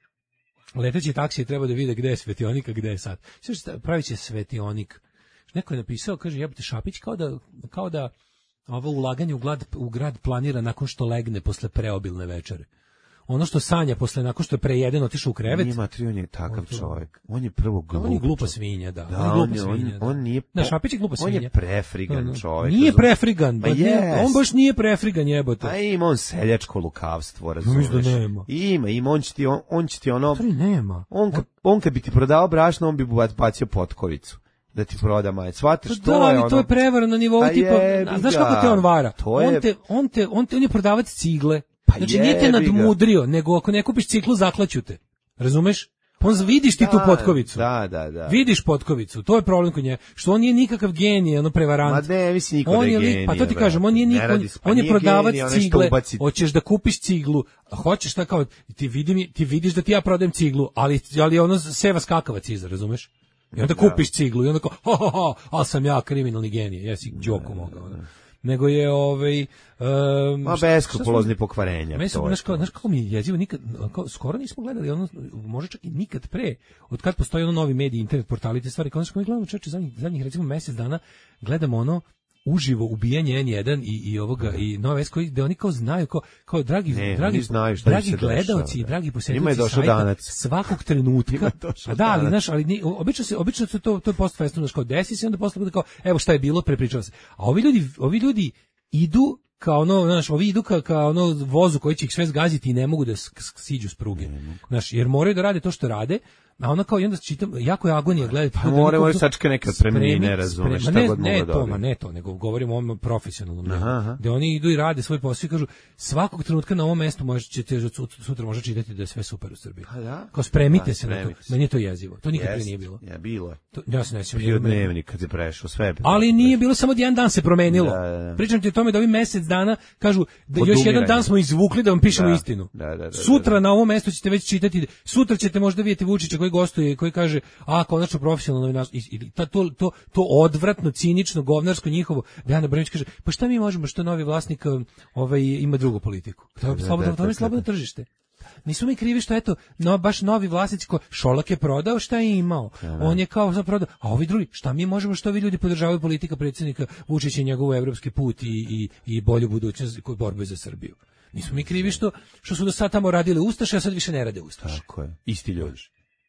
leteći taksi treba da vide gde je svetionik, a gde je sad. Sve pravi će svetionik. Neko je napisao, kaže, jebote Šapić, kao da, kao da ovo ulaganje u grad, u grad planira nakon što legne posle preobilne večere. ono što sanja posle nakon što je prejeden otišao u krevet. Nije matri, on je takav On to- čovjek. On je prvo glup. On je glupa čovjek. svinja, da. Da, on je on, glupa je, svinja. on, da. on nije... Da, Šapić je glupa On svinja. je prefrigan Da, da. čovjek. Nije razumeš? prefrigan, Pa pa nije- jest. on baš nije prefrigan jebote. A ima on seljačko lukavstvo, razumeš? mislim da nema. Ima, ima, on će ti, on, on će ti ono... Stvari nema. On, ka, on kad bi ti prodao brašno, on bi bacio potkovicu. Da ti proda maje. Shvataš, Pa to da, je ali ono... to je prevara na nivou Pa tipa, jebi a znaš ga. kako te on vara? To je- On te, on te, on te, on je prodavac cigle. Pa Znači nije te jebi ga. nadmudrio, nego ako ne kupiš ciklu zaklaću te. Razumeš? On vidiš ti tu Da, potkovicu. Da, da, da. Vidiš potkovicu, to je problem kod nje. Što on nije nikakav genij, ono prevarant. Ma ne, mislim niko da On je je lik- genije, pa to ti brate. kažem, on nije Ne niko, radi on, se, pa on je nije prodavac genije, onaj što cigle. ubaci- Hoćeš da kupiš ciglu, a hoćeš šta kao ti vidi mi, ti vidiš da ti ja prodajem ciglu, ali ali ono seva skakavac iza, razumeš? I onda kupiš ciglu i onda kao, ho, ho, ho, ali sam ja kriminalni genije, jesi džoku mogao. ono. Nego je ovaj um, Ma beskrupulozni pokvarenja. Meni se, to je znaš, kao, to. znaš kako mi je jezivo, nikad, kao, skoro nismo gledali, ono, možda čak i nikad pre, od kad postoji ono novi mediji, internet portali, te stvari, kao, znaš, kao mi gledamo čoveče zadnjih, zadnjih recimo mesec dana, gledamo ono, uživo ubijanje en jedan i, i ovoga, i Nova S koji, da oni kao znaju, kao, kao dragi, Ne, dragi, oni znaju šta im dragi se gledaoci dešava, i da. dragi Njima je posjetioci došao sajta, danac. svakog trenutka, Njima je došao a da, ali, danac. znaš, ali ni, obično se, obično se to, to je post festum, znaš, kao desi se, onda posle bude kao, evo šta je bilo, prepričava se. A ovi ljudi, ovi ljudi idu kao ono, znaš, ovi idu ka, ka ono vozu koji će ih sve zgaziti i ne mogu da sk- sk- siđu s pruge. Znaš, jer moraju da rade to što rade, a ona kao i onda čitam, jako je agonija gledati. Pa more, more sačka neke otpremnine, razumeš, šta ne, god mogu ne da to, dobiju. ma ne to, nego govorimo o ovom profesionalnom delu, Aha, aha. gde oni idu i rade svoj posao i kažu, svakog trenutka na ovom mestu možete sut- sutra može čitati da je sve super u Srbiji. Pa da. Kao spremite Da, se na to. spremite se. Meni je to jezivo. To nikad pre Jest. nije bilo. Ja, bilo je. To, ja se ne sjećam. Bio dnevnik kad je prešao, sve je Ali nije bilo samo jedan dan se promenilo. Da, da, da. Pričam ti o tome da ovi mesec dana kažu da još Odumiranje. jedan dan smo izvukli da vam pišemo Da, istinu. da, da, da, da, Sutra da. na ovom mestu ćete već čitati, sutra ćete možda vidjeti Vučića koji gostuje, koji kaže, a konačno profesionalno novinarstvo, i- ili ta- to, to, to odvratno, cinično, govnarsko njihovo, Dejana Brnić kaže, pa šta mi možemo što novi vlasnik um, ovaj, ima drugu politiku? To je da, slobodno, da, to je da, slobodno da. tržište. Nisu mi krivi što eto, no baš novi vlasnici ko Šolak je prodao šta je imao. On je kao sad prodao, a ovi drugi, šta mi možemo što ovi ljudi podržavaju politika predsjednika Vučića i njegov evropski put i i i bolju budućnost kod borbe za Srbiju. Nismo mi krivi što što su do sad tamo radili ustaše, a sad više ne rade ustaše. Tako je. Isti ljudi.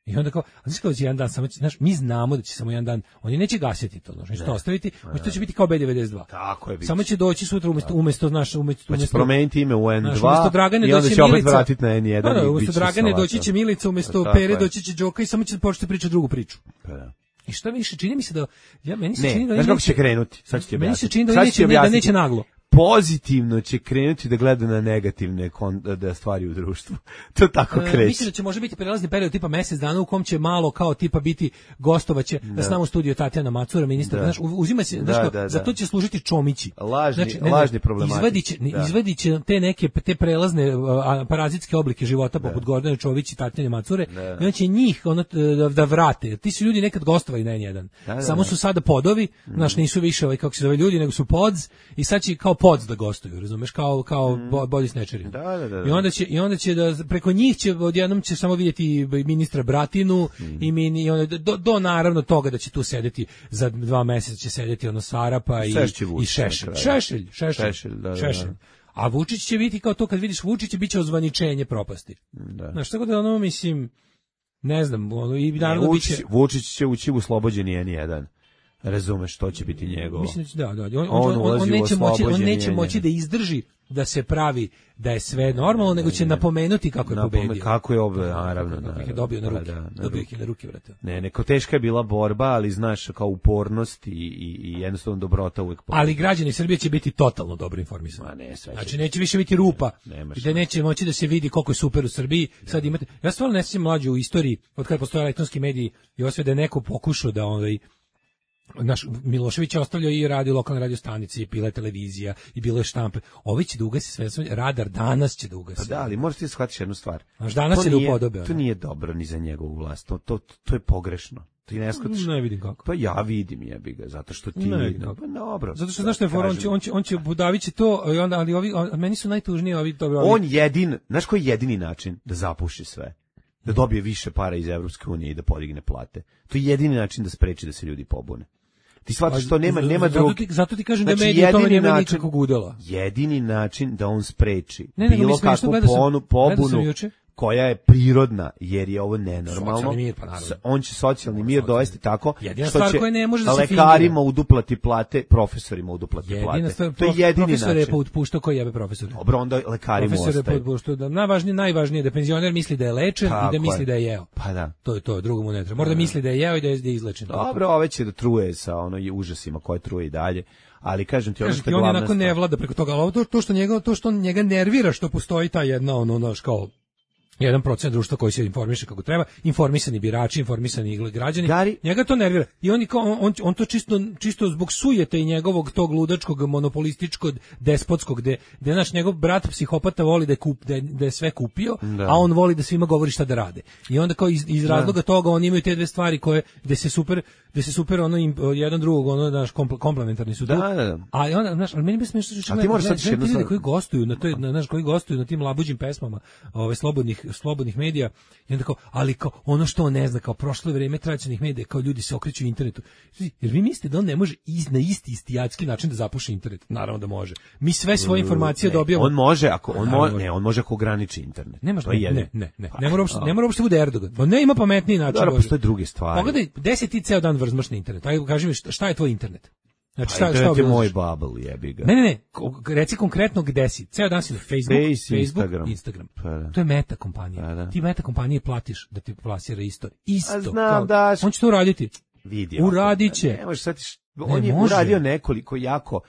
I onda kao, a znaš kao će jedan dan, samo će, znaš, mi znamo da će samo jedan dan, oni neće gasiti to, znači to ostaviti, to će biti kao B devedeset dva. Tako je. Samo će doći sutra umesto, umesto, znaš, umesto, Pa će umesto, promeniti ime u en Znaš, dva umesto Dragane i onda doći će opet Milica. vratiti na en jedan Da, da, i umesto bit će Dragane salata. doći će Milica, umesto Tako Pere je. doći će Đoka i samo će početi pričati drugu priču. Pa da. I šta više, čini mi se da, ja, meni se Ne, čini da... znaš oni kako neće- će krenuti? Sad ću ti Meni se objasniti. čini da Sad oni ću ti neće, da objasniti. neće naglo. Pozitivno će krenuti da gleda na negativne kon, da stvari u društvu. To tako E, kreće. mislim da će može biti prelazni period tipa mesec dana u kom će malo kao tipa biti gostovaće da. S nama u studiju Tatjana Macura, ministar, Da. znaš, u- uzima se, Da, znaš, kao, da, da. za to će služiti čomići. Lažni- lažni problematici. Izvadiće, ne, Da. izvadiće te neke te prelazne a, parazitske oblike života poput Gordane Čović i Tatjane Macure i on će njih ono, da, da vrate. Ti su ljudi nekad gostovali na en jedan. Da, da, Samo da. su sada podovi, znaš, nisu više ovaj kako se zove ljudi, nego su pods i sad će kao pods da gostuju, razumeš, kao kao mm. body snatcheri. Da, da, da, da. I onda će i onda će da preko njih će odjednom će samo vidjeti ministra Bratinu Mm. i mini i onda do, do naravno toga da će tu sedeti za dva meseca će sedeti ono Sarapa i Šešće i Vučić Šešelj. na kraju. Šešelj, Šešelj. Šešelj, da, da, da. Šešelj. A Vučić će biti kao to kad vidiš Vučića biće ozvaničenje propasti. Da. Znaš, tako da ono mislim ne znam, ono i Ne, naravno Vučić, biće Vučić će ući u oslobođeni en jedan. Razumeš, to će biti njegovo. Mislim da će- da, da, on, On on, on, ulazi on u neće moći, on oslobođenje neće moći njega. da izdrži da se pravi da je sve normalno, nego će napomenuti kako je Napome- pobedio. Kako je ob, naravno. Kako ih je naravno. dobio na Pa ruke. da, na Dobio ih ruke. je na ruke, vrate. Ne, neko teška je bila borba, ali znaš, kao upornost i, i, i jednostavno dobrota uvek pobedi. Ali građani Srbije će biti totalno dobro informisani. Ma ne, sve će Znači biti. neće više biti rupa, Nemaš gde neće moći da se vidi koliko je super u Srbiji. Sad imate, ja stvarno ne sjećam mlađe u istoriji, od kada postoje elektronski mediji i osve da je neko pokušao da ovaj naš Milošević je ostavljao i radio lokalne radio stanice i pile televizija i bilo je štampe. Ovi će da ugasi sve, sve, radar danas će da ugasi. Pa da, ali možeš ti shvatiti jednu stvar. Znaš, danas To će da nije- upodobe, To ono. nije dobro ni za njegovu vlast. To, to, to je pogrešno. Ti ne shvatiš. Ne vidim kako. Pa ja vidim jebi ga, zato što ti... Ne vidim kako. Pa dobro. Zato što znaš što je fora, on će, kažem. on će, on će Budavić je to, i onda, ali ovi, a meni su najtužniji ovi, dobro, ovi, On jedin, znaš koji je jedini način da zapuši sve? Da dobije više para iz Evropske unije i da podigne plate. To je jedini način da spreči da se ljudi pobune. Ti shvataš što nema, nema zato drugog. ti, zato ti kažem Znači, da mediji u tome jedini nema način- nikakvog udela. Jedini način da on spreči Ne, nego bilo mi smiješno, kakvu gledao sam- ponu, gledao sam pobunu juče. koja je prirodna, jer je ovo nenormalno. Socijalni mir, pa naravno. S- On će socijalni mir Socijalni dovesti tako Jedina što stvar će koja ne može da se lekarima fingira. uduplati plate, profesorima uduplati Jedina plate. stvar, To je prof- jedini profesor je način. potpuštao koji jebe profesore. Dobro, onda lekarima Profesor je ostaje. potpuštao da najvažnije, najvažnije je da penzioner misli da je lečen Tako i da misli je. da je jeo. Pa da. To je to, drugo mu ne treba. Mora da misli da je jeo i da je, da je izlečen. Dobro, ove će da truje sa ono i užasima koje truje i dalje. Ali kažem ti, ono Kažem što ti, je on glavna onako ne stvar. vlada preko toga, ali ovo to, to što njega, to što njega nervira, što postoji ta jedna, ono, naš, kao jedan procent društva koji se informiše kako treba, informisani birači, informisani građani, Gari- njega to nervira. I on, je kao, on, on to čisto, čisto zbog sujete i njegovog tog ludačkog, monopolističkog, despotskog, gde, gde naš njegov brat psihopata voli da je, kup, da je, da je sve kupio, Da. a on voli da svima govori šta da rade. I onda kao iz, iz razloga toga oni imaju te dve stvari koje, gde se super, gde se super ono, im, jedan drugog, ono, naš kompl, komplementarni su tu. Da, da, da. A onda, znaš, ali meni bi smiješno što A ti moraš sad gledaj, jednu ljude stvar- koji gostuju na toj, na, znaš, koji gostuju na tim labuđim pesmama, ove slobodnih slobodnih medija, i onda kao, ali kao ono što on ne zna, kao prošlo vrijeme tradicionalnih medija, kao ljudi se okreću internetu. Jer vi mislite da on ne može iz, na isti istijatski način da zapuši internet? Naravno da može. Mi sve svoje informacije Ne, dobijamo. On može ako on Naravno može, može. ne, on može ako ograniči internet. Nemaš, To je ne, jedino. ne, ne, ne, Pa, ne mora uopšte, a. ne mora uopšte bude Erdogan. Pa ne, ima pametniji način. Dobro, Bože. postoje druge stvari. Pogledaj, gde si ti ceo dan vrzmaš na internet? Ajde, kaži mi šta, šta je tvoj internet? Znači, Pa šta, šta internet je obilaziš? moj bubble, jebi ga. Ne, ne, ne, ko- reci konkretno gde si. Ceo dan si na Facebook, Face, Facebook, Instagram. Instagram. Pa da. To je meta kompanija. Pa da. Ti meta kompanije platiš da ti plasira isto. Isto. A znam, kao- daš. On će to uraditi. Vidi. Uradit će. Ne možeš sad, on Ne je može. uradio nekoliko jako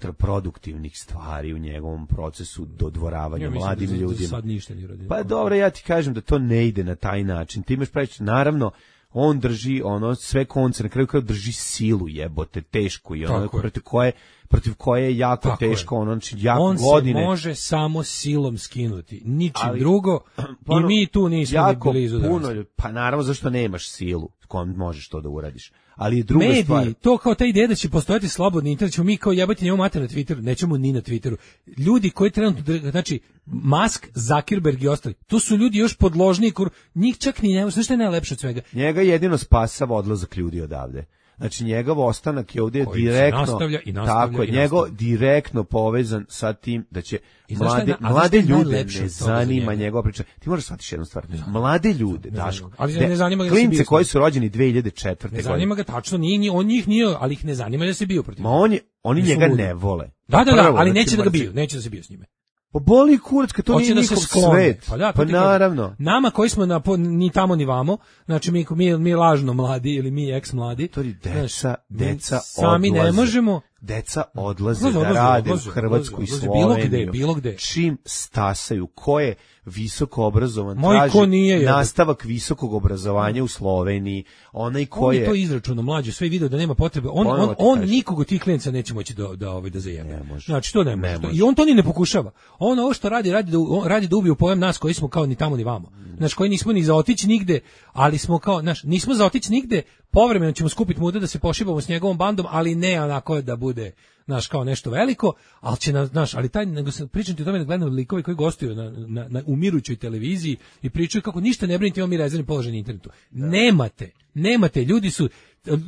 kontraproduktivnih stvari u njegovom procesu dodvoravanja Ja mislim mladim da za- za ljudima. sad ništa nije uradio. Pa dobro, ja ti kažem da to ne ide na taj način. Ti imaš pravić, naravno, on drži ono sve konce, na kraju kraju drži silu, jebote, teško i ono Tako je. protiv koje protiv koje je jako Tako je. teško, ono znači jako On godine. se može samo silom skinuti. Ničim Ali- drugo. Pa I ono, mi tu nismo ni jako blizu da puno, ljud- pa naravno zašto nemaš silu s kojom možeš to da uradiš. Ali druga mediji, stvar, to kao ta ideja da će postojati slobodni internet, ćemo mi kao jebati njemu mater na Twitteru, nećemo ni na Twitteru. Ljudi koji trenutno, dr- znači, Musk, Zuckerberg i ostali, to su ljudi još podložniji, kur, njih čak ni nema, znaš što je najlepše od svega? njega jedino spasava odlazak ljudi odavde. Znači njegov ostanak je ovdje Koji se direktno nastavlja i nastavlja tako je, i njegov nastavlja. direktno povezan sa tim da će I znaš šta je mlade, na- a znaš mlade šta je ljude najlepše ne od toga za zanima njega? njegova priča. Ti moraš shvatiti jednu stvar. Mlade ljude, Daško. Ali de- ne zanima ga da si klince bio s koji njim. su rođeni dve hiljade četvrte. Ne godine. zanima ga tačno, nije, ni on njih nije, ali ih ne zanima da se bio protiv. Ma on je, oni Nisu njega ludi. ne vole. Da, da, da, Prvo, ali znači, neće da ga mrzi. bio, neće da se bio s njime. Pa boli kurac, kad to Hoće nije da se njihov sklone. svet. Pa da, to pa ti kažem. naravno. Nama koji smo na, po- ni tamo ni vamo, znači mi, mi, mi lažno mladi ili mi eks mladi, To je znaš, deca, mi deca sami ne odlaze. možemo. Deca odlaze Odlaze, da odlaze, rade odlaze, u Hrvatsku i odlaze, odlaze, bilo Sloveniju. gde, bilo gde. Čim stasaju, ko je visoko obrazovan, Moj traži ko nije, jebote. nastavak visokog obrazovanja u Sloveniji, onaj ko On je je... to izračunao mlađe, sve video da nema potrebe. On Ponovo on, ti on kažem. nikog od tih klijenca neće moći da da ovaj da zajebe. Ne može. Znači to ne Ne može. može. I on to ni ne pokušava. On ovo što radi radi da u- on radi da ubije u pojam nas koji smo kao ni tamo ni vamo. Znači koji nismo ni za otići nigde, ali smo kao, znaš, nismo za otići nigde. Povremeno ćemo skupiti muda da se pošibamo s njegovom bandom, ali ne onako da bude naš kao nešto veliko, ali će nas, znaš, ali taj, nego se pričam ti o tome da gledam likovi koji gostuju na, na, na umirućoj televiziji i pričaju kako ništa ne brinite, imamo mi rezervni položaj na internetu. Nemate, nemate, ljudi su,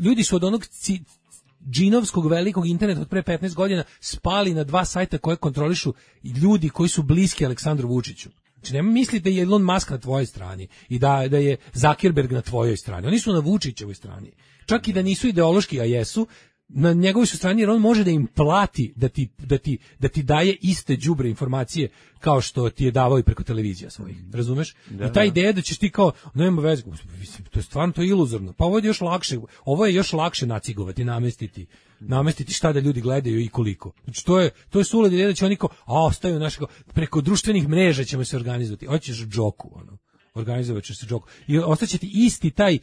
ljudi su od onog ci, džinovskog velikog interneta od pre petnaest godina spali na dva sajta koje kontrolišu ljudi koji su bliski Aleksandru Vučiću. Znači, nema misliti da je Elon Musk na tvojoj strani i da, da je Zuckerberg na tvojoj strani. Oni su na Vučićevoj strani. Čak i da nisu ideološki, a jesu, na njegovoj su strani jer on može da im plati da ti, da ti, da ti daje iste đubre informacije kao što ti je davao i preko televizija svojih. Razumeš? I ta ideja da ćeš ti kao, nema veze, mislim, to je stvarno to je iluzorno. Pa ovo je još lakše, ovo je još lakše nacigovati, namestiti namestiti šta da ljudi gledaju i koliko. Znači to je to je suluda ideja da će oni kao, a ostaju našo preko društvenih mreža ćemo se organizovati. Hoćeš džoku ono. Organizovat će se džoku. I ostaće ti isti taj e,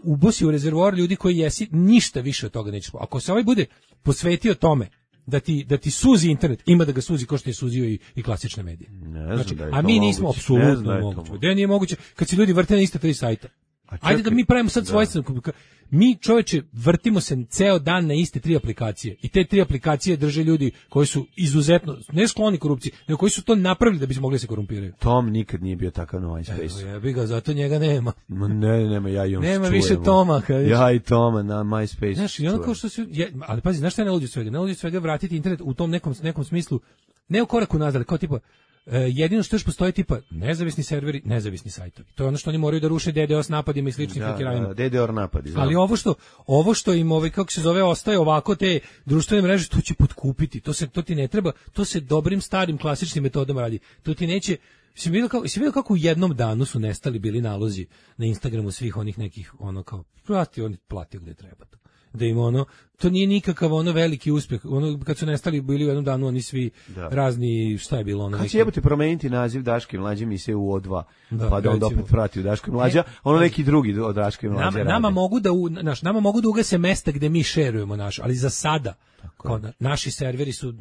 ubosi u rezervoar ljudi koji jesi, ništa više od toga nećeš. Ako se ovaj bude posvetio tome da ti da ti suzi internet, ima da ga suzi kao što je suzio i, i klasične medije. Ne znam Znači, da je a to mi nismo moguće. Ne znam da apsolutno je to moguće. moguće. Da nije moguće kad se ljudi vrte na iste tri sajta. Ajde da mi pravimo sad svojstveno. Mi, čoveče, vrtimo se ceo dan na iste tri aplikacije i te tri aplikacije drže ljudi koji su izuzetno, ne skloni korupciji, nego koji su to napravili da bi mogli se korumpiraju. Tom nikad nije bio takav na MySpace. Evo, ja bi ga, zato njega nema. Ma ne, nema, ja i on Nema čujemo. više Toma. Kad ja i Toma na MySpace. Znaš, i ono kao što su, je, ali pazi, znaš šta je najluđe svega? Najluđe svega vratiti internet u tom nekom, nekom smislu, ne u koraku nazad, kao tipa, Uh, jedino što još postoji tipa nezavisni serveri, nezavisni sajtovi. To je ono što oni moraju da ruše D DoS napadima i sličnim hakeranjima. Da, D DoS napadi. Znam. Ali ovo što ovo što im ovaj kako se zove ostaje ovako te društvene mreže, to će potkupiti. To se to ti ne treba, to se dobrim starim klasičnim metodama radi. To ti neće. Si vidio kako, si vidio kako u jednom danu su nestali bili nalozi na Instagramu svih onih nekih ono kao plati, oni platio gde treba to. Da im ono, to nije nikakav ono veliki uspjeh. Ono kad su nestali bili u jednom danu oni svi da. razni, šta je bilo ono. Kad će jebote promeniti naziv Daške i Mlađe emisije u O dva, da, pa da onda opet vrati u Daške i Mlađa, ono neki drugi od Daške i Mlađe nama, radi. Nama mogu da u, naš, nama mogu da ugase mesta gde mi šerujemo naš, ali za sada kao na, naši serveri su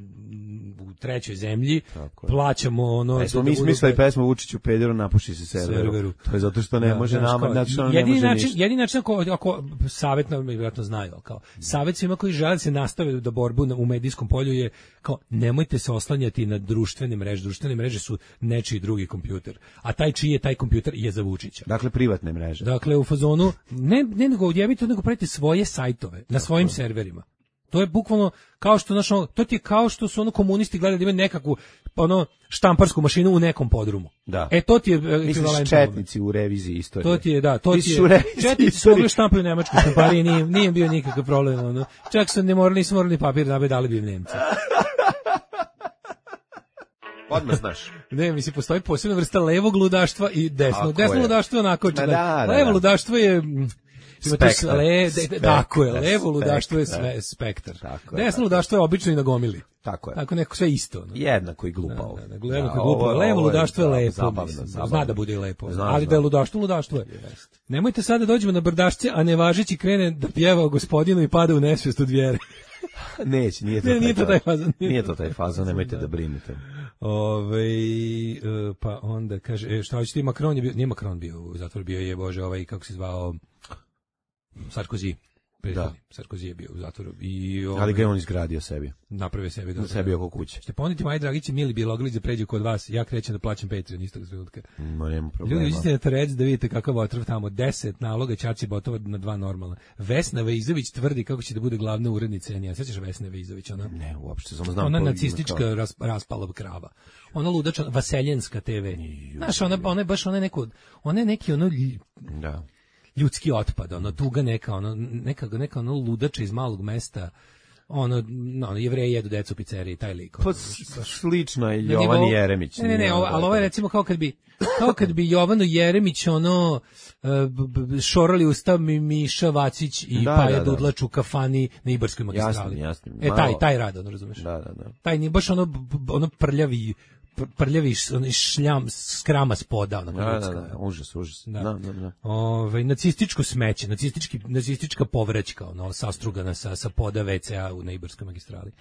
u trećoj zemlji, plaćamo ono... E, smo mi smislili pesmu Vučiću pederu, napuši se serveru. serveru. To je zato što ne da, može nama, znači što ne može način, ništa. Jedini način, ako, ako savjet, vjerojatno znaju, kao savjet svima koji žele se nastave da borbu u medijskom polju je kao nemojte se oslanjati na društvene mreže. Društvene mreže su nečiji drugi kompjuter. A taj čiji je taj kompjuter je za Vučića. Dakle, privatne mreže. Dakle, u fazonu, ne, ne nego odjevite, nego pravite svoje sajtove na svojim Tako. serverima. To je bukvalno kao što našo, to ti je kao što su ono komunisti gledali da imaju nekakvu ono štamparsku mašinu u nekom podrumu. Da. E to ti je ekvivalentno. Misliš četnici u reviziji istorije. To ti je, da, to Misliš ti je. Četnici su mogli štampati u nemačkoj štampariji, nije, nije bio nikakav problem. Ono. Čak su ne morali, nisu morali papir da bi dali bi im Nemci. Odmah znaš. Ne, mislim, postoji posebna vrsta levog ludaštva i desnog. Desno je. ludaštvo je onako. Da, da, da, levo da. ludaštvo je... Spektar. Le, de, tako je, levo ludaštvo je sve, spektar. Desno ludaštvo je obično i na gomili. Tako je. Tako neko sve isto. No. Jednako i glupo. Da, da, da, jednako i glupo. Levo ludaštvo je lepo. Zabavno, zabavno. Zna da bude i lepo. Znam, ali znam. Da je ludaštvo, ludaštvo je. Jest. Nemojte sada dođemo na brdašce, a ne važeći krene da pjeva o gospodinu i pada u nesvijest od vjere. Neće, nije to, ne, taj, nije to taj fazon. Nije to taj fazon, nemojte da, da brinete. Ove, pa onda kaže, šta hoćete, Macron je bio, nije Macron bio u zatvoru, bio je, bože, ovaj, kako se zvao, Sarkozy. Da. Sarkozy je bio u zatvoru. I ovaj, ali ga je on izgradio sebi. Napravio sebi. Da sebi oko kuće. Ste poniti, Maj Dragić, mili Bjelogrlić, da pređe kod vas, ja krećem da plaćam Patreon istog trenutka. Ma nema problema. Ljudi, vidite na Terec da vidite kakav otrov tamo. Deset naloga, Čači Botova na dva normalna. Vesna Veizović tvrdi kako će da bude glavna urednica. Ja sećaš Vesne Veizović, ona? Ne, uopšte, samo znam. Ona nacistička ras, raspala krava. Ona ludača, Vaseljenska te ve. Znaš, ona, ona je baš, ona je neko, ona je neki ono... Da. Ljudski otpad, ono tuga neka, ono neka neka ono ludača iz malog mesta, ono no, Jevreji jedu decu u pizzeriji, taj lik. Pa slično je Jovan Jeremić. Ne, ne, ne, ovo, ali ovo je recimo kao kad bi kao kad bi Jovanu Jeremić ono uh, šorali usta mi Miša Vacić i da, Paja da, da. Dudlač u kafani na Ibarskoj magistrali. Jasno, jasno. E taj taj rad, ono razumeš? Da, da, da. Taj ni baš ono ono prljavi prljavi šljam skrama spoda onako da, da, da, užas, užas. Da. Da, da, da. Ove, nacističko smeće, nacistički, nacistička povraćka, ono, sastrugana sa, sa poda ve ce a u na Ibarskoj magistrali.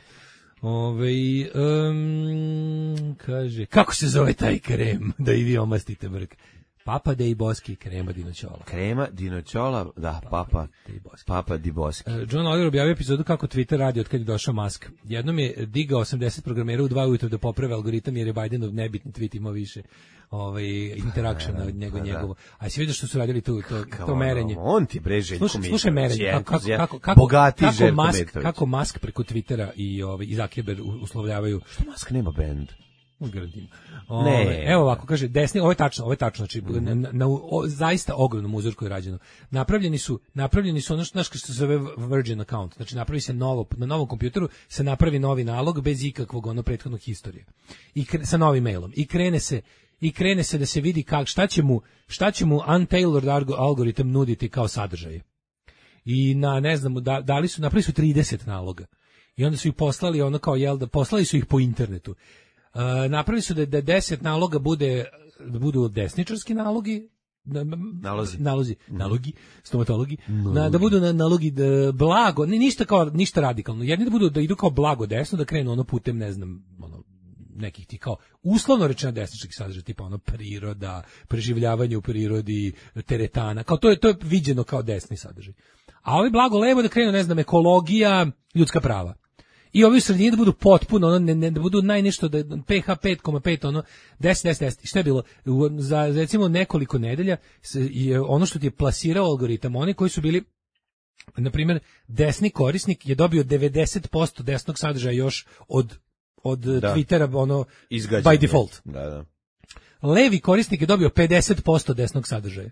Ove, um, kaže, kako se zove taj krem da i vi omastite brk? Papa Dei Boschi, krema dinoćola. Krema dinoćola, da, Papa Dei Boschi. Papa Dei Boschi. Uh, John Oliver objavio epizodu kako Twitter radi od kad je došao Musk. Jednom je digao osamdeset programera u dva ujutro da poprave algoritam jer je Bidenov nebitni tweet imao više ovaj interakšena od njega njegovo. A si vidio što su radili tu to to, to merenje. On ti bre Željko Slušaj, slušaj merenje, kako kako kako kako, bogati kako Musk, kako Musk preko Twittera i ovaj i Zuckerberg uslovljavaju. Što Musk nema bend? Garantim. Ne. Evo ovako, kaže, desni, ovo je tačno, ovo je tačno, znači, mm. na, na, na o, zaista ogromnom uzorku je rađeno. Napravljeni su, napravljeni su ono što, što se zove Virgin account, znači napravi se novo, na novom kompjuteru se napravi novi nalog bez ikakvog ono prethodnog historije. I kre, sa novim mailom. I krene se i krene se da se vidi kak, šta će mu, šta će mu untailored algoritam nuditi kao sadržaj. I na, ne znam, da, dali su, napravili su trideset naloga. I onda su ih poslali, ono kao, jel da, poslali su ih po internetu. Uh, napravili su da, da deset naloga bude da budu desničarski nalogi, nalozi, nalozi, nalogi, stomatologi, na, da budu na, nalogi da, blago, ne, ništa kao ništa radikalno. Jedni da budu da idu kao blago desno, da krenu ono putem, ne znam, ono nekih ti kao uslovno rečeno desničkih sadržaja, tipa ono priroda, preživljavanje u prirodi, teretana, kao to je to je viđeno kao desni sadržaj. A ovi blago levo da krenu, ne znam, ekologija, ljudska prava. I ovi u sredini da budu potpuno, ono, ne, ne, da budu najnešto, da P H pet zarez pet, ono, deset, deset, deset. Šta je bilo? U, za, recimo, nekoliko nedelja je ono što ti je plasirao algoritam, oni koji su bili, na primjer, desni korisnik je dobio devedeset posto desnog sadržaja još od, od da. Twittera, ono, izgađen, by default. Da, da. Levi korisnik je dobio pedeset posto desnog sadržaja.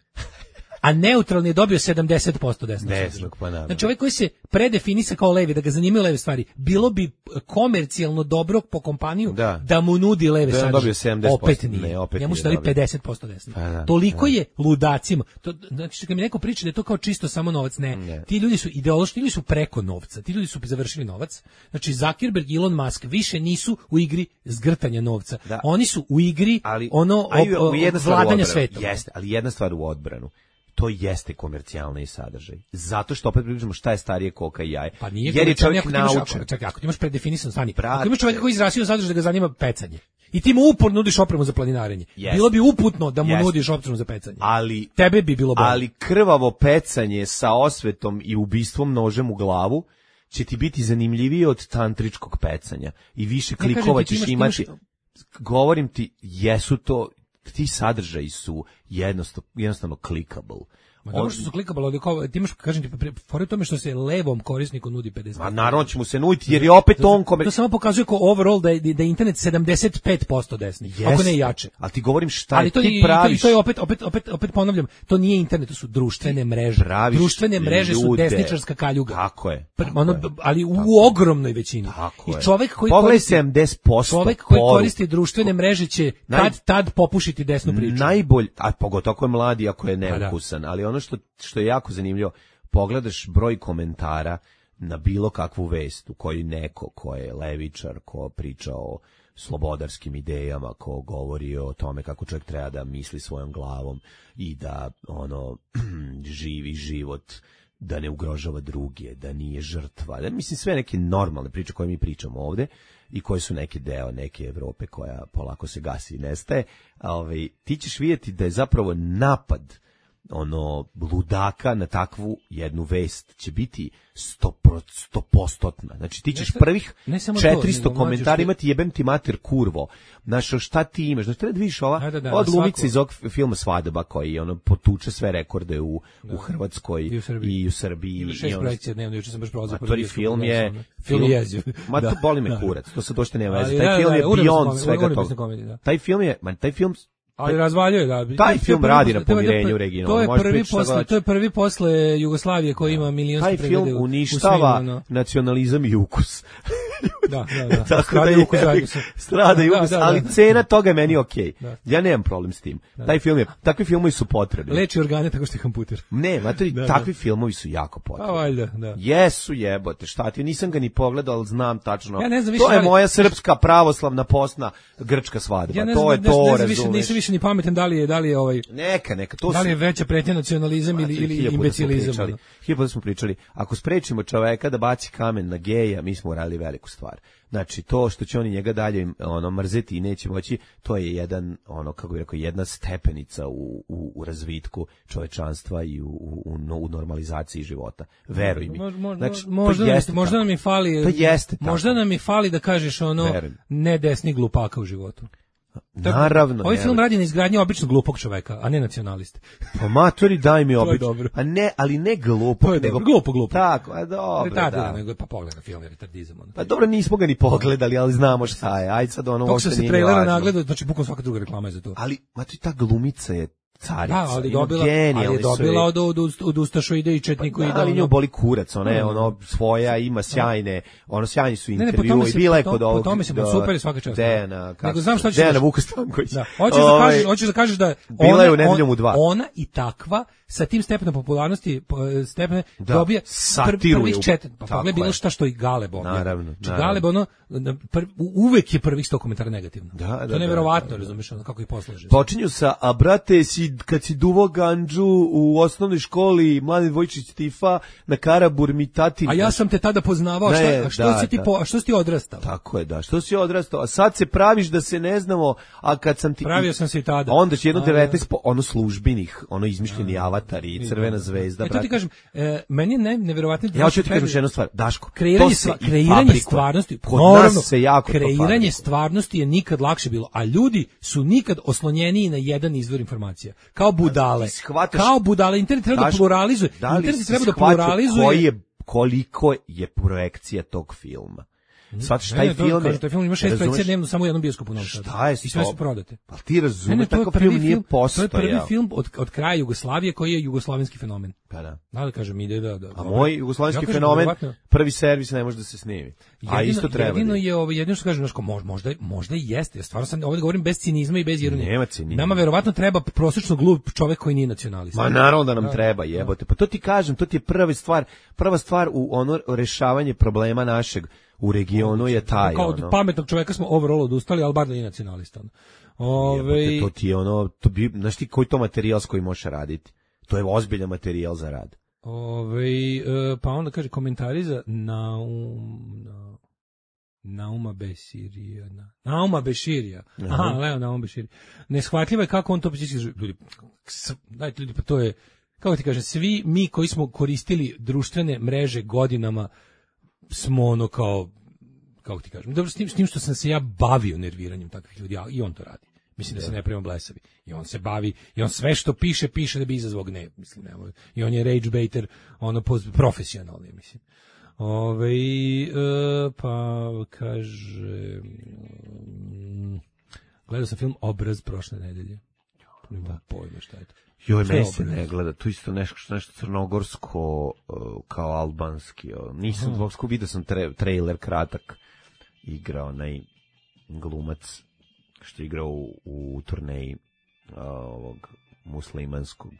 A neutralni je dobio sedamdeset posto desnog sadržaja. Pa znači ovaj koji se predefinisa kao levi, da ga zanimaju leve stvari, bilo bi komercijalno dobro po kompaniju da, da mu nudi leve da sadržaje. Opet nije. Ne, opet njemu su dali pedeset posto desno. Pa da, toliko da. Je ludacima. To, znači, kad mi neko priča da je to kao čisto samo novac, ne. ne. Ti ljudi su ideološki, ili su preko novca. Ti ljudi su završili novac. Znači, Zuckerberg i Elon Musk više nisu u igri zgrtanja novca. Da. Oni su u igri ali, ono ali, o, o, vladanja svetom. Jeste, ali jedna stvar u odbranu. To jeste komercijalni sadržaj. Zato što opet pričamo šta je starije koka i jaje. Pa nije jer je čovjek naučen. Ako, čekaj, ako ti imaš predefinisan stani, ako imaš čovjeka koji izrasio sadržaj da ga zanima pecanje, i ti mu uporno nudiš opremu za planinarenje, yes. bilo bi uputno da mu yes. nudiš opremu za pecanje. Ali, tebe bi bilo bolje. Ali krvavo pecanje sa osvetom i ubistvom nožem u glavu će ti biti zanimljivije od tantričkog pecanja. I više klikova ćeš imaš, imati. Imaš... Govorim ti, jesu to... ti sadržaji su jednostavno, jednostavno clickable. Ma dobro što su clickable, ali kao, ti imaš, kažem ti, fora tome što se levom korisniku nudi pedeset posto. Ma naravno će mu se nuditi, jer je opet to, on komer... To samo pokazuje kao overall da je, da je internet sedamdeset pet posto desni, Jeste, ako ne jače. Ali ti govorim šta ali to, ti praviš. I to je opet, opet, opet, opet ponavljam, to nije internet, to su društvene mreže. Društvene mreže ljude. Su desničarska kaljuga. Tako je. Tako ono, je ali u tako ogromnoj većini. Tako I čovjek koji Pogledaj koristi, sedamdeset posto čovjek koji koristi društvene mreže će Naj... tad, tad popušiti desnu priču. Najbolj, a pogotovo ako je mladi, ako je neukusan, ali ono što, što je jako zanimljivo, pogledaš broj komentara na bilo kakvu vest u kojoj neko ko je levičar, ko priča o slobodarskim idejama, ko govori o tome kako čovjek treba da misli svojom glavom i da ono živi život, da ne ugrožava druge, da nije žrtva. Da, mislim, sve neke normalne priče koje mi pričamo ovde i koje su neki deo neke Evrope koja polako se gasi i nestaje. Ovaj, ti ćeš vidjeti da je zapravo napad ono ludaka na takvu jednu vest će biti sto postotna. Znači ti ćeš prvih četiristo komentara imati jebem ti mater kurvo. Znaš, šta ti imaš? Znači treba da vidiš ova da, da, da, od glumice iz ovog filma Svadba koji ono potuče sve rekorde u, da, u Hrvatskoj i u Srbiji. I u Srbiji. I šest projekcija dnevno, juče sam baš prolazio. Prvi film je... Film je jeziv. Ma to boli me kurac, to sad došte nema veze. Taj film je beyond svega toga. Taj film je, man, taj film ali razvaljuje ga. Taj film radi na pomirenju regionalno. To je prvi posle, to je prvi posle Jugoslavije koji ima milionske preglede. Taj film uništava no. nacionalizam i ukus. Da, da, da. Tako da je strada i ukus, ali cena toga je meni okej. Okay. Ja nemam problem s tim. Da. Taj film je, takvi filmovi su potrebni. Leči organe tako što je kamputer. Ne, matori, da, takvi da. filmovi su jako potrebni. Pa valjda, da. Jesu jebote, šta ti, nisam ga ni pogledao, ali znam tačno. Ja ne znam, to je ali... moja srpska pravoslavna postna grčka svadba. Ja ne to znam, je to, ne, ne, razumeš. Više, nisam više ni pametan da li je, da li je ovaj... Neka, neka, to da li je veća pretnja nacionalizam ili, ili imbecilizam. Hiljadu smo pričali, ako sprečimo čoveka da baci kamen na geja, mi smo uradili veliku stvar. Znači, to što će oni njega dalje ono, mrzeti i neće moći, to je jedan, ono, kako bih rekao, jedna stepenica u, u, u razvitku čovečanstva i u, u, u normalizaciji života. Veruj mi. Znači, možda, to jeste možda nam i fali, to jeste možda nam i fali da kažeš ono, ne desni glupaka u životu. Naravno. Ovaj film radi na izgradnji običnog glupog čoveka, a ne nacionaliste. Pa matori, daj mi obično. A ne, ali ne glupog, nego dobro. glupo, glupo. Tako, a dobro, da. da. Nego, pa pogledaj film, je retardizam. Ono. Pa dobro, nismo ga ni pogledali, ali znamo šta je. Ajde sad ono, ovo što se trailera nagledao, znači bukvalno svaka druga reklama je za to. Ali, matori, ta glumica je carica. Da, ali dobila, ali je dobila od, od, od Ustašoide i Četniku. Pa, ali nju boli kurac, ona je ono svoja, ima sjajne, ono sjajni su intervju i bila je kod ovog. Po tome se super je svaka čast. Dejana, nego znam šta ćeš. Dejana Vuka Stanković. Da. Hoćeš da kažeš, hoćeš da kažeš da bila je u Nedeljom u dva. Ona i takva sa tim stepenom popularnosti stepene dobija prvih četiri. Pa pogledaj bilo šta što i Galeb objavio. Naravno. Galeb ono uvek je prvih sto komentara negativno. To je neverovatno, razumeš, ono kako ih poslaže. Počinju sa a brate si si, kad si duvo ganđu u osnovnoj školi Mladen Vojčić Tifa na Karaburmi tatin. A ja sam te tada poznavao, Ne, šta, a što, da, si ti da. po, a što si ti odrastao? Tako je, da. Što si odrastao? A sad se praviš da se ne znamo, a kad sam ti... Pravio sam se i tada. A onda će jedno A, devetnaest, po, ono službenih, ono izmišljeni avatari, crvena zvezda, E, to brate. ti kažem, e, meni je ne, neverovatno... Ja hoću ti kažem još jednu stvar, Daško. Kreiranje, to se stva, i kreiranje fabrikuje. stvarnosti, Kod naravno, nas se jako to kreiranje fabrikuje. stvarnosti je nikad lakše bilo, a ljudi su nikad oslonjeniji na jedan izvor informacija. Kao budale. ti shvataš- Kao budale. Internet treba da Daško, pluralizuje. da li Internet si treba da shvatio pluralizuje. koji je, koliko je projekcija tog filma? Shvataš, taj Ne, ne, to- film je... kažem, taj film ima šest razumeš, projekcija dnevno samo u jednom bioskopu u Novom Sadu. Šta je I sve su to? prodate. Pa ti Ne, razumeš, ne, to je takav prvi film nije film, to postojao. je prvi film od, od kraja Jugoslavije koji je jugoslovenski fenomen. Pa da. Da, da kažem, ide da... da A moj jugoslovenski Ja kažem, fenomen, verovatno- prvi servis ne može da se snimi. A Jedino- isto treba. Jedino da je ovo, jedino što kažem, znaš, ko, možda, možda, možda i jeste. Ja stvarno sam ovdje govorim bez cinizma i bez ironije. Nema cinizma. Nama verovatno treba prosečno glup čovjek koji nije nacionalista. Ma naravno da nam treba, jebote. Pa to ti kažem, to ti je prva stvar, prva stvar u ono rešavanje problema našeg u regionu je taj, Kao od ono. pametnog čovjeka smo overall odustali, ali bar da nije nacionalista. ono. Ove, Jebote, to ti je ono, to bi, znaš ti koji to materijal s kojim možeš raditi? To je ozbiljan materijal za rad. ove, e, pa onda kaže komentari za Naum, na, Nauma Beširija. Na, Nauma Beširija. Aha, Leo Nauma Beširija. Neshvatljivo je kako on to psihički... Ljudi, s- dajte ljudi, pa to je... Kako ti kažem, svi mi koji smo koristili društvene mreže godinama smo ono kao, kako ti kažem, dobro, s tim, s tim što sam se ja bavio nerviranjem takvih ljudi, a i on to radi. Mislim da se ne pravimo blesavi. I on se bavi, i on sve što piše, piše da bi izazvao gnev. Mislim, nemoj. I on je rage baiter, ono, poz- profesionalni, mislim. Ove, e, pa, kaže, mm, gledao sam film Obraz prošle nedelje. Nema pojma šta je to. Joj, Šta je meni se Obraz? ne gleda, to isto nešto, nešto crnogorsko, uh, kao albanski. uh, Nisam dvogsko, vidio sam tre, trailer kratak, igrao onaj glumac što je igrao u, u turneji uh, ovog muslimanskog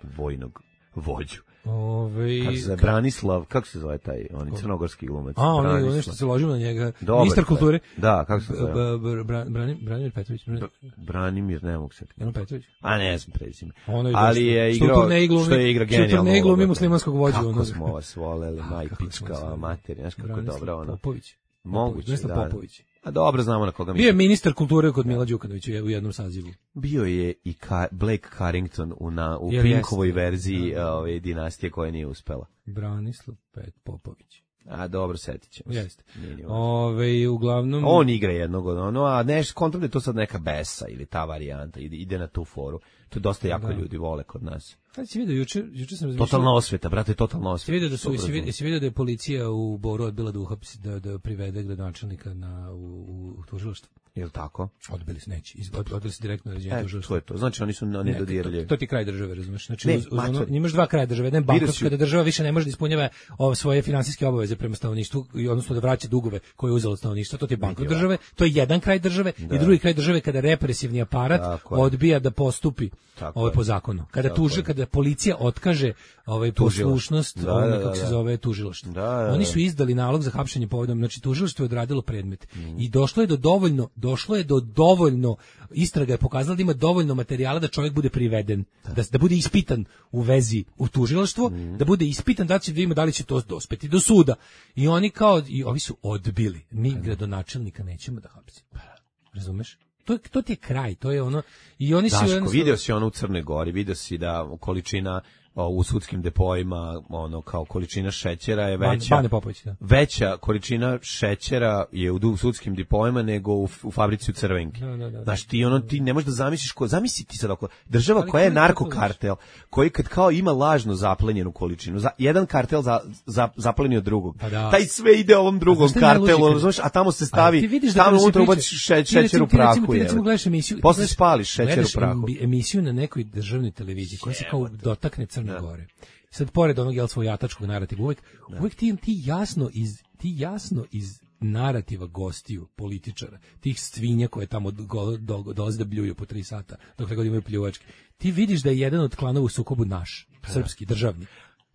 vojnog vođu. Ove, Kako se zove, Branislav, kako se zove taj, on je crnogorski glumac. a, on je Branislav. nešto se ložimo na njega. Dobar Ministar taj. kulture. Da, kako se zove? B- b- Bran- Brani- Branimir Petrović. Bran- Branimir, ne mogu se. Jano Petrović. A ne znam prezime. Ono je Ali dosta- je što u igrao, turneji glumi- što je igra što u genijalno. turneji glumi ulogu. muslimanskog vođu, Kako ono. smo vas voleli, maj kako smo pička, vas voleli. materija, znaš kako je Branislav dobro ono. Popović. Moguće, Branislav da. Popović. A dobro, znamo na koga Bio je mislim. ministar kulture kod Mila Đukanovića u jednom sazivu. Bio je i Ka Blake Carrington u, na, u Jel Pinkovoj jeste? verziji ove dinastije koja nije uspela. Branislav Pet Popović. A dobro, setit ćemo se. Jeste. Nije ni važno. Ove, uglavnom... On igra jednog od ono, a neš, kontam da je to sad neka besa ili ta varijanta, ide, ide na tu foru. To dosta jako Da. ljudi vole kod nas. Sad si vidio, juče, juče sam razmišljao... Totalna osveta, brate, totalna Si osveta. vidio da su, Dobro si vidio, znam. si vidio da je policija u Boru odbila da uhapsi, da, da privede gradonačelnika na, u, u, u tužilaštvo. Jel tako? Odbili su, neće. Iz- Od, odbili su direktno na ređenje E, tužilaštva. to je to. Znači oni su oni Ne, dodirali. to, to ti je kraj države, razumeš? Znači, Ne, uz, uz mater. ono, imaš dva kraja države. Jedan je Vidio bankrot, si- kada država više ne može da ispunjava ove svoje finansijske obaveze prema stanovništvu, i odnosno da vraća dugove koje je uzelo od stanovništva. To ti je bankrot Vidio. države, to je jedan kraj države, i drugi kraj države kada represivni aparat Tako je. odbija da postupi Tako ovaj je. po zakonu. Kada Tako tuži, je. kada policija otkaže ovaj Tužilaštvo. poslušnost, Da, ovome, da, da, kako se da. zove, tužilaštvo. Da, da, da. Oni su izdali nalog za hapšenje povodom, znači tužilaštvo je odradilo predmet. Mm. I došlo je do dovoljno, došlo je do dovoljno, istraga je pokazala da ima dovoljno materijala da čovjek bude priveden, da, da bude ispitan u vezi u tužilaštvo, Mm. da bude ispitan da će da ima da li će to dospeti do suda. I oni kao, i ovi su odbili. Mi gradonačelnika nećemo da hapsimo. Razumeš? To, je- to ti je kraj, to je ono, i oni su... Daško, jednostavno- video si ono u Crnoj Gori, video si da količina o, u sudskim depoima, ono, kao količina šećera je Ban- veća. Bane Popović, da. Veća količina šećera je u, u sudskim depoima nego u, u fabrici u Crvenki. Da, da, da. Znaš, ti ono, ti ne možeš da zamisliš ko, zamisli ti sad oko, država Ali koja je ko je to narkokartel, koji kad kao ima lažno zaplenjenu količinu, za, jedan kartel za, za, zapleni od drugog, Pa da. taj sve ide ovom drugom znaš šta je najluđe kartelu, kad- razumeš, a tamo se Ali stavi, ti vidiš da tamo kada se unutra priča- ubaciš še, ti šećer recimo- u ti recimo- prahu. ti je. recimo gledaš emisiju, Posle gledaš- spališ šećer gledaš u prahu. em- emisiju na nekoj državnoj televiziji koja se kao dotakne Crne Gore. Sad pored onog jel svojatačkog narativa, uvek, uvek ti, ti jasno iz ti jasno iz narativa gostiju, političara, tih svinja koje tamo go- do- dolaze da bljuju po tri sata, dokle god imaju pljuvačke. Ti vidiš da je jedan od klanova u sukobu naš, srpski, državni.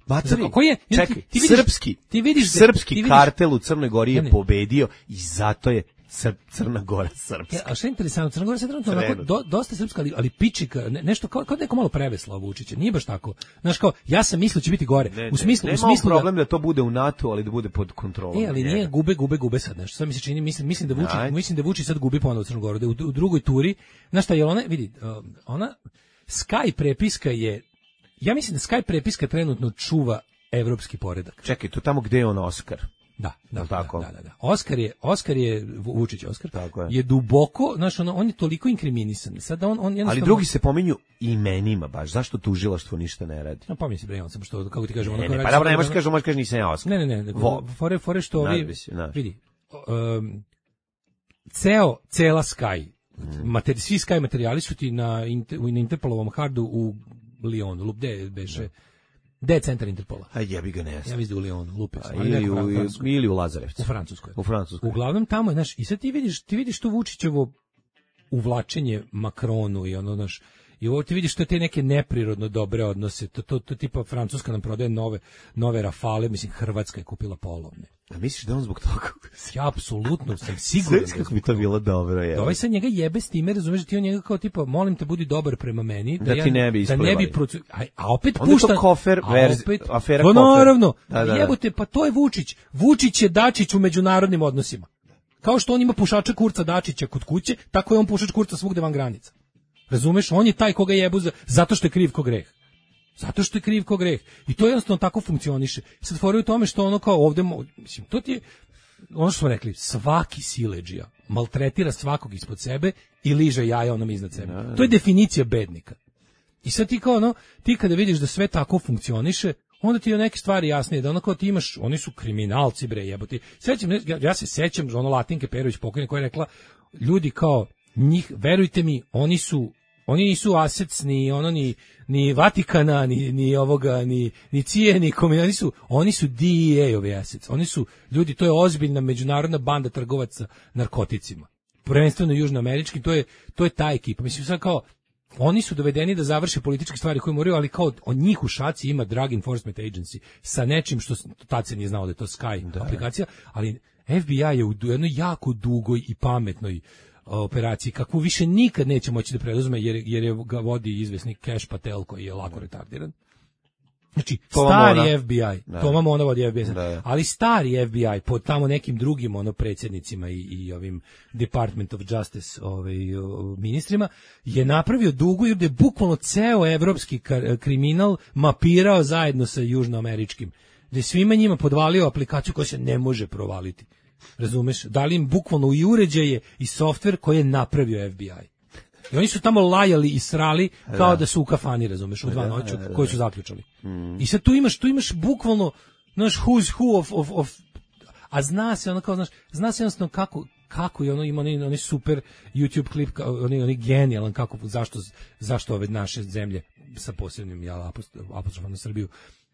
Materi, Koji je? čekaj, Ti- ti vidiš- srpski, ti vidiš da- srpski ti vidiš- kartel u Crnoj Gori je Ne, ne. pobedio i zato je Sa Crna Gora srpska. Ja, a što je interesantno, Crna Gora je trenutno onako do, dosta srpska, ali, ali pičika, ne, nešto kao, kao neko malo prevesla Vučića, nije baš tako. Znaš kao, ja sam mislio će biti gore. Ne, ne, u smislu, nema u smislu problem da, da to bude u NATO, ali da bude pod kontrolom. E, ali nije gube, gube, gube sad nešto. Sad mi se čini, mislim, mislim da Vučić, Ajde. mislim da Vučić sad gubi ponovo Crnu Goru, da u, u drugoj turi, znaš šta je ona, vidi, uh, ona Sky prepiska je, ja mislim da Sky prepiska trenutno čuva evropski poredak. Čekaj, to tamo gde je on Oskar? Da, da, tako? da, da, da. Oskar je, Oskar je Vučić Oskar. Tako je. je duboko, znaš, ono, on je toliko inkriminisan. Sad on on jednostavno Ali drugi se pominju imenima baš. Zašto tužilaštvo ništa ne radi? No, pomisli bre, on sam što kako ti kažem, Ne, ono ne, kao pa radi- dobro, ne možeš kažem, možeš kažem nisam ja Oskar. Ne, ne, ne, nego Vo- fore fore što ovi Nadbi se, znaš. vidi. Um, ceo cela Sky. Materi, svi Sky materijali su ti na inter, na Interpolovom hardu u Lyonu, lup gde beše. Gde je centar Interpola? A jebi ga ne Ja znam. mislim da u Lyonu, lupe. A, ili, u, ili u Lazarevcu. U Francuskoj. U Francuskoj. Uglavnom tamo je, znaš, i sad ti vidiš, ti vidiš tu Vučićevo uvlačenje Makronu i ono, znaš, i ovo ti vidiš to te neke neprirodno dobre odnose, to, to, to tipa Francuska nam prodaje nove, nove Rafale, mislim, Hrvatska je kupila polovne. A misliš da on zbog toga? Ja apsolutno sam siguran. Sve kako bi to bilo dobro, je. Da ovaj sad njega jebe s time, razumeš, da ti on njega kao tipa, molim te, budi dobar prema meni. Da ja, ti ne bi da ne bi isplivali. procu... a, a opet Onda je to pušta... kofer a verzi- opet, afera pa kofer. naravno, Da, da, da. jebote, pa to je Vučić. Vučić je Dačić u međunarodnim odnosima. Kao što on ima pušača kurca Dačića kod kuće, tako je on pušač kurca svugde van granica. Razumeš, on je taj koga jebu za, zato što je kriv ko greh. Zato što je kriv ko greh. I to jednostavno tako funkcioniše. Sad fora je u tome što ono kao ovde, mo- mislim, to ti je, ono što smo rekli, svaki siledžija maltretira svakog ispod sebe i liže jaja onom iznad sebe. To je definicija bednika. I sad ti kao ono, ti kada vidiš da sve tako funkcioniše, onda ti je neke stvari jasnije, da ono kao ti imaš, oni su kriminalci bre jebote. Sećam, ja, ja se sećam ono Latinke Perović pokojne koja je rekla, ljudi kao njih, verujte mi, oni su oni nisu asets ni ono ni ni Vatikana ni ni ovoga ni ni C I E ni komi, oni su oni su D E A-ovi assets. Oni su ljudi, to je ozbiljna međunarodna banda trgovaca narkoticima. Prvenstveno južnoamerički, to je to je ta ekipa. Mislim sad kao oni su dovedeni da završe političke stvari koje moraju, ali kao od njih u šaci ima Drug Enforcement Agency sa nečim što tad se nije znao da je to Sky da, aplikacija, ali F B I je u jednoj jako dugoj i pametnoj operaciji, kakvu više nikad neće moći da preduzme, jer, jer je ga vodi izvesni Cash Patel koji je lako retardiran. Znači, To stari Mona. F B I, Da. to vam ona vodi F B I, Da, da. ali stari F B I pod tamo nekim drugim ono predsjednicima i, i ovim Department of Justice ovaj, o, ministrima je napravio dugu jer je bukvalno ceo evropski kar- kriminal mapirao zajedno sa južnoameričkim. Da je svima njima podvalio aplikaciju koja se ne može provaliti. Razumeš? Dali im bukvalno i uređaje i softver koji je napravio F B I. I oni su tamo lajali i srali kao da, da su u kafani, razumeš, u dva noću, koji su zaključali. Mm. I sad tu imaš, tu imaš bukvalno, znaš, who's who of, of, of, a zna se ono kao, znaš, zna se jednostavno kako, kako je ono, ima oni, oni super YouTube klip, kao, oni, oni genijalan, kako, zašto, zašto ove naše zemlje sa posebnim, ja, apostrofom na Srbiju,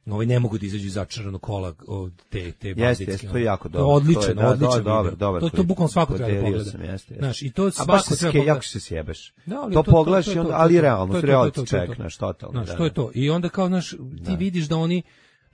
ovaj ne mogu da izađu iz začaranog kola od te te Jeste, jeste, to je jako dobro. Odličan, To je, da, odličan. dobar, video. dobar To to klip. bukvalno svako treba da Podelio pogleda. sam, jeste, jeste. Znaš, i to A svako baš se treba ske, pogleda. jako se sjebeš. Da, ali to, to- pogledaš to- i to- onda, to- ali to- realno, to je su to, reality to je to, to je to. check, znaš, totalno. Znaš, da, to je da. to. I onda kao, znaš, ti vidiš da oni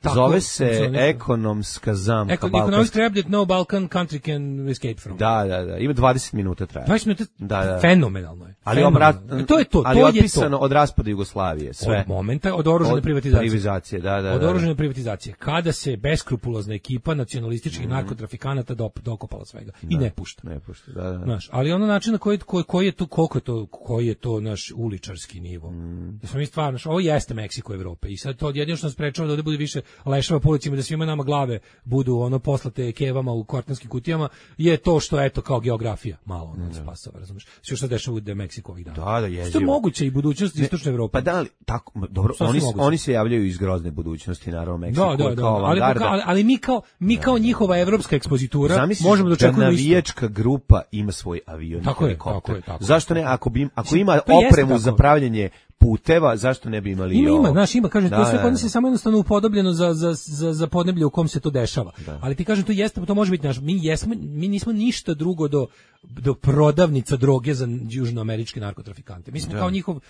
tako Zove se funkcionišu. ekonomska zamka Eko, balkanska. economic trap that no Balkan country can escape from. Da, da, da. Ima dvadeset minuta traje. dvadeset minuta, Da, da. fenomenalno je. Ali Fenomenalno. obrat, E, to je to, ali to je otpisano to. od raspada Jugoslavije, sve. Od momenta, od oružane privatizacije. Privatizacije, da, da. Od da. oružane privatizacije. Kada se beskrupulozna ekipa nacionalističkih narkotrafikanata dop, dokopala svega. I ne pušta. Ne pušta, da, da. Znaš, ali ono način na koji, koji, koji je to, koliko je to, koji je to naš uličarski nivo. Mm. Da smo mi stvarno, znaš, ovo jeste Meksiko Evrope i sad to jedino što nas sprečava da ovde bude više leševa po ulicima, da svima nama glave budu ono poslate kevama u kortanskim kutijama, je to što eto kao geografija malo ono spasava, razumeš? Sve što se dešava u Meksiku ovih dana. Da, da, Što je jezivo. moguće i budućnost istočne Evrope. Pa da li, tako, ma, dobro, Sasvim oni, moguće. oni se javljaju iz grozne budućnosti, naravno, Meksiko Da, da, je da, kao ali, avangarda. ali, ali mi kao mi kao njihova evropska ekspozitura Zamisliš možemo da da očekujemo isto. navijačka grupa ima svoj avion i Tako je, helikopter. tako je, tako je. Zašto ne, ako, bi, im- ako Mislim, ima to jeste opremu tako. za pravljanje puteva, zašto ne bi imali i Ima, ovo? ima, znaš, ima, kažem, Da, to sve da, kod da. nas je samo jednostavno upodobljeno za, za, za, za podneblje u kom se to dešava. Da. Ali ti kažem, to jeste, to može biti naš, mi jesmo, mi nismo ništa drugo do, do prodavnica droge za južnoameričke narkotrafikante. Mi smo Da. kao njihov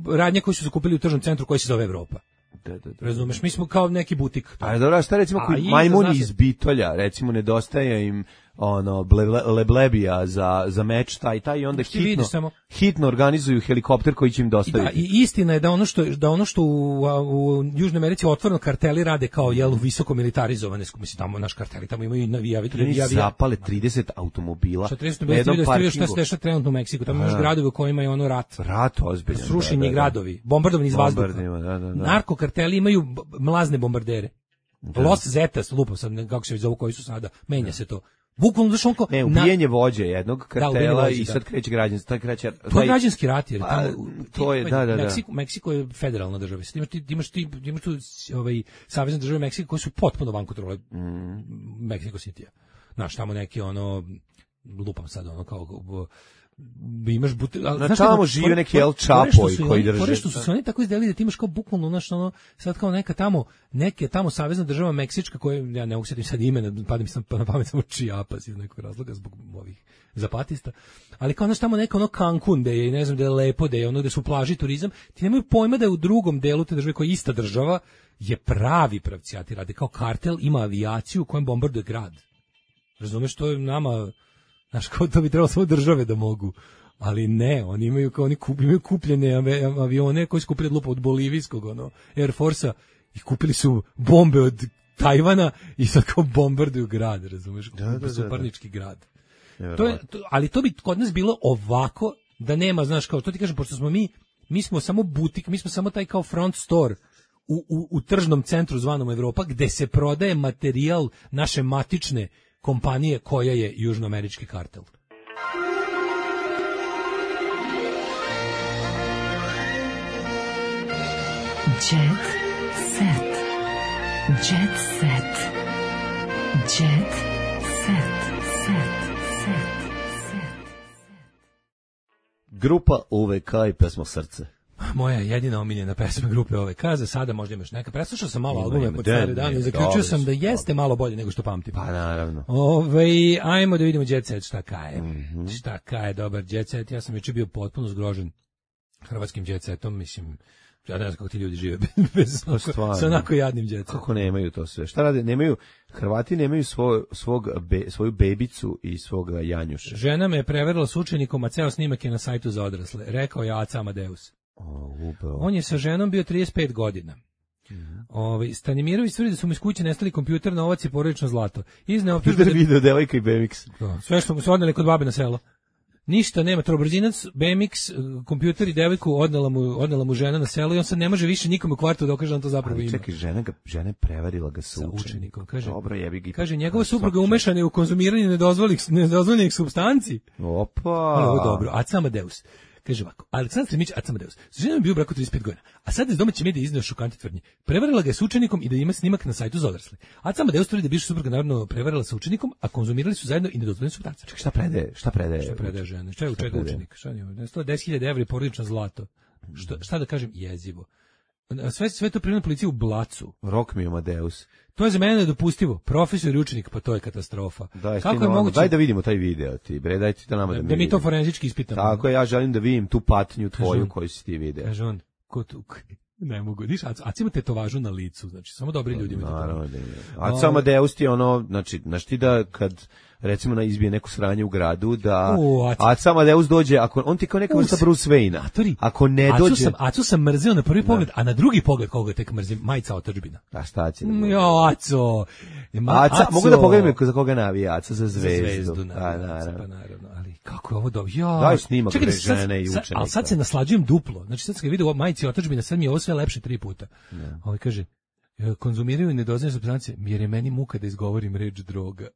radnje koji su se kupili u tržnom centru koji se zove Evropa. Da, da, da. Razumeš, mi smo kao neki butik. A dobro, a šta recimo A koji i majmuni za nas je- iz Bitolja, recimo nedostaje im ono ble, leblebija za za meč taj taj i onda Ti hitno vidiš samo- hitno organizuju helikopter koji će im I, da, dostaviti. i istina je da ono što da ono što u, a, u Južnoj Americi otvoreno karteli rade kao jel visoko militarizovane, mislim tamo naš karteli tamo imaju i navijavi, Oni navijavi. zapale trideset automobila. Šta trideset na jednom šta se parkingu. dešava trenutno u Meksiku, tamo imaš Da. gradovi u kojima je ono rat. Rat ozbiljan. Srušeni da, da, da. gradovi, bombardovani iz vazduha. Bombardima, da, da, da. Narkokarteli imaju b- mlazne bombardere. Los Zetas, lupam sad, ne- kako se već zovu koji su sada, menja se to. Bukvalno znaš on kao... Ne, na- ubijenje vođe jednog ubijenje kartela vođe, i da. sad kreće građanski, taj kreće... To je taj- građanski rat, jer Pa, tamo, to je, ti- da, da, da. Meksiko, Meksiko je federalna država. Ti imaš, ti imaš, ti imaš tu ovaj, savezne države Meksika koje su potpuno van kontrole Mm. Meksiko City-a. Znaš, tamo neki ono, lupam sad ono kao... imaš butel, Na znaš tamo kako- žive fore- neki El fore Chapo što su i koji oni- drže. fore što su se oni tako izdelili da ti imaš kao bukvalno znaš ono sad kao neka tamo neke tamo savezna država meksička koja ja ne mogu setim sad imena, pada mi sam na pamet samo Chiapas iz nekog razloga zbog ovih zapatista, ali kao znaš tamo neka ono Cancun da je ne znam da je lepo da je ono da su plaži turizam, ti nemaju pojma da je u drugom delu te države koja je ista država je pravi pravcijati rade kao kartel, ima avijaciju kojem bombarduje grad. Razumeš, to je nama, znaš, kao to bi trebalo samo države da mogu. Ali ne, oni imaju kao oni kup, imaju kupljene ave- avione koji su kupili od lupa od bolivijskog ono, Air Force-a i kupili su bombe od Tajvana i sad kao bombarduju grad, razumeš, Da, da, da, suparnički grad. To je, Nevjerovatno. to, ali to bi kod nas bilo ovako da nema, znaš, kao to ti kažem, pošto smo mi, mi smo samo butik, mi smo samo taj kao front store u, u, u tržnom centru zvanom Evropa, gde se prodaje materijal naše matične kompanije koja je južnoamerički kartel. Jet set. Jet set. Jet set. Set. Set. Set. Grupa U V K i pesma Srce. Moja jedina omiljena pesma grupe ove kaze, sada možda imaš neka. Preslušao sam malo Ima, albume ima, pod da, stare dane i ima, zaključio dobro sam su, da jeste malo bolje nego što pamtim. Pa naravno. Ove, ajmo da vidimo Jet Set šta kaje. Mhm. Šta kaje dobar Jet Set. Ja sam juče bio potpuno zgrožen hrvatskim Jet Setom, mislim, ja ne znam kako ti ljudi žive bez, Pa stvarno. sa onako jadnim Jet Setom. Kako nemaju to sve? Šta rade? Nemaju, Hrvati nemaju svoj, svog, be, svoju bebicu i svog janjuša. Žena me je preverila s učenikom, a ceo snimak je na sajtu za odrasle. Rekao je Aca Amadeus. O, upravo. On je sa ženom bio trideset pet godina. Ovaj Stanimirović tvrdi da su mu iz kuće nestali kompjuter, novac i porodično zlato. Izneo optužbe Peter da- video devojka i B M X. Da, sve što mu se odneli kod babe na selo. Ništa nema, trobrzinac, B M X, eh, kompjuter i devojku odnela mu, odnela mu žena na selo i on sad ne može više nikome u kvartu da okaže da on to zapravo Ali ima. čekaj, žena, ga, žena je prevarila ga sa, Sa učenikom, kaže. Dobro, jebi ga. Kaže, njegova supruga umešana je u konzumiranje nedozvoljenih, nedozvoljenih supstanci. Opa. Ali ovo je dobro. Aca Amadeus. Kaže ovako, Aleksandar Stremić, Aca Amadeus. Sa ženom je bio u braku trideset pet godina, a sad iz domaće medije izneo šokantne tvrdnje. Prevarila ga je s učenikom i da ima snimak na sajtu za odrasle. Aca Amadeus tvrdi da je bivša supruga naravno prevarila sa učenikom, a konzumirali su zajedno i nedozvoljene supstance. Čekaj, šta predaje? Šta predaje? Šta predaje žene? Šta je u Šta čega predaje? učenik? Šta je? sto deset hiljada evra i porodično zlato. Šta, šta da kažem? Jezivo. Sve, sve to primljeno policiju u Blacu. Rock mi Amadeus. To je za mene nedopustivo. Profesor i učenik, pa to je katastrofa. Daj, Kako je moguće Daj da vidimo taj video ti, bre, daj ti to nama da, da, mi mi to vidimo. forenzički ispitamo? Tako je, ja želim da vidim tu patnju tvoju on. koju si ti video. Kaže on, ko tu, ne mogu, vidiš, a, a ima tetovažu na licu, znači, samo dobri ljudi imaju Naravno tetovažu. da je. A samo Amadeus ti je ono, znači, znaš ti da kad recimo na izbije neko sranje u gradu, da U, Aca. Aca Amadeus dođe, ako on ti kao neka U, vrsta se- Bruce Wayne. Matori, Ako ne Acu dođe, sam, Acu sam mrzeo na prvi pogled, a na drugi pogled koga tek mrzim, majica otadžbina. a šta će da Mm, bude? Jo, Aco. Ma, Aca, Aco. mogu da pogledam za koga navija, Aca za Za zvezdu. zvezdu, A, naravno, naravno. pa naravno, ali kako je ovo dobro. Ja. Daj snimak, Čekaj, bre, sad- žene i sad- učenika. Ali sad se naslađujem duplo. Znači sad kad vidim ovo majici otadžbina, sad mi je ovo sve lepše tri puta. Ovaj kaže, e, konzumiraju nedozvoljene supstance, jer je meni muka da izgovorim reč droga.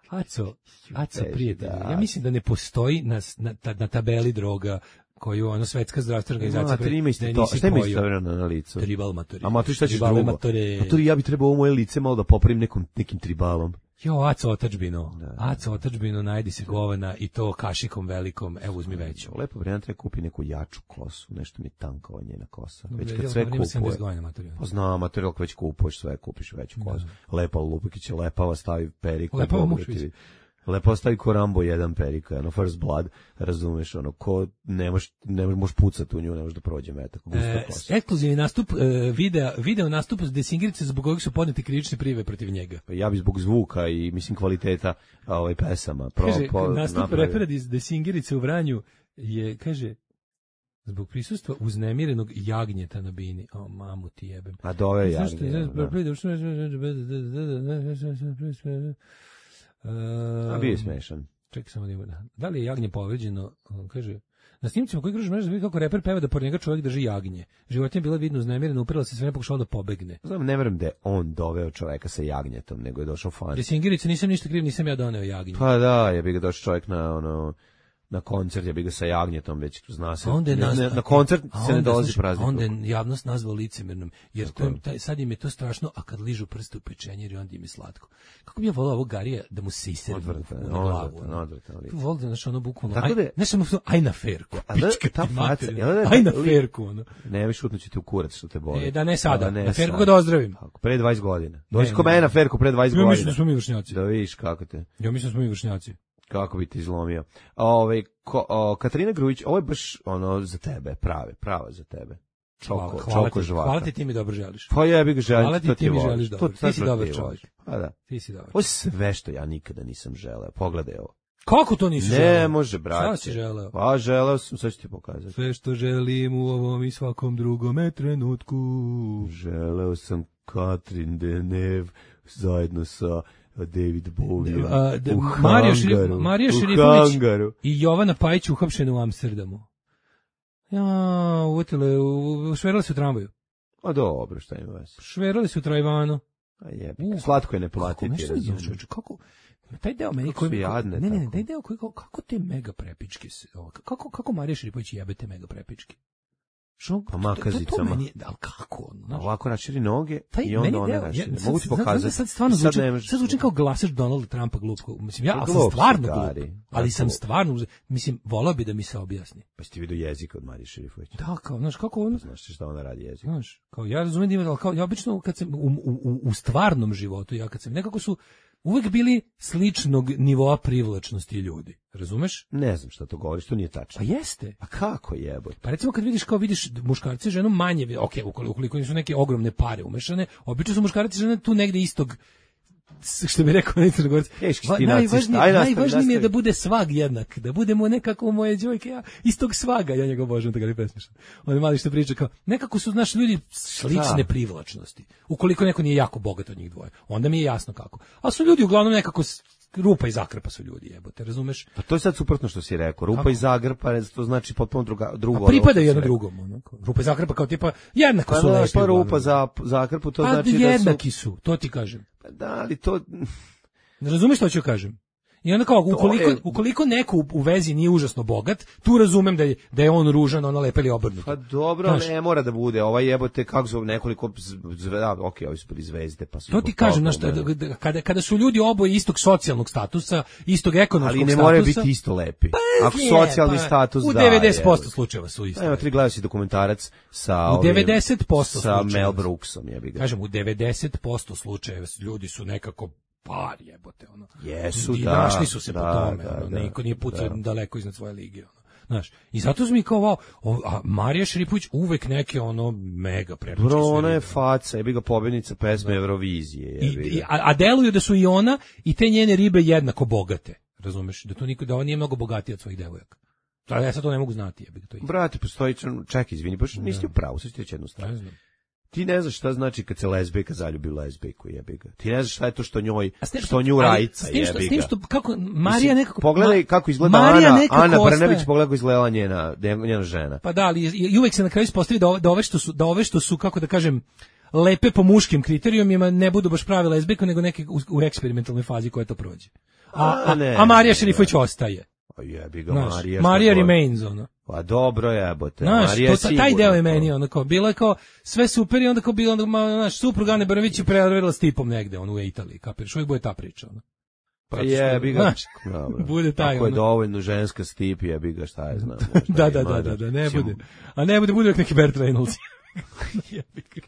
Aco, Aco, Teži, prijatelju, da. ja mislim da ne postoji na, na, ta- na tabeli droga koju ono svetska zdravstvena organizacija Matori ima isto da je to. nisi Šta ima pojio. istovremeno na licu? Tribal matori. A matori šta ćeš Tribale drugo? matore. Matori, ja bi trebao ovo moje lice malo da popravim nekom, nekim tribalom. Jo, Aco otadžbino. Da, da. Aco otadžbino, najdi se govana i to kašikom velikom, evo uzmi veću. Lepo vremena treba kupi neku jaču kosu, nešto mi je tanka ova njena kosa. Već Jel, kad sve dobro, ima sedamdeset kupuje. godina materijal. Pa znam, materijal ako već kupuješ sve, kupiš veću kosu. Lepa Lupikić je lepava, stavi periku. Lepava Bog mušvić. ti- Lepo stavi ko Rambo jedan perika, ono First Blood, razumeš, ono, ko ne možeš ne možeš pucati u nju, ne možeš da prođe metak. E, ekskluzivni nastup, e, video, video nastup Desingirice zbog kojeg su podnete krivične prijave protiv njega. Pa ja bi zbog zvuka i, mislim, kvaliteta ovaj, pesama. Pro, kaže, po, nastup napravio. repera iz Desingirice u Vranju je, kaže, zbog prisustva uznemirenog jagnjeta na bini. O, mamu ti jebem. A dove jagnje. A bio je smešan. Čekaj samo da ima. Da li je jagnje povređeno? On kaže, na snimcima koji kruže mreže vidi kako reper peva da pored njega čovjek drži jagnje. Životinja je bila vidno uznemirena, uprela se sve, ne pokušala da pobegne. Znam, ne verujem da je on doveo čoveka sa jagnjetom, nego je došao fan. Desingirica, nisam ništa kriv, nisam ja doneo jagnje. Pa da, je bi ga došao čovjek na ono na koncert, je bi ga sa jagnjetom, već zna se. Onda je nazva, na, na koncert a se ne onda, dolazi slušaj, praznik. onda je javnost nazvao licemernom, jer to, taj, sad im je to strašno, a kad ližu prste u pečenjer i onda im je slatko. Kako bi ja volao ovog Garija da mu se isere u glavu. Volio da znaš ono bukvalno, aj, ne samo aj na ferku, pička ta faca, aj na ferku. Ono. Ne mi šutnući te u kurac što te boli. E, da ne sada, ne na ferku ga da ozdravim. Pre dvadeset godina. Dođi ko mene na ferku pre dvadeset godina. Ja mislim da smo mi vršnjaci. Da vidiš kako te. Ja mislim da smo mi vršnjaci. Kako bi ti izlomio. Ove, ko, o, Katarina Grujić, ovo je baš ono za tebe, prave, prava za tebe. Čoko, hvala, čoko ti, žvaka. Hvala ti, ti mi dobro želiš. Pa ja bih ga želio. Hvala ti, ti, ti mi voliš. želiš dobro. To, ti si dobar čovjek. Pa da. Ti si dobar. Ovo je sve što ja nikada nisam želeo. Pogledaj ovo. Kako to nisi želeo? Ne može, brate. Šta si želeo? Pa želeo sam, sad ću ti pokazati. Sve što želim u ovom i svakom drugome trenutku. Želeo sam Katrin Deneuve zajedno sa David Bowie A, da, u Marija, hangaru. Marija u Šerifović hangaru. i Jovana Pajić uhapšene u Amsterdamu. Ja, uvotile, šverali su u tramvaju. A dobro, šta ima vas? Šverali su u Trajvanu. A jebi, slatko je ne platiti. Kako, nešto je, čoveče, kako, taj deo meni koji, jadne, ne, ne, ne, tako. taj deo koji, kako te mega prepičke, se, kako, kako Marija Šerifović jebe te mega prepičke? Što? Pa makazicama. To, to meni, ali kako? Znaš? Ovako raširi noge taj, i onda one raširi. Mogu ti pokazati. Sad stvarno zvuči, sad, sad zvučim kao glasač Donalda Trumpa glupko. Mislim, ja, ali sam stvarno glup. Ali sam stvarno, mislim, volao bi da mi se objasni. Pa si ti vidio jezik od Marije Šerifović? Da, kao, znaš, kako on... Znaš šta ona radi jezik? Znaš, kao, ja razumijem da ima, ali kao, ja obično, kad sam, u, u, u stvarnom životu, ja kad sam, nekako su uvek bili sličnog nivoa privlačnosti ljudi. Razumeš? Ne znam šta to govoriš, to nije tačno. Pa jeste. A kako jebote? Pa recimo kad vidiš kao vidiš muškarce i ženu manje, ok, ukoliko nisu neke ogromne pare umešane, obično su muškarci i žene tu negde istog, što bi rekao neki Crnogorac, najvažnije, najvažnije mi je da bude svag jednak, da budemo nekako moje đojke, ja istog svaga, ja njega obožavam, tako li pesmišam. On je mali što priča kao, nekako su naši ljudi slične da. Privlačnosti. Ukoliko neko nije jako bogat od njih dvoje, onda mi je jasno kako. A su ljudi uglavnom nekako rupa i zakrpa su ljudi, jebote, razumeš? Pa to je sad suprotno što si rekao. Rupa kako? I zagrpa, to znači potpuno druga, drugo. A pripadaju jedno drugom. Ono. Rupa i zakrpa kao tipa, jednako pa su lepi. Pa rupa za zakrpu, to pa znači da su... jednaki su, to ti kažem. Pa da, ali to... Ne razumeš što ću kažem? I onda kao, ukoliko, je... ukoliko neko u, u vezi nije užasno bogat, tu razumem da je, da je on ružan, ono lepe ili obrnuto. Pa dobro, znaš, ne mora da bude. Ovaj jebote, kako su nekoliko zvezda, ok, ovi su bili zvezde, pa su... To ti kažem, znaš, kada, kada su ljudi oboje istog socijalnog statusa, istog ekonomskog statusa... Ali ne moraju biti isto lepi. Pa, ako socijalni pa, status u daje... U devedeset posto slučajeva su isto. Evo, ti gledao si dokumentarac sa... U devedeset posto sa Mel Brooksom, jebi ga. Kažem, u devedeset posto slučajeva ljudi su nekako... par jebote, ono. Jesu, I da. našli su se da, po tome, da, ono, da, niko nije pucao da. daleko iznad svoje lige, ono. Znaš, i zato su mi kao, wow, a Marija Šerifović uvek neke, ono, mega prepičke. Bro, ona je faca, jebi ga pobjednica pesme da. Eurovizije, jebi ga. I, a, a deluju da su i ona i te njene ribe jednako bogate, razumeš, da to niko, da ona nije mnogo bogatija od svojih devojaka. Da, ja sad to ne mogu znati, jebi ga to. Brate, postoji, čekaj, izvini, baš nisi u pravu, sad ću ti reći jednu stvar. Ti ne znaš šta znači kad se lezbijka zaljubi u lezbijku, jebi ga. Ti ne znaš šta je to što njoj, što nju rajca, jebi ga. S tim što, kako, Marija nekako... Pogledaj kako izgleda Marija Ana, Ana Brnabić, ostaje. pogledaj kako izgleda njena, njena žena. Pa da, ali i uvek se na kraju ispostavi da, da, ove što su, da ove što su, kako da kažem, lepe po muškim kriterijumima ne budu baš prave lezbijke, nego neke u, u eksperimentalnoj fazi koja to prođe. A, a, a, a Marija Šerifović ostaje. Pa jebi ga, Marija. Marija remains, ono. Pa dobro jebote, znaš, Marija je sigurno. Taj deo je meni, ono kao, bilo je kao, sve super i onda kao bilo, onda, znaš, suprug Ane Brnabić je prevarila s tipom negde, ono, u Italiji, kapiraš, uvijek bude ta priča, ono. Pa jebi ga, znaš, bude taj, ako je ono. dovoljno ženska stip, jebi ga, šta je znam. da, da, da, da, da, ne bude. A ne bude, bude neki Bert Reynolds. Jebi ga.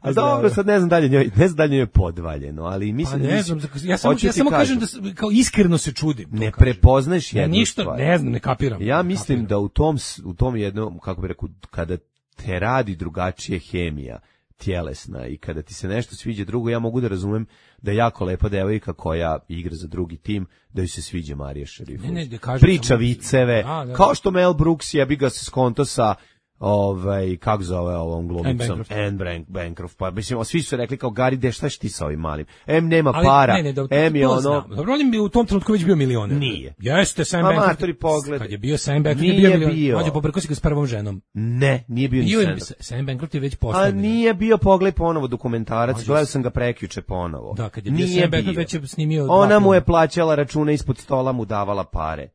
A dobro, sad ne znam dalje njoj, ne znam dalje njoj je podvaljeno, ali mislim... Pa ne znam, ja samo, ja samo kažem da kao iskreno se čudim. Ne prepoznaješ jednu ja ništa, stvar. ne znam, ne kapiram. Ja mislim kapiram. da u tom, u tom jednom, kako bih rekao, kada te radi drugačije hemija, tjelesna i kada ti se nešto sviđa drugo, ja mogu da razumem da je jako lepa devojka koja igra za drugi tim, da joj se sviđa Marija Šerifović. Ne, ne, kažem, priča samo, viceve, da, da. kao što Mel Brooks jebi ga se skonto sa ovaj, kako zove ovom glumicom? Anne Bancroft. Pa, mislim, svi su rekli kao, Gari, de, šta ti sa ovim malim? Em, nema ali, para, ne, ne, da, em je ono... Znam. Dobro, on je u tom trenutku već bio milioner. Nije. Jeste, Sam Ma, Bancroft. matori pogled. Kad je bio Sam Bancroft, nije je bio milioner. bio. On je popreko si ga s prvom ženom. Ne, nije bio, bio ni je, Sam. Sam Bancroft je već A postavljen. nije bio, pogledaj ponovo dokumentarac, Mađu gledao sam ga prekjuče ponovo. Da, kad je bio nije Sam Bancroft bio. već je snimio... Ona mu je plaćala račune ispod stola, mu davala pare.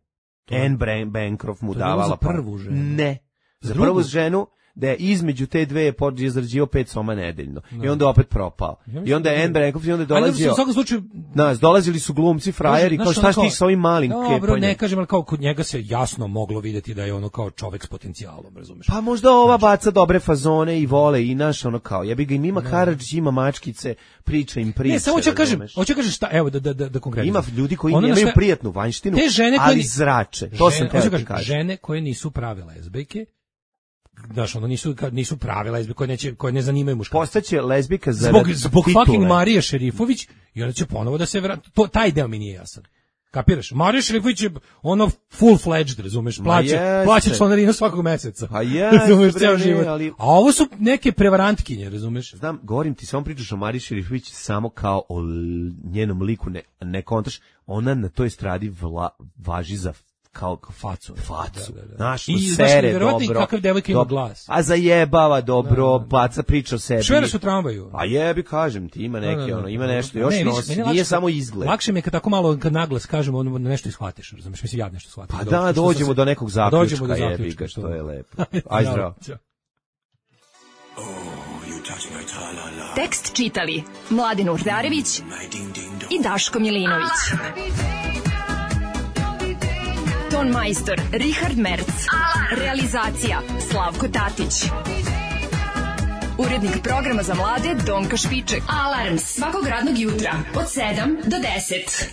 Anne Bancroft mu to davala pare. To je bilo za prvu ženu. Ne, za Drugu? prvu ženu, da je između te dve je počeo izrađivao pet soma nedeljno. No. I onda je opet propao. Ja I onda je Anne Bancroft i onda je dolazio... U svakom slučaju... Nas, dolazili su glumci, frajeri, kao šta ti sa ovim malim kepanjem? Dobro, ne kažem, ali kao kod njega se jasno moglo vidjeti da je ono kao čovek s potencijalom, razumeš? Pa možda ova baca dobre fazone i vole i naš ono kao, ja bi ga im ima Karadžić, ima mačkice, priča im priče. Ne, samo hoću kažem, hoću kažem šta, evo da da da, da konkretno. Ima ljudi koji ono nemaju šta, prijatnu vanjštinu, te žene koje ali zrače. To žene, sam teo ti kažem. Žene koje nisu prave lezbijke, znaš, ono nisu, nisu prave lezbijke koje, neće, koje ne zanimaju muškarce. Postaće lezbijka za zbog, zbog titule. fucking Marije Šerifović i onda će ponovo da se vrati. To, taj deo mi nije jasan. Kapiraš? Marija Šerifović je ono full-fledged, razumeš, plaća, plaća članarinu svakog meseca. Pa je, razumeš, ceo život. Ali... A ovo su neke prevarantkinje, razumeš? Znam, govorim ti, samo pričaš o Mariji Šerifović samo kao o njenom liku, ne, ne kontaš, ona na toj estradi vla, važi za kao facu, facu. Da, da, da. Znaš, i sere dobro. I kakav devojka ima glas. A zajebava dobro, da, da. Baca priča o sebi. Švera su tramvaju. Pa jebi, kažem ti, ima neki, da, da, da. ono, ima nešto, još ne, nosi, nije lakše, samo izgled. Lakše mi je kad tako malo, kad naglas kažemo, ono, nešto ishvatiš, razumiješ, mislim, ja nešto shvatim. Pa da, dođemo se, do nekog zaključka, dođemo do jebi ga, što je lepo. Aj zdravo. Tekst čitali Mladin Urdarević i Daško Milinović. Ton majstor Richard Merc. Realizacija Slavko Tatić. Urednik programa za mlade Donka Špiček. Alarms svakog radnog jutra od sedam do deset.